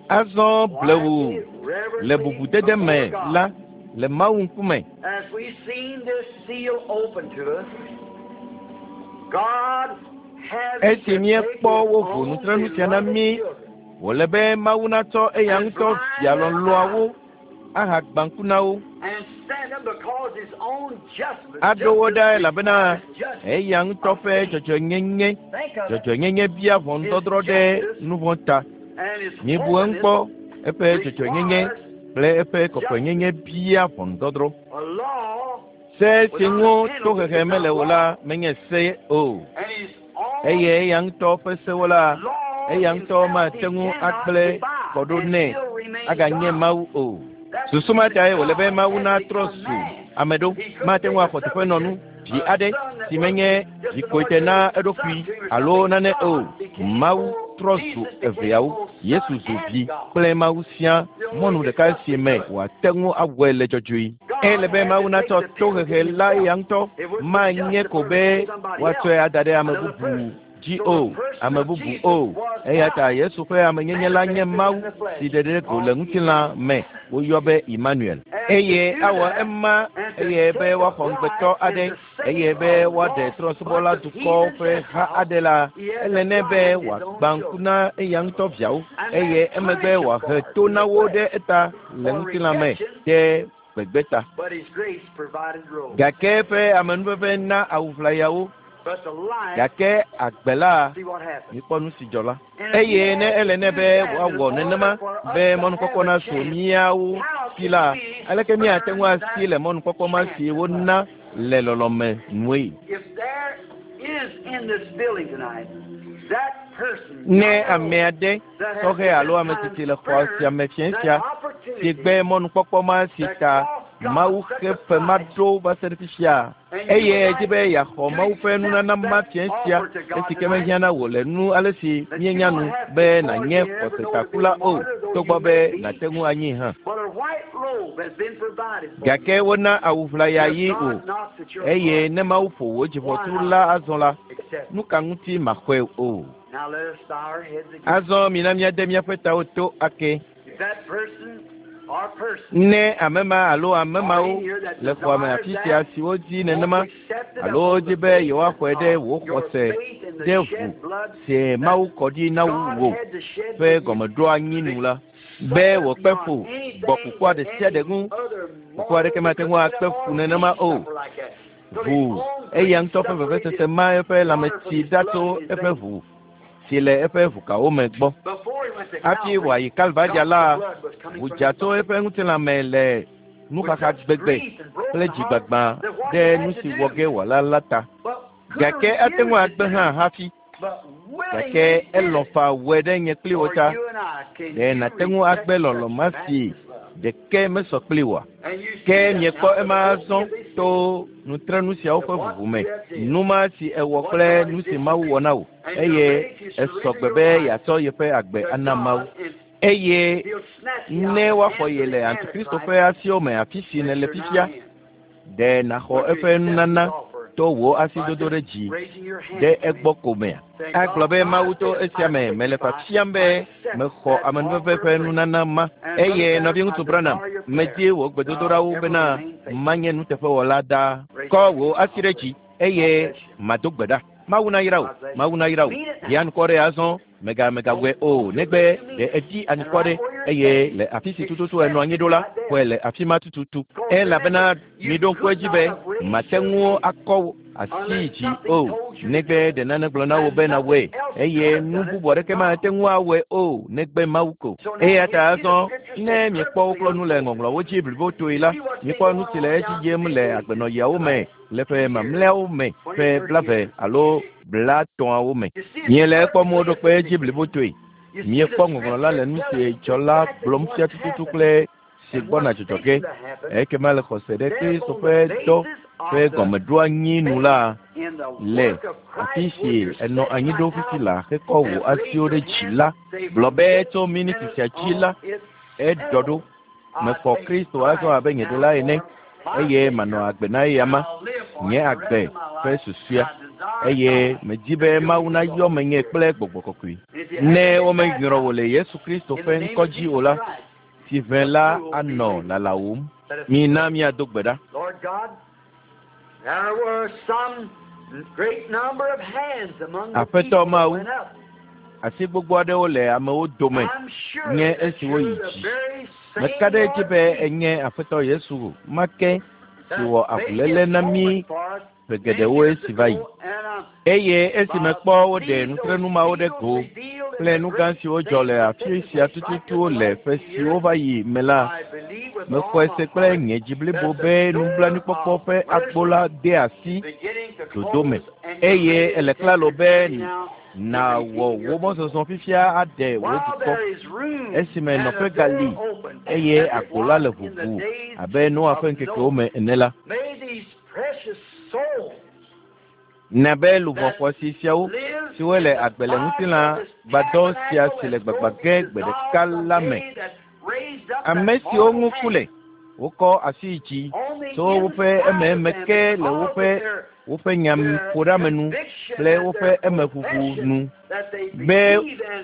Azɔ blewu le bubudede me la le Mawu ŋkume. As we've seen this seal open to us, God has Esi míekpɔ woʋu nutrenu sia na mí, wòle be Mawu natsɔ eya ŋutɔ via lɔlɔ̃awo ahagbã ŋku na wo. and send them because his own justice, Aɖo wo ɖa justice elabena requires judgment. eya ŋutɔ ƒe dzɔdzɔenyenye Think of it. dzɔdzɔenyenye bia ʋɔnudɔdrɔ̃ ɖe nu vɔ̃ ta. And his Míebu eŋu kpɔ eƒe dzɔdzɔenyenye kple eƒe kɔkɔenyenye bia ʋɔnudɔdrɔ̃. a law Se si ŋu tohehe mele o la menye se o. and his own Eye eya ŋutɔ ƒe sewo la, law eya ŋutɔ himself mate he ŋu cannot agblẽ defy kɔ ɖo and nɛ still remain aganye God. Mawu o. That's Susu ma tae wòle be God Mawu has natrɔ become zu man. ame ɖo. Mate ŋu axɔ teƒenɔnu vi aɖe si menye dzikoe na eɖokui alo nane o. Mawu trɔ zu eveawo. Yesu zu vi kple Mawu sia mɔnu ɖeka si me wòate ŋu awɔe le dzɔdzɔe. Ele be Mawu natsɔ tohehe la eya ŋutɔ manye ko be woatsɔe ada ɖe ame bubu dzi o, ame bubu o. Eya ta Yesu ƒe amenyenye la nye Mawu si ɖe ɖe go le ŋutilã me woyɔ be Emmanuel. Eye awɔ ema eye be woaxɔ ŋugbetɔ aɖe eye be woaɖe trɔ̃subɔla dukɔwo ƒe ha aɖe la, ele nɛ be wòagbã ŋku na eya ŋutɔ viawo eye emegbe wòahe to na wo ɖe eta le ŋutilã me ɖe gbegbe ta. But his grace provided robe. Gake eƒe amenuveve na awu ʋlayawo But the life, gake agbe la see what happened. mikpɔ nu si dzɔ la. And if he Eye ne had ele to nɛ do be that in woawɔ nenema order for us be to mɔnukpɔkpɔ have a nasu chance, míawo how si can la, we aleke míate ŋu earn asi that le mɔnukpɔkpɔ ma chance si in wona life? le lɔlɔ̃me nue? If there is in this building tonight that person, Ne young or ame old, aɖe that has sɔhɛ at alo this ame time tsitsi le xɔ sia spurned me fiẽ that sia si opportunity gbe mɔnukpɔkpɔ ma si that ta cost God Mawu such xe a fe ma price, ɖo va se ɖe fifia and you eye would edzi like be yeaxɔ to Mawu ƒe accept nunana ma that fiẽ sia offer to God esi ke tonight, mehiã na wò le nu ale si that you míenya don't nu have to be for you nànye never know to be xɔsetakula a o martyr, though you togbɔ may be be, nàte ŋu anyi hã. but a white robe has been provided for you. Gake wona awu ʋlaya If yi o God knocks at your eye heart, ne Mawu ƒo wò why dziʋɔtru not la azɔ la, accept nu it? ka ŋuti maxɔe o? Now let us bow our heads again. Azɔ mina míade míaƒe tawo to ake. If that person or person Ne ame ma alo ame are mawo in here that le xɔa me desires afi sia that, siwo di want nenema to accept it alo upon wodi the be basis yewoaxɔe ɖe of wò your xɔse faith in the ɖe ʋu shed blood si that Mawu kɔ ɖi na God wò had to shed ƒe for you, gɔmeɖoanyi nu la, be suffered wòkpe beyond fu gbɔ anything kukua that ɖe sia ɖe any ŋu. other Kuku mortal aɖeke mate because ŋu he akpe said, fu "Or nenema me o. suffer like that." So his Ʋu own eya great ŋutɔ ƒe suffering vevesese did ma eƒe water from lãmetsi his ɖa blood tso in his eƒe veins. ʋu si le eƒe ʋukawo me gbɔ. Before he went to Hafi Calvary, wòayi Kalvaria God's la, blood was coming ʋu from dza his tso body. eƒe ŋutilã me le With nuxaxa such gbegbe grief and kple broken heart dzigbagba that what he ɖe had nu to si wɔ do, ge wòala la ta. but could have Gake ate ŋu refused to agbe do hã it, hafi. but Gake willingly did elɔ̃ it faa wɔe ɖe nye kpli wò for ta. you and I. Can Ɖe you nàte ŋu reject agbe lɔlɔ̃ such ma si matchless love? ɖeke mesɔ kpli oa? And you see Ke that miekpɔ now by ema the azɔ opening of this to seal, nutrenu siawo that ƒe what ʋuʋu me. you have did, Nu ma si ewɔ what kple God nu has si did for Mawu you, wɔ na wò and you're eye ready to esɔ surrender gbe your be life yeatsɔ yeƒe agbe to ana Mawu. God, and Eye He'll snatch you out ne of the woaxɔ hands ye of le the Antikristo Antichrist ƒe asiwo me afi si that nèle you're now fifia, in. ɖe nàxɔ Would you eƒe accept His nunana offer to wò by asidodo just ɖe dzi raising your hand ɖe to Him, egbɔ ko mea? saying, Agblɔ God, be by Mawu to this esia I me mele signify fiafiam I be accept mexɔ that amenuveve offer ƒe of grace. nunana ma. And Brother Eye Branham, nɔviŋutsu I Branham, desire your medi prayer. wò Now, gbedodoɖawo ever bena remain faithful. manye nuteƒewɔla ɖaa. Raise Kɔ your hand. wò asi I'll ɖe pray. dzi God eye bless you. mado gbe ɖa. Mawu nayra wò, God bless you. Mawu nayra wò. Mean it Ɖi now. anukware azɔ mega megawɔe Don't o don't do negbe it unless you mean ɖe it. edi And anukware right where you're eye standing, le afi si tututu accept enɔ anyi it ɖo la right there. xɔe le afi ma tututu. Because Elabena remember, you miɖo ŋku could edzi not be have raised mate your ŋu hand akɔ wò asi unless dzi something o told you to negbe do it. ɖe nane gblɔ na wò And be nawɔe nothing else eye could have nu done it bubu but aɖeke God. mate ŋu awɔe o negbe Mawu ko. So now Eya you ta see the azɔ scripture ne says miekpɔ wo perfectly kplɔ nu le unfolded. ŋɔŋlɔwo dzi blibotoe la See what's been miekpɔ nu going si le on edzi down yim through le these ages agbenɔɣiawo me tonight, le ƒe years, mamlɛawo me twenty, ƒe thirty blave years. alo blatɔ̃awo me. You see it's Miele ekpɔm perfectly woɖo kpe edzi indicated. blibotoe. You see the Miekpɔ ŋɔŋlɔ la le scripture nu tell si us dzɔ la exactly gblɔm fia what's tututu happened kple si and gbɔna what's dzɔdzɔ ge. fixing to happen. Ekema le xɔse ɖe Then Kristo upon ƒe the dɔ basis ƒe of the gɔmeɖoanyi nu faith la in the le work of afi Christ, where si you're enɔ sitting anyi right ɖo fifi now la hekɔ wò and raise asiwo your ɖe dzi hand, la say, gblɔ from be this tso miniti minute sia dzi on, la it's eɖɔ settled. ɖo. I Mexɔ take Kristo azɔ Christ abe nye now ɖela ene for my eye manɔ Savior, agbe na eya and ma I'll live for nye him the rest agbe of my ƒe life. susɔea. I Eye medzi be Mawu nayɔ menye kple gbɔgbɔ kɔkɔe. Ne womenyrɔ wò le Yesu Kristo ƒe ŋkɔ dzi o la, si ʋẽ la anɔ lalawòm. Mina míado gbe ɖa. Aƒetɔ Mawu, asi gbogbo aɖewo le amewo dome nye esiwo yi dzi. Meka ɖe edzi be enye Aƒetɔ Yesu ma ke si wɔ avuléle na mí ƒe geɖewo esi va yi. Eye esi mekpɔ woɖe nutrenu mawo ɖe go kple nu gã siwo dzɔ le afi sia tututu le ƒe siwo va yi me la, mexɔe se kple nye dzi blibo be nublanuikpɔkpɔ ƒe agbo la de asi dodo me. Eye ele klalo be nawɔ wò mɔzɔzɔ fifia aɖe wò dukɔ esime nɔƒe gali eye agbo la le ʋuʋu abe Noa ƒe ŋkekewo me ene la. Na be luʋɔ xɔasi siawo siwo le agbe le ŋutilã gbadɔ sia si le gbagba ge gbe ɖeka la me, ame siwo ŋu ku le, wokɔ asi yi dzi tso woƒe ememe ke le woƒe woƒe nyaƒoɖeamenu kple woƒe emeʋuʋu nu be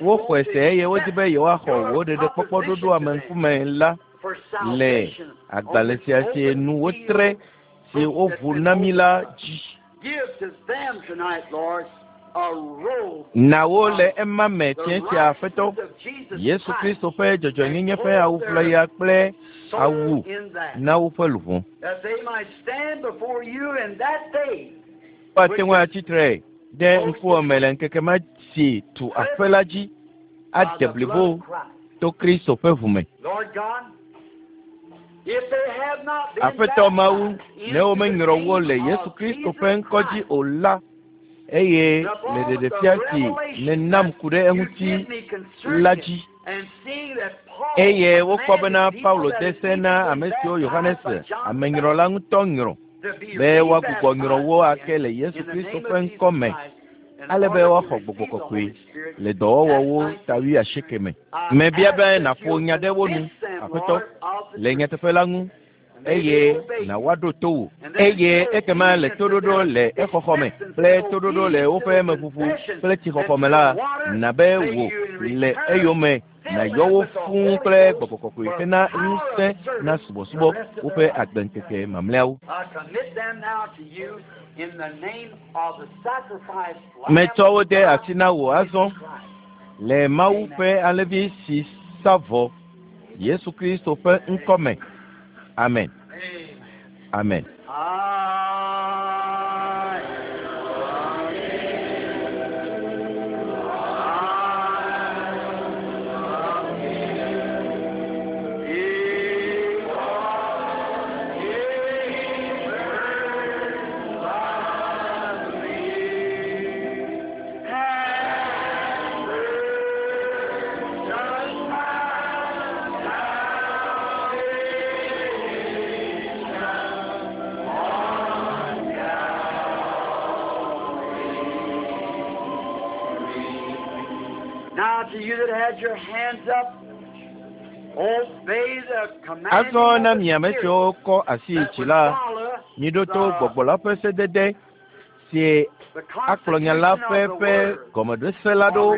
woxɔe se eye wodi be yewoaxɔ wò ɖeɖekpɔkpɔ ɖoɖo ame ŋkume la le agbalẽ sia si nu wotre si woʋu na mí la dzi. Na wo le ema me fiẽ sia Aƒetɔ Yesu Kristo ƒe dzɔdzɔenyenye ƒe awu ʋlaya kple awu na woƒe luʋɔ. Woate ŋu atsi tre ɖe ŋkuwò me le ŋkeke ma si tu aƒe la dzi ade blibo to Kristo ƒe ʋu me. Aƒetɔ Mawu, ne womenyrɔ wo le Yesu Kristo ƒe ŋkɔ dzi o la, eye le ɖeɖefia si nenam ku ɖe eŋuti la dzi, eye wokpɔ bena Paulo de se na ame siwo Yohanes amenyrɔla ŋutɔ nyrɔ be woagbugbɔ nyrɔ wo ake le Yesu Kristo ƒe ŋkɔ me, ale be woaxɔ gbɔgbɔ kɔkɔe le dɔwɔwɔwo ta wuiasieke me. Mebia be nàƒo nya ɖe wo nu, Aƒetɔ, le nyateƒe la ŋu, eye na woaɖo to wò. Eye ekema le toɖoɖo le exɔxɔ me kple toɖoɖo le woƒe emeʋuʋu kple tsixɔxɔ me la, na be wò le eyome nàyɔ wo fũu kple gbɔgbɔ kɔkɔe hena ŋusẽ na subɔsubɔ woƒe agbeŋkeke mamlɛawo. Metsɔ wo de asi na wò azɔ le Mawu ƒe alẽvi si sa vɔ Yesu Kristo ƒe ŋkɔ me. Amen. Amen. Azɔ na mi ame siwo kɔ asi yi dzi la, miɖo to gbɔgbɔ la ƒe sedede si akplɔ nya la ƒe ƒe gɔmeɖose la ɖo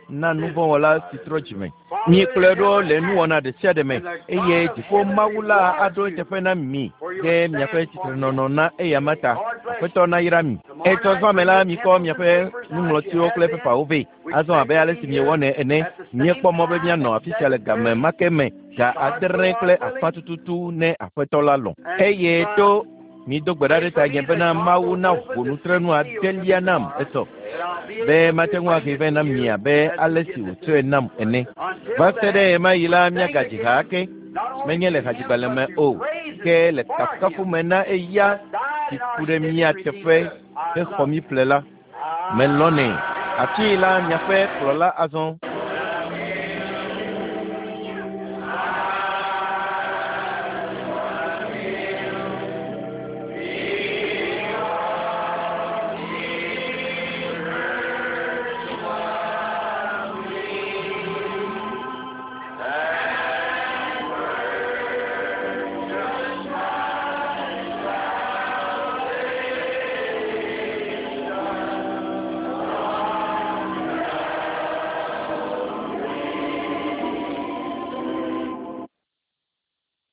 na nuvɔ̃wɔla si trɔ dzime. Mikplɔe ɖo le nuwɔna ɖe sia ɖe me eye dziƒo Mawu la aɖo eteƒe na mi ɖe miaƒe tsitrenɔnɔ na eyama ta. Aƒetɔ nayra mi. Etsɔ zã me la, mikɔ miaƒe nuŋlɔtiwo kple pepawo vɛ. Azɔ abe ale si miewɔnɛ ene, míekpɔ mɔ be míanɔ afi sia le game ma ke me ga adre kple afã tututu ne Aƒetɔ la lɔ̃. Eye to mido gbe ɖa ɖe tanye bena Mawu naʋu nutrenu adelia nam etsɔ be mate ŋu ahe vɛ na mi abe ale si wòtsɔe nam ene. Va se ɖe ɣemaɣi la, míagadzi ha ake, menye le hadzigbalẽ me o, ke le kafukafu me na eya si ku ɖe mía teƒe hexɔ mí ƒle la. Melɔ̃nɛ. Afii la miaƒe kplɔla azɔ.